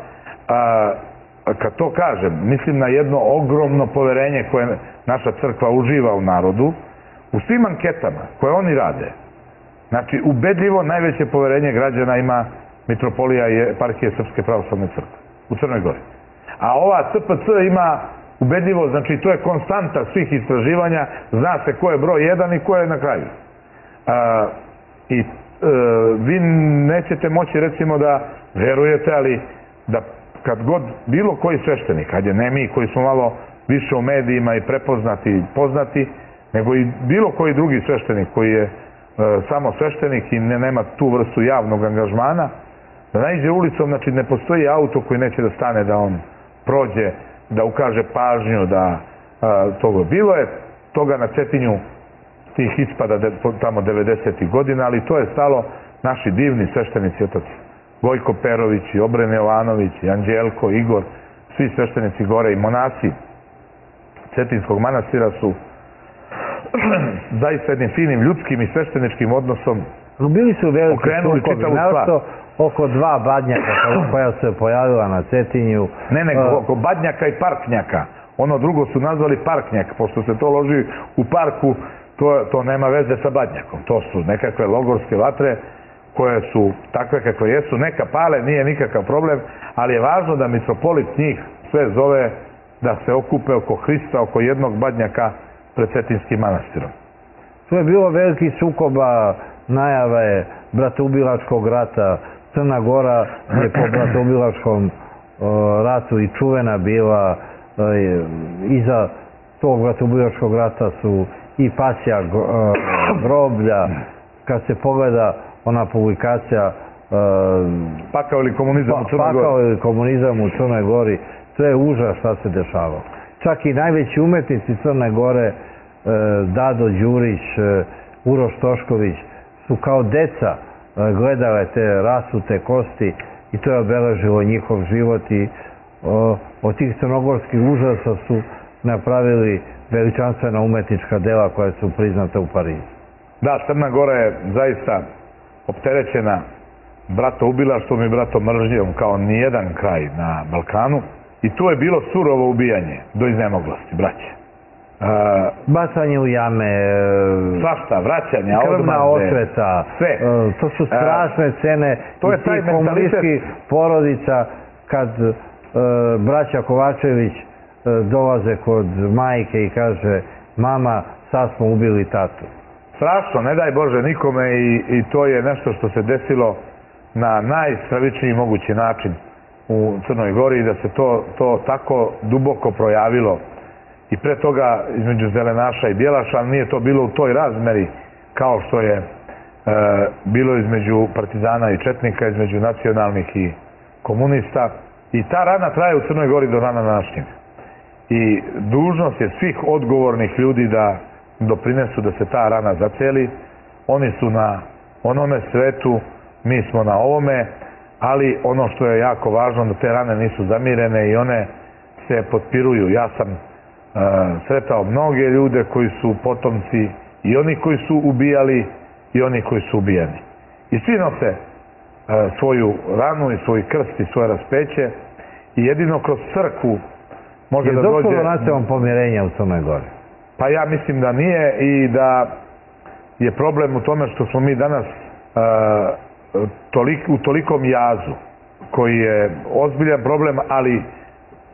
Kad to kažem, mislim na jedno ogromno poverenje koje naša crkva uživa u narodu. U svim anketama koje oni rade, znači ubedljivo najveće poverenje građana ima mitropolija i eparhije Srpske pravoslavne crkve u Crnoj Gori. A ova CPC ima ubedljivo, znači to je konstanta svih istraživanja, zna se ko je broj 1 i ko je na kraju. I vi nećete moći recimo da verujete, ali da kad god bilo koji sveštenik, hajde ne mi koji smo malo više u medijima i prepoznati i poznati, nego i bilo koji drugi sveštenik koji je samo sveštenik i nema tu vrstu javnog angažmana, da naiđe ulicom, znači ne postoji auto koji neće da stane da on prođe, da ukaže pažnju, da toga. Bilo je toga na Cetinju, tih ispada tamo 90. godina, ali to je stalo naši divni sveštenici, otac Gojko Perović i Obren Jovanović i Anđelko, Igor, svi sveštenici gore i monasi Cetinskog manastira su zaista jednim finim ljudskim i svešteničkim odnosom bili su veliki okrenuli čitavu stvar. Oko 2 badnjaka koja se pojavila na Cetinju. Ne, nego oko badnjaka i parknjaka. Ono drugo su nazvali parknjak, pošto se to loži u parku, to nema veze sa badnjakom. To su nekakve logorske vatre koje su takve kakve jesu. Neka pale, nije nikakav problem, ali je važno da mitropolit njih sve zove da se okupe oko Hrista, oko jednog badnjaka pred Cetinskim manastirom. Tu je bilo veliki sukoba, najave bratoubilačkog rata. Crna Gora je po bratoubilačkom ratu i čuvena bila. Iza tog bratoubilačkog rata su i pasja groblja. Kad se pogleda ona publikacija Pakao ili komunizam u Crnoj Gori. Pakao ili komunizam u Crnoj Gori. To je užas šta se dešavalo. Čak i najveći umetnici Crne Gore, Dado Đurić, Uroš Tošković, su kao deca gledale te rasute kosti i to je obeležilo njihov život i od tih crnogorskih užasa su napravili veličanstvena umetnička dela koja su priznata u Parizu. Da, Crna Gora je zaista opterećena bratoubilaštvom i bratomržnjom kao nijedan kraj na Balkanu. I tu je bilo surovo ubijanje do iznemoglosti, braće. Bacanje u jame, svašta, vraćanje, krvna osveta, sve. To su strašne scene iz tih komunističkih porodica kad braća Kovačević dolaze kod majke i kaže mama, sad smo ubili tatu. Strašno, ne daj Bože nikome i to je nešto što se desilo na najstravičniji mogući način u Crnoj Gori i da se to tako duboko projavilo i pre toga između zelenaša i bijelaša, ali nije to bilo u toj razmeri kao što je bilo između partizana i četnika, između nacionalnih i komunista. I ta rana traje u Crnoj Gori do dana današnjeg. I dužnost je svih odgovornih ljudi da doprinesu da se ta rana zaceli. Oni su na onome svetu, mi smo na ovome, ali ono što je jako važno da te rane nisu zamirene i one se potpiruju. Ja sam sretao mnoge ljude koji su potomci i oni koji su ubijali i oni koji su ubijeni. I svi nose svoju ranu i svoj krst i svoje raspeće i jedino kroz crkvu može da dođe... Je došlo do nacionalnog pomirenja u Crnoj Gori? Pa ja mislim da nije i da je problem u tome što smo mi danas u tolikom jazu koji je ozbiljan problem, ali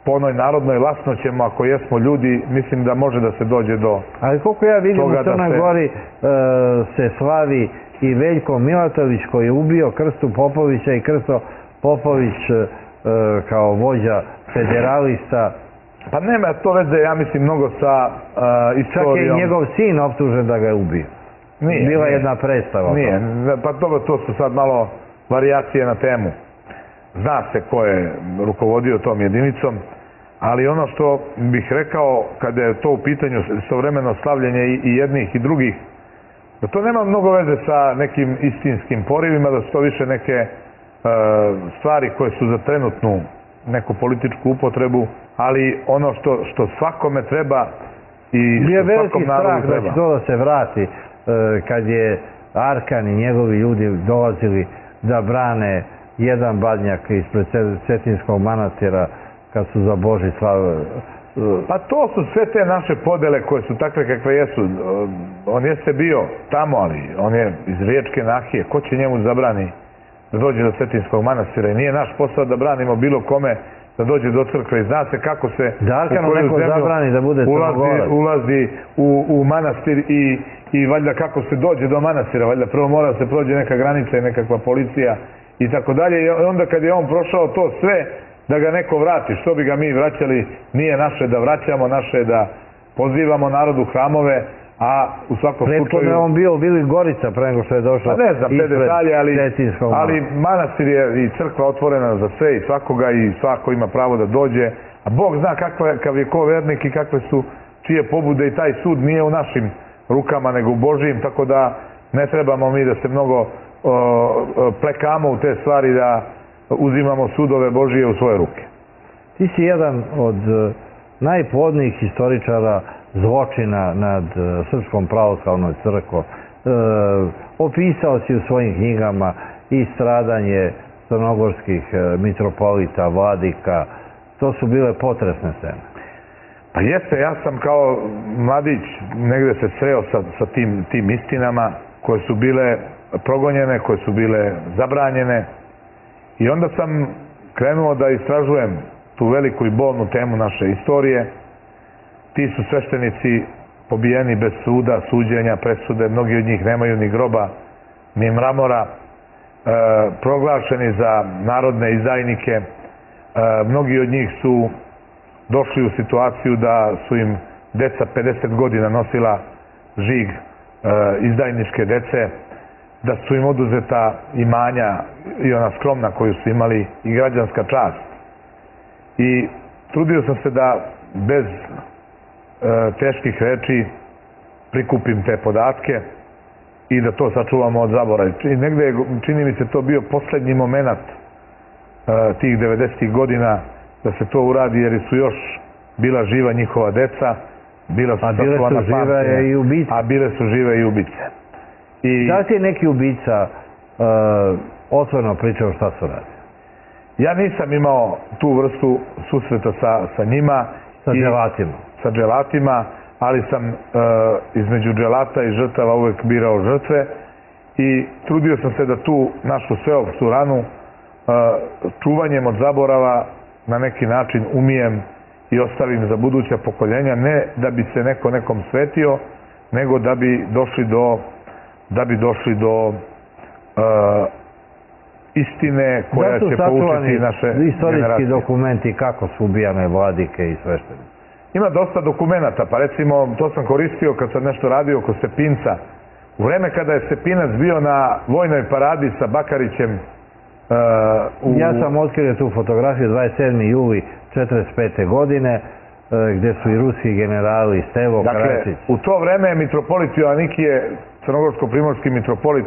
po onoj narodnoj lasnoćemo, ako jesmo ljudi, mislim da može da se dođe do... Ali koliko ja vidim u Crnoj Gori se slavi i Veljko Milatović koji je ubio Krstu Popovića i Krsto Popović kao vođa federalista. Pa nema to veze, ja mislim, mnogo sa istorijom. Čak je i njegov sin optužen da ga je ubio. Bila jedna predstava. Nije, pa to su sad malo varijacije na temu. Zna se ko je rukovodio tom jedinicom, ali ono što bih rekao kada je to u pitanju istovremeno slavljenje i jednih i drugih, da to nema mnogo veze sa nekim istinskim porivima, da su to više neke stvari koje su za trenutnu neku političku upotrebu, ali ono što svakome treba i što svakom narodu treba. Bio veliki strah da će to da se vrati kad je Arkan i njegovi ljudi dolazili da brane jedan badnjak ispred Cetinskog manastira kad su za Boži slave. Pa to su sve te naše podele koje su takve kakve jesu. On jeste bio tamo, ali on je iz Riječke nahije. Ko će njemu zabrani da dođe do Cetinskog manastira? I nije naš posao da branimo bilo kome da dođe do crkve. I zna se kako se da Arkanu neko zabrani da bude crnogorac. Ulazi u manastir i valjda kako se dođe do manastira. Valjda prvo mora da se prođe neka granica i nekakva policija i tako dalje. I onda kad je on prošao to sve, da ga neko vrati. Što bi ga mi vraćali? Nije naše da vraćamo, naše je da pozivamo narodu hramove, a u svakom slučaju... Prethodno je on bio u Bili Gorica pre nego što je došao. Pa ne znam te detalje, ali manastir je i crkva otvorena za sve i svakoga i svako ima pravo da dođe. A Bog zna kakav je ko vernik i kakve su čije pobude i taj sud nije u našim rukama nego u Božijim, tako da ne trebamo mi da se mnogo plekamo u te stvari, da uzimamo sudove Božije u svoje ruke. Ti si jedan od najplodnijih historičara zločina nad Srpskom pravoslavnom crkvom. Opisao si u svojim knjigama i stradanje crnogorskih mitropolita, vladika. To su bile potresne scene. Pa jeste, ja sam kao mladić negde se sreo sa tim istinama koje su bile progonjene, koje su bile zabranjene. I onda sam krenuo da istražujem tu veliku i bolnu temu naše istorije. Ti su sveštenici pobijeni bez suda, suđenja, presude. Mnogi od njih nemaju ni groba, ni mramora. Proglašeni za narodne izdajnike. Mnogi od njih su došli u situaciju da su im deca 50 godina nosila žig izdajničke dece, da su im oduzeta imanja i ona skromna koju su imali i građanska čast. I trudio sam se da bez teških reči prikupim te podatke i da to sačuvamo od zaborava. Negde je, čini mi se, to bio poslednji moment tih 90. godina da se to uradi, jer su još bila živa njihova deca, bila su sačuvana pamćenja, a bile su žive i ubice. Da li ti je neki ubica otvoreno pričao šta su radili? Ja nisam imao tu vrstu susreta sa njima. Sa dželatima? Sa dželatima, ali sam između dželata i žrtava uvek birao žrtve i trudio sam se da tu našu sveopštu ranu čuvanjem od zaborava na neki način umijem i ostavim za buduća pokoljenja, ne da bi se neko nekom svetio, nego da bi došli do istine koja će poučiti naše generacije. Istorijski dokumenti kako su ubijane vladike i sveštenici? Ima dosta dokumenta, pa recimo to sam koristio kad sam nešto radio oko Stepinca. U vreme kada je Stepinac bio na vojnoj paradi sa Bakarićem. Ja sam otkrio tu fotografiju 27. juli 1945. godine gde su i ruski generali Stevo Karačić. Dakle, u to vreme je mitropolit Joanikije, crnogorsko-primorski mitropolit,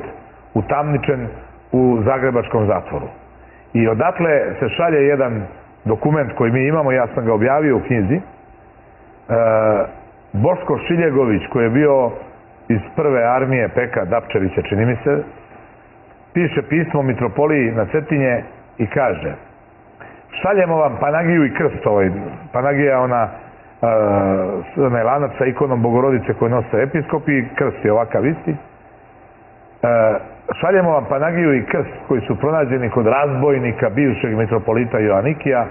utamničen u zagrebačkom zatvoru. I odatle se šalje jedan dokument koji mi imamo, ja sam ga objavio u knjizi. Boško Šiljegović, koji je bio iz prve armije Peka Dapčevića, čini mi se, piše pismo mitropoliji na Cetinje i kaže: šaljemo vam Panagiju i krst. Panagija onaj lanac sa ikonom Bogorodice koju nose episkopi i krst je ovakav isti. Šaljemo vam Panagiju i krst koji su pronađeni kod razbojnika bivšeg mitropolita Joanikija.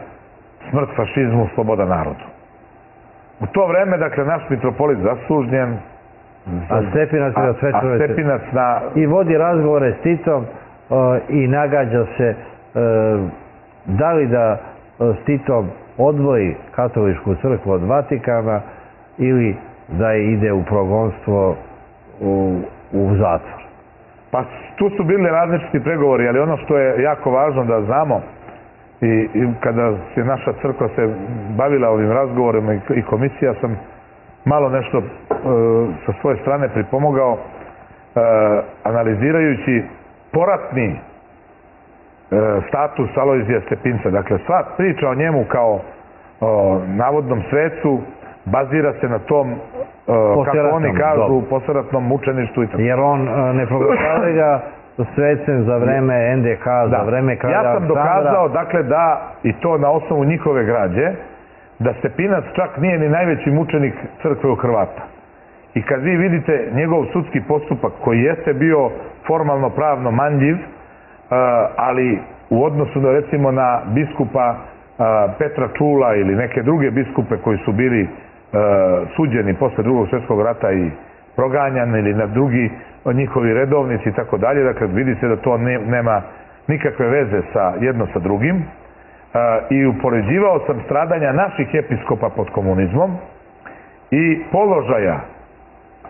Smrt fašizmu, sloboda narodu. U to vreme, dakle, naš mitropolit zaslužnjen, A Stepinac na Stepinac na... I vodi razgovore s Titom i nagađa se da li da s Titom odvoji katoličku crkvu od Vatikana ili da ide u progonstvo u zatvor. Pa tu su bili različiti pregovori, ali ono što je jako važno da znamo i kada se naša crkva se bavila ovim razgovorima i komisija, sam malo nešto sa svoje strane pripomogao analizirajući poratni status Alojzija Stepinca. Dakle, sva priča o njemu kao navodnom svecu bazira se na tom, kako oni kažu, posleratnom mučeništvu. Jer on ne proglašava ga svecem za vreme NDH, za vreme kralja Aleksandra. Ja sam dokazao, dakle, da, i to na osnovu njihove građe, da Stepinac čak nije ni najveći mučenik crkve u Hrvata. I kad vi vidite njegov sudski postupak, koji jeste bio formalno pravno manljiv, ali u odnosu da recimo na biskupa Petra Čula ili neke druge biskupe koji su bili suđeni posle Drugog svjetskog rata i proganjani ili na drugi njihovi redovnici i tako dalje, dakle vidi se da to nema nikakve veze sa jedno sa drugim. I upoređivao sam stradanja naših episkopa pod komunizmom i položaja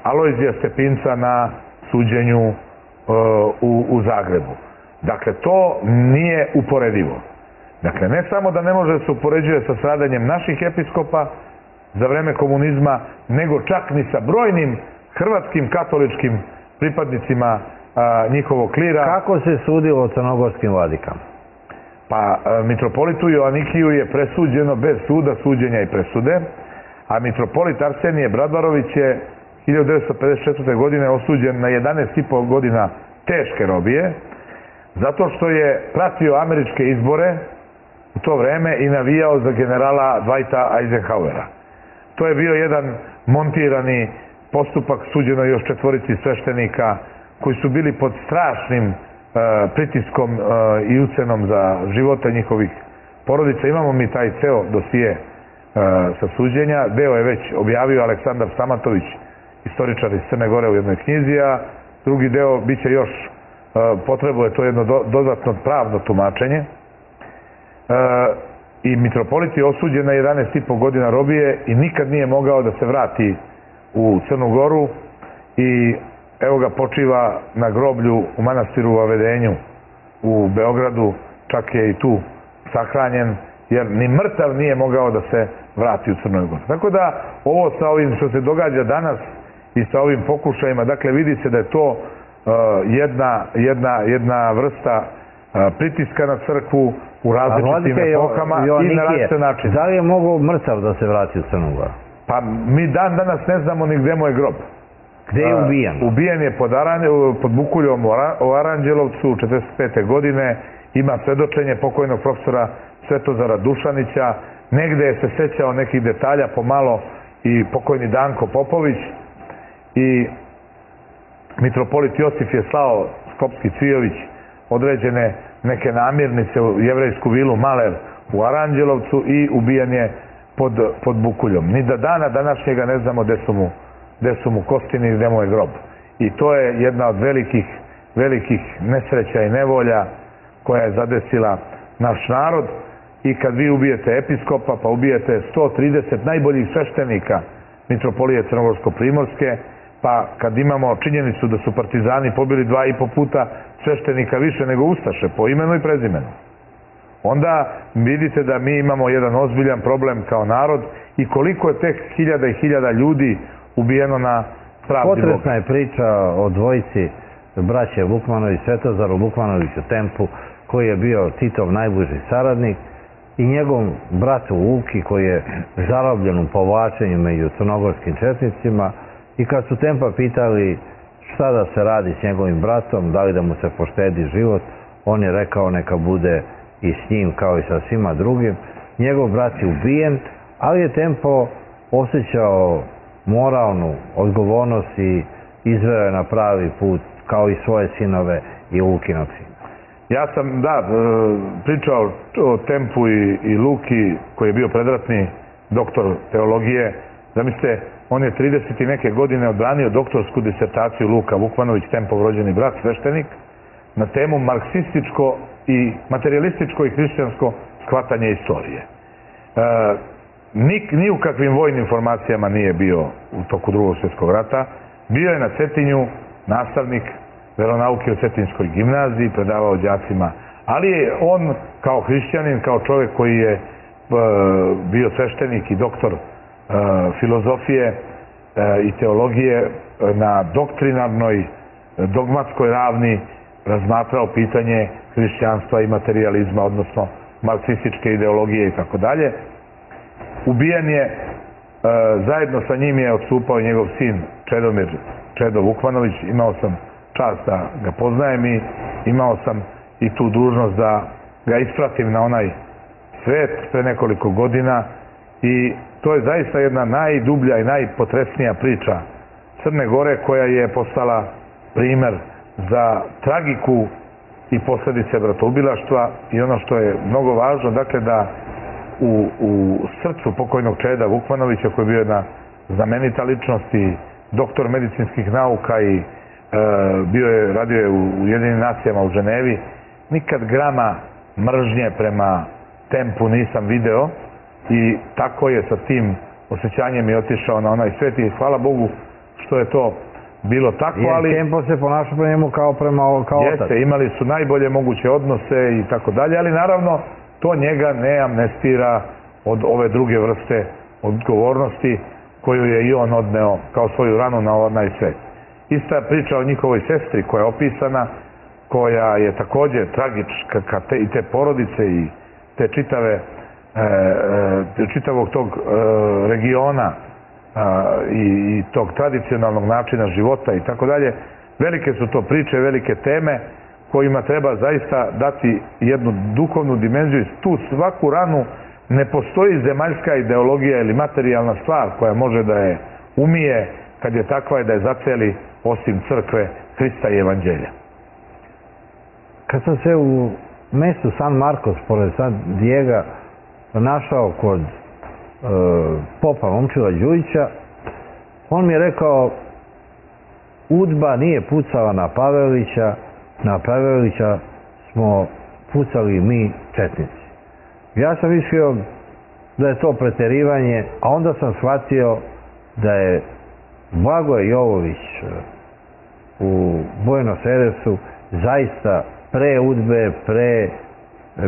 Alojzija Stepinca na suđenju u Zagrebu. Dakle, to nije uporedivo. Dakle, ne samo da ne može da se upoređuje sa stradanjem naših episkopa za vreme komunizma, nego čak ni sa brojnim hrvatskim katoličkim pripadnicima njihovog klira. Kako se sudilo crnogorskim vladikama? Pa, mitropolitu Joanikiju je presuđeno bez suda, suđenja i presude, a mitropolit Arsenije Bradvarović je 1954. godine osuđen na 11,5 godina teške robije, zato što je pratio američke izbore u to vreme i navijao za generala Dwighta Eisenhowera. To je bio jedan montirani postupak, suđeno još 4 sveštenika koji su bili pod strašnim pritiskom i ucenom za živote njihovih porodica. Imamo mi taj ceo dosije sa suđenja. Deo je već objavio Aleksandar Stamatović, istoričar iz Crne Gore, u jednoj knjizi, a drugi deo biće još, potrebuje to jedno dodatno pravno tumačenje. I mitropolit je osuđen na 11,5 godina robije i nikad nije mogao da se vrati u Crnu Goru i evo ga počiva na groblju u manastiru u Avedenju u Beogradu, čak je i tu sahranjen, jer ni mrtav nije mogao da se vrati u Crnoj Gori. Tako da ovo sa ovim što se događa danas i sa ovim pokušajima, dakle vidi se da je to jedna vrsta pritiska na crkvu u različitim epohama i na različite načine. Da li je mogao mrtav da se vrati u Crnu Goru? Pa mi dan danas ne znamo ni gde mu je grob. Gde je ubijen? Ubijen je pod Bukuljom u Aranđelovcu 1945. godine. Ima svedočenje pokojnog profesora Svetozara Dušanića. Negde se sećao nekih detalja pomalo i pokojni Danko Popović. I mitropolit Josif je slao Skopski Cvijović određene neke namirnice u jevrejsku vilu Maler u Aranđelovcu i ubijen je pod Bukuljom. Ni da dana današnjega ne znamo gde su mu kostini i gde mu je grob. I to je jedna od velikih nesreća i nevolja koja je zadesila naš narod. I kad vi ubijete episkopa, pa ubijete 130 najboljih sveštenika mitropolije Crnogorsko-Primorske, pa kad imamo činjenicu da su partizani pobili 2,5 puta sveštenika više nego ustaše, po imenu i prezimenu, onda vidite da mi imamo jedan ozbiljan problem kao narod i koliko je tek hiljada i hiljada ljudi ubijeno na pravdi Boga. Potresna je priča o dvojici braće Vukmanović, Svetozaru Vukmanoviću Tempu, koji je bio Titov najbliži saradnik, i njegov bratu Vuki, koji je zarobljen u povlačenju među crnogorskim četnicima. I kad su Tempa pitali šta da se radi s njegovim bratom, da li da mu se poštedi život, on je rekao neka bude i s njim kao i sa svima drugim. Njegov brat je ubijen, ali je Tempo osjećao moralnu odgovornost i izveo je na pravi put kao i svoje sinove i Lukinog sina. Ja sam, pričao o Tempu i Luki, koji je bio predratni doktor teologije. Zamislite, On je 30 i neke godine odbranio doktorsku disertaciju, Luka Vukmanović, Tempov rođeni brat, sveštenik, na temu marksističko i materijalističko i hrišćansko shvatanje istorije. Ni u kakvim vojnim formacijama nije bio u toku Drugog svjetskog rata. Bio je na Cetinju nastavnik veronauke u Cetinskoj gimnaziji, predavao đacima, ali je on kao hrišćanin, kao čovjek koji je bio sveštenik i doktor filozofije i teologije na doktrinarnoj, dogmatskoj ravni razmatrao pitanje hrišćanstva i materijalizma, odnosno marksističke ideologije i tako dalje. Ubijen je, zajedno sa njim je odstupao njegov sin Čedomir Čedo Vukmanović. Imao sam čast da ga poznajem i imao sam i tu dužnost da ga ispratim na onaj svet pre nekoliko godina i to je zaista jedna najdublja i najpotresnija priča Crne Gore, koja je postala primer za tragiku i posljedice bratoubilaštva. I ono što je mnogo važno, dakle, da u srcu pokojnog Čeda Vukmanovića, koji je bio jedna znamenita ličnost i doktor medicinskih nauka i radio je u Ujedinjenim nacijama u Ženevi, nikad grama mržnje prema Tempu nisam video i tako je sa tim osjećanjem i otišao na onaj svet i hvala Bogu što je to bilo tako, ali... Jer Tempo se ponašao prema njemu kao otac. Jeste, imali su najbolje moguće odnose i tako dalje, ali naravno to njega ne amnestira od ove druge vrste odgovornosti koju je i on odneo kao svoju ranu na onaj svet. Ista priča o njihovoj sestri koja je opisana, koja je također tragička i te porodice i te čitavog tog regiona i tog tradicionalnog načina života i tako dalje. Velike su to priče, velike teme kojima treba zaista dati jednu duhovnu dimenziju. Tu svaku ranu ne postoji zemaljska ideologija ili materijalna stvar koja može da je umije kad je takva i da je zaceli osim crkve Hrista i Evanđelja. Kad sam se u mestu San Marcos, pored San Diego, našao kod popa Momčila Đujića, on mi je rekao: UDBA nije pucala na Pavelića smo pucali mi četnici. Ja sam mislio da je to preterivanje, a onda sam shvatio da je Blagoje Jovović u Buenos Airesu zaista pre UDBE, pre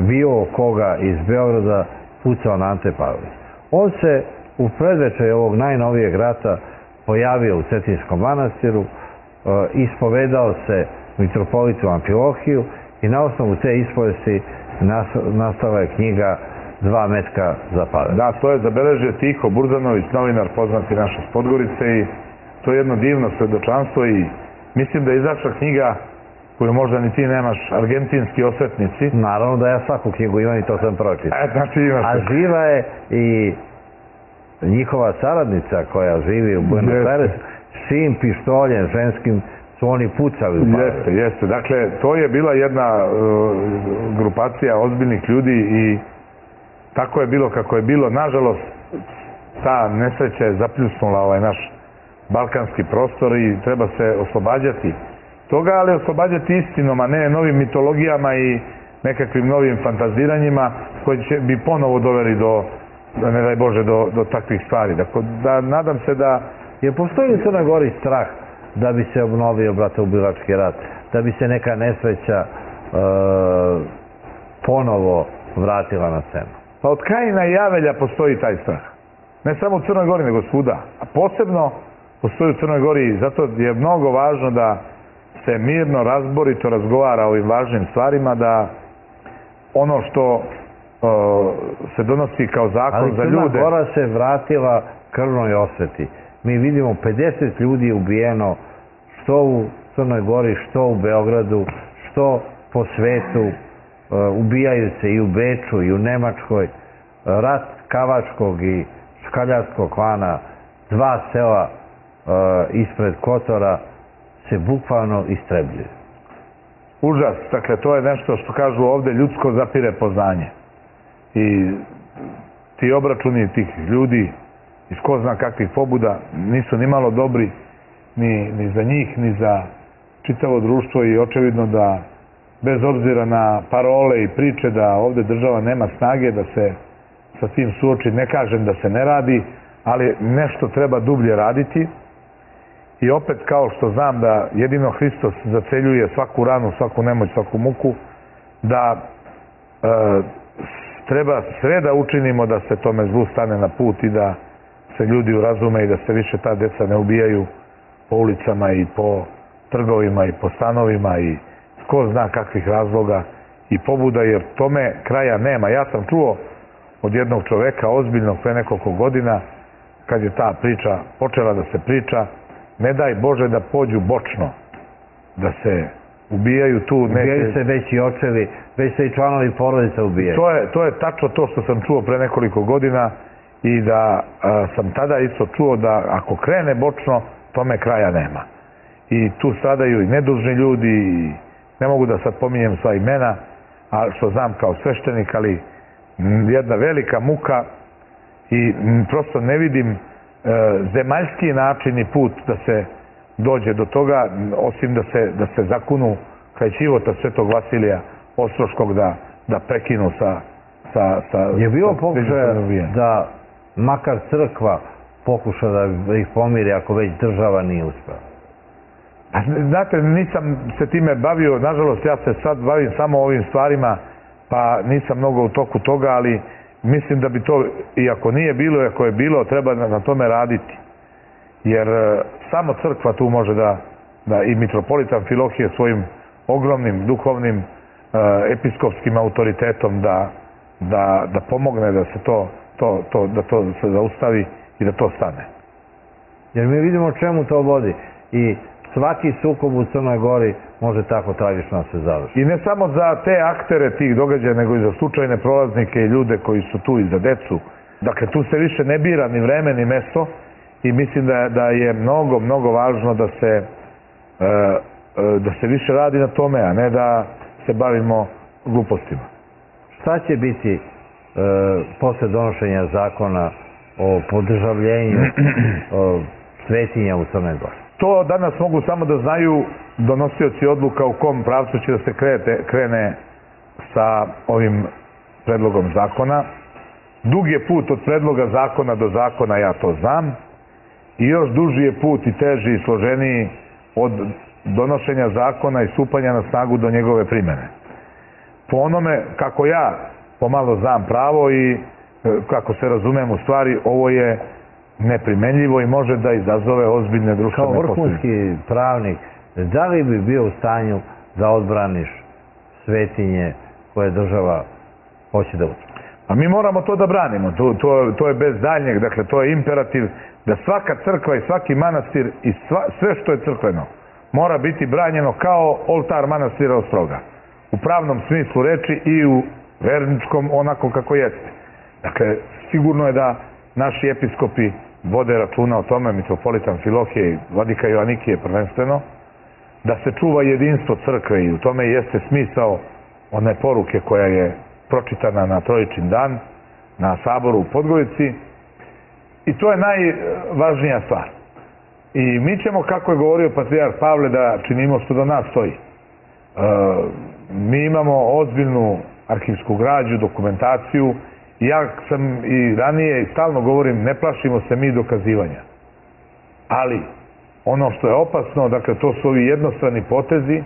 bilo koga iz Beograda pucao na Ante Pavelić. On se u predvečer ovog najnovijeg rata pojavio u Cetinskom manastiru, ispovedao se mitropolitu Amfilohiju i na osnovu te ispovesti nastala je knjiga Dva metka za Pavelića. Da, to je zabeležio Tiho Burzanović, novinar poznati naš iz Podgorice, i to je jedno divno svedočanstvo i mislim da je izašla knjiga koju možda ni ti nemaš, Argentinski osvetnici. Naravno da ja svaku knjigu imam i to sam pročitao. Znači imaš. A živa je i njihova saradnica koja živi u Buenos Airesu, svim pištoljem ženskim su oni pucali u Pavelića. Jeste. Dakle, to je bila jedna grupacija ozbiljnih ljudi i tako je bilo kako je bilo. Nažalost, ta nesreća je zapljusnula ovaj naš balkanski prostor i treba se oslobađati toga, ali oslobađati istinom, a ne novim mitologijama i nekakvim novim fantaziranjima koji bi ponovo doveli do, ne daj Bože, do takvih stvari. Dakle, nadam se da... Jer postoji u Crnoj Gori strah da bi se obnovio bratoubilački rat, da bi se neka nesreća ponovo vratila na scenu? Pa od Kajina i Avelja postoji taj strah. Ne samo u Crnoj Gori, nego svuda. A posebno postoji u Crnoj Gori i zato je mnogo važno da se mirno, razborito razgovara o ovim važnim stvarima, da ono što se donosi kao zakon za ljude... Ali Crna Gora se vratila krvnoj osveti. Mi vidimo 50 ljudi ubijeno što u Crnoj Gori, što u Beogradu, što po svetu. Ubijaju se i u Beču i u Nemačkoj. Rat Kavačkog i Škaljarskog klana, 2 sela ispred Kotora se bukvalno istrebljuju. Užas. Dakle, to je nešto što kažu ovde, ljudsko zapire poznanje. I ti obračuni tih ljudi iz ko zna kakvih pobuda, nisu ni malo dobri ni za njih, ni za čitavo društvo i očevidno da bez obzira na parole i priče da ovde država nema snage da se sa tim suoči, ne kažem da se ne radi, ali nešto treba dublje raditi. I opet, kao što znam da jedino Hristos zaceljuje svaku ranu, svaku nemoć, svaku muku, da treba sve da učinimo da se tome zlu stane na put i da se ljudi urazume i da se više ta deca ne ubijaju po ulicama i po trgovima i po stanovima i ko zna kakvih razloga i pobuda, jer tome kraja nema. Ja sam čuo od jednog čoveka ozbiljnog pre nekoliko godina, kad je ta priča počela da se priča, ne daj Bože da pođu bočno, da se ubijaju tu. Ubijaju se već i očevi, već se i članovi porodica ubijaju. To je tačno to što sam čuo pre nekoliko godina i da sam tada isto čuo da ako krene bočno, tome kraja nema. I tu stradaju i nedužni ljudi i ne mogu da sad pominjem sva imena, a što znam kao sveštenik, ali jedna velika muka i prosto ne vidim zemaljski način i put da se dođe do toga, osim da se zakunu kraj ćivota Svetog Vasilija Ostroškog da prekinu sa... Je bilo pokušaja da makar crkva pokuša da ih pomiri ako već država nije uspela? Znate, nisam se time bavio, nažalost ja se sad bavim samo ovim stvarima, pa nisam mnogo u toku toga, ali mislim da bi to, i ako nije bilo, i ako je bilo, treba na tome raditi. Jer samo crkva tu može da i mitropolitan Amfilohije svojim ogromnim duhovnim episkopskim autoritetom da pomogne da se to se zaustavi i da to stane. Jer mi vidimo čemu to vodi i svaki sukob u Crnoj Gori može tako tragično se završiti. I ne samo za te aktere tih događaja, nego i za slučajne prolaznike i ljude koji su tu i za decu. Dakle, tu se više ne bira ni vreme ni mesto i mislim da je mnogo, mnogo važno da se više radi na tome, a ne da se bavimo glupostima. Šta će biti posle donošenja zakona o podržavljenju svetinja u Crnoj Gori? To danas mogu samo da znaju donosioci odluka u kom pravcu će da se krene sa ovim predlogom zakona. Dug je put od predloga zakona do zakona, ja to znam, i još duži je put i teži i složeniji od donošenja zakona i stupanja na snagu do njegove primene. Po onome kako ja pomalo znam pravo i kako se razumem u stvari, ovo je neprimenljivo i može da izazove ozbiljne društvene posljedice. Kao vrhunski pravnik, da li bi bio u stanju da odbraniš svetinje koje država hoće da utvrdi? A mi moramo to da branimo, to je bez daljnjeg, dakle to je imperativ da svaka crkva i svaki manastir i sve što je crkveno mora biti branjeno kao oltar manastira Ostroga. U pravnom smislu reči i u verničkom onako kako jeste. Dakle, sigurno je da naši episkopi vode računa o tome, mitropolitan Amfilohije i vladika Joanikije prvenstveno, da se čuva jedinstvo crkve i u tome jeste smisao one poruke koja je pročitana na Trojičin dan, na saboru u Podgorici, i to je najvažnija stvar. I mi ćemo, kako je govorio patrijarh Pavle, da činimo što do nas stoji. Mi imamo ozbiljnu arhivsku građu, dokumentaciju, i ja sam i ranije i stalno govorim, ne plašimo se mi dokazivanja. Ali, ono što je opasno, dakle, to su ovi jednostrani potezi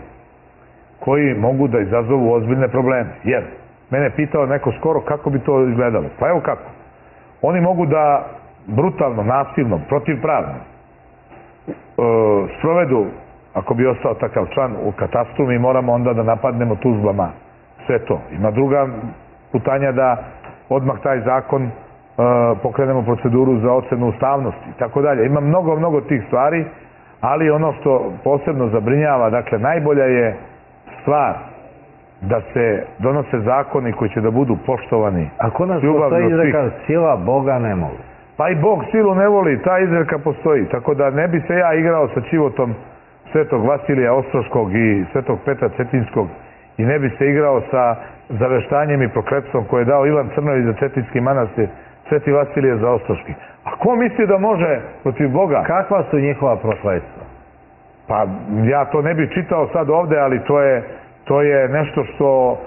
koji mogu da izazovu ozbiljne probleme. Jer, mene pitao neko skoro kako bi to izgledalo. Pa evo kako. Oni mogu da brutalno, nasilno, protivpravno sprovedu, ako bi ostao takav član u katastru, mi moramo onda da napadnemo tužbama sve to. Ima druga putanja da odmah taj zakon pokrenemo proceduru za ocenu ustavnosti i tako dalje. Ima mnogo, mnogo tih stvari, ali ono što posebno zabrinjava, dakle, najbolja je stvar da se donose zakoni koji će da budu poštovani. Ako nas postoji izreka sila Boga ne voli. Pa i Bog silu ne voli, ta izreka postoji. Tako da ne bi se ja igrao sa ćivotom Svetog Vasilija Ostroškog i Svetog Petra Cetinskog i ne bi se igrao sa zaveštanjem i prokletstvom koje je dao Ivan Crnović za Cetinski manastir Sveti Vasilije Zaostroški. A ko misli da može protiv Boga? Kakva su njihova prokletstva? Pa ja to ne bih čitao sad ovde, ali to je nešto što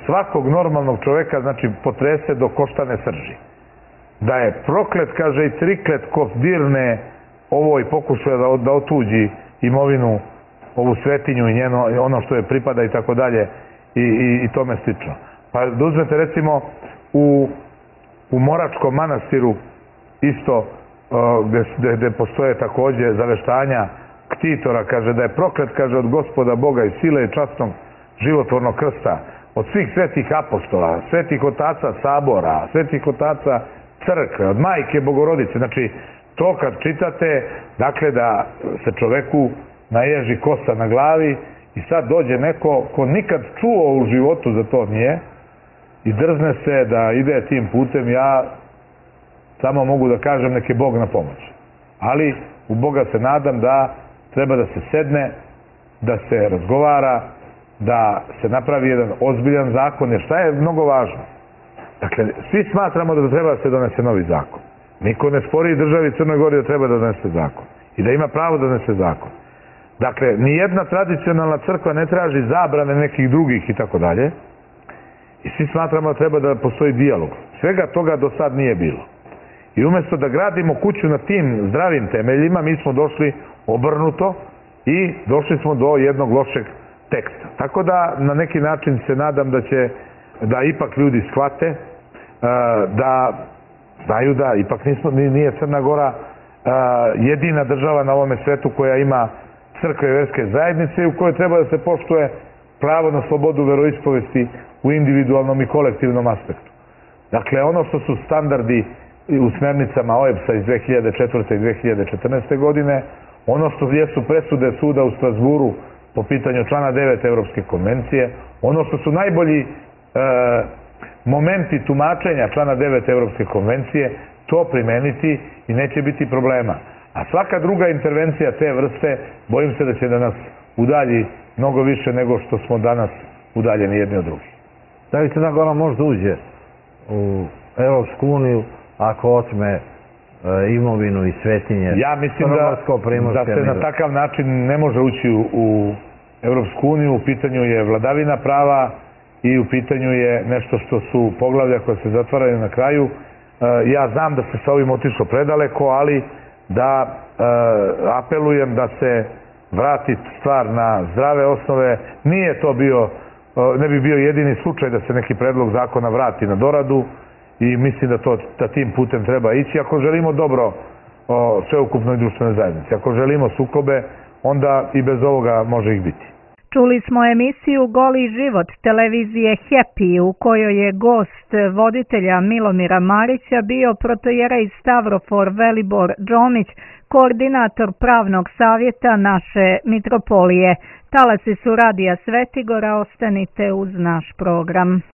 svakog normalnog čoveka, znači, potrese do koštane srži. Da je proklet, kaže, i triklet ko dirne ovo i pokušuje da otuđi imovinu, ovu svetinju i ono što je pripada i tako dalje i tome slično. Pa da uzmete recimo u Moračkom manastiru isto gde postoje takođe zaveštanja ktitora, kaže da je proklet, kaže, od Gospoda Boga i sile i časnog životvornog krsta, od svih svetih apostola, svetih otaca sabora, svetih otaca crkve, od majke Bogorodice. Znači, to kad čitate, dakle da se čoveku naježi kosa na glavi i sad dođe neko ko nikad čuo u životu za to nije i drzne se da ide tim putem, ja samo mogu da kažem nek je Bog na pomoć. Ali u Boga se nadam da treba da se sedne, da se razgovara, da se napravi jedan ozbiljan zakon, jer šta je mnogo važno? Dakle, svi smatramo da treba da se donese novi zakon. Niko ne spori državi Crnoj Gori da treba da donese zakon i da ima pravo da donese zakon. Dakle, nijedna tradicionalna crkva ne traži zabrane nekih drugih i tako dalje. I svi smatramo da treba da postoji dijalog. Svega toga do sad nije bilo. I umjesto da gradimo kuću na tim zdravim temeljima, mi smo došli obrnuto i došli smo do jednog lošeg teksta. Tako da na neki način se nadam da ipak ljudi shvate, da znaju da ipak nije Crna Gora jedina država na ovome svetu koja ima crkve i verske zajednice i u kojoj treba da se poštuje pravo na slobodu veroispovesti u individualnom i kolektivnom aspektu. Dakle, ono što su standardi u smernicama OEBS-a iz 2004. i 2014. godine, ono što jesu presude suda u Strasburu po pitanju člana 9 Evropske konvencije, ono što su najbolji momenti tumačenja člana 9 Evropske konvencije, to primeniti i neće biti problema. A svaka druga intervencija te vrste, bojim se da će da nas udalji mnogo više nego što smo danas udaljeni jedni od drugih. Da li Crna Gora možda uđe u Evropsku uniju ako otme imovinu i svetinje? Ja mislim da se na takav način ne može ući u Evropsku uniju. U pitanju je vladavina prava i u pitanju je nešto što su poglavlja koje se zatvaraju na kraju. Ja znam da se sa ovim otišlo predaleko, ali da apelujem da se vrati stvar na zdrave osnove. Nije to ne bi bio jedini slučaj da se neki predlog zakona vrati na doradu i mislim da tim putem treba ići. Ako želimo dobro sveukupnoj društvenoj zajednici, ako želimo sukobe, onda i bez ovoga može ih biti. Čuli smo emisiju Goli život televizije Happy u kojoj je gost voditelja Milomira Marića bio protojerej Stavrofor Velibor Džomić, koordinator pravnog savjeta naše mitropolije. Talasi su Radija Svetigora, ostanite uz naš program.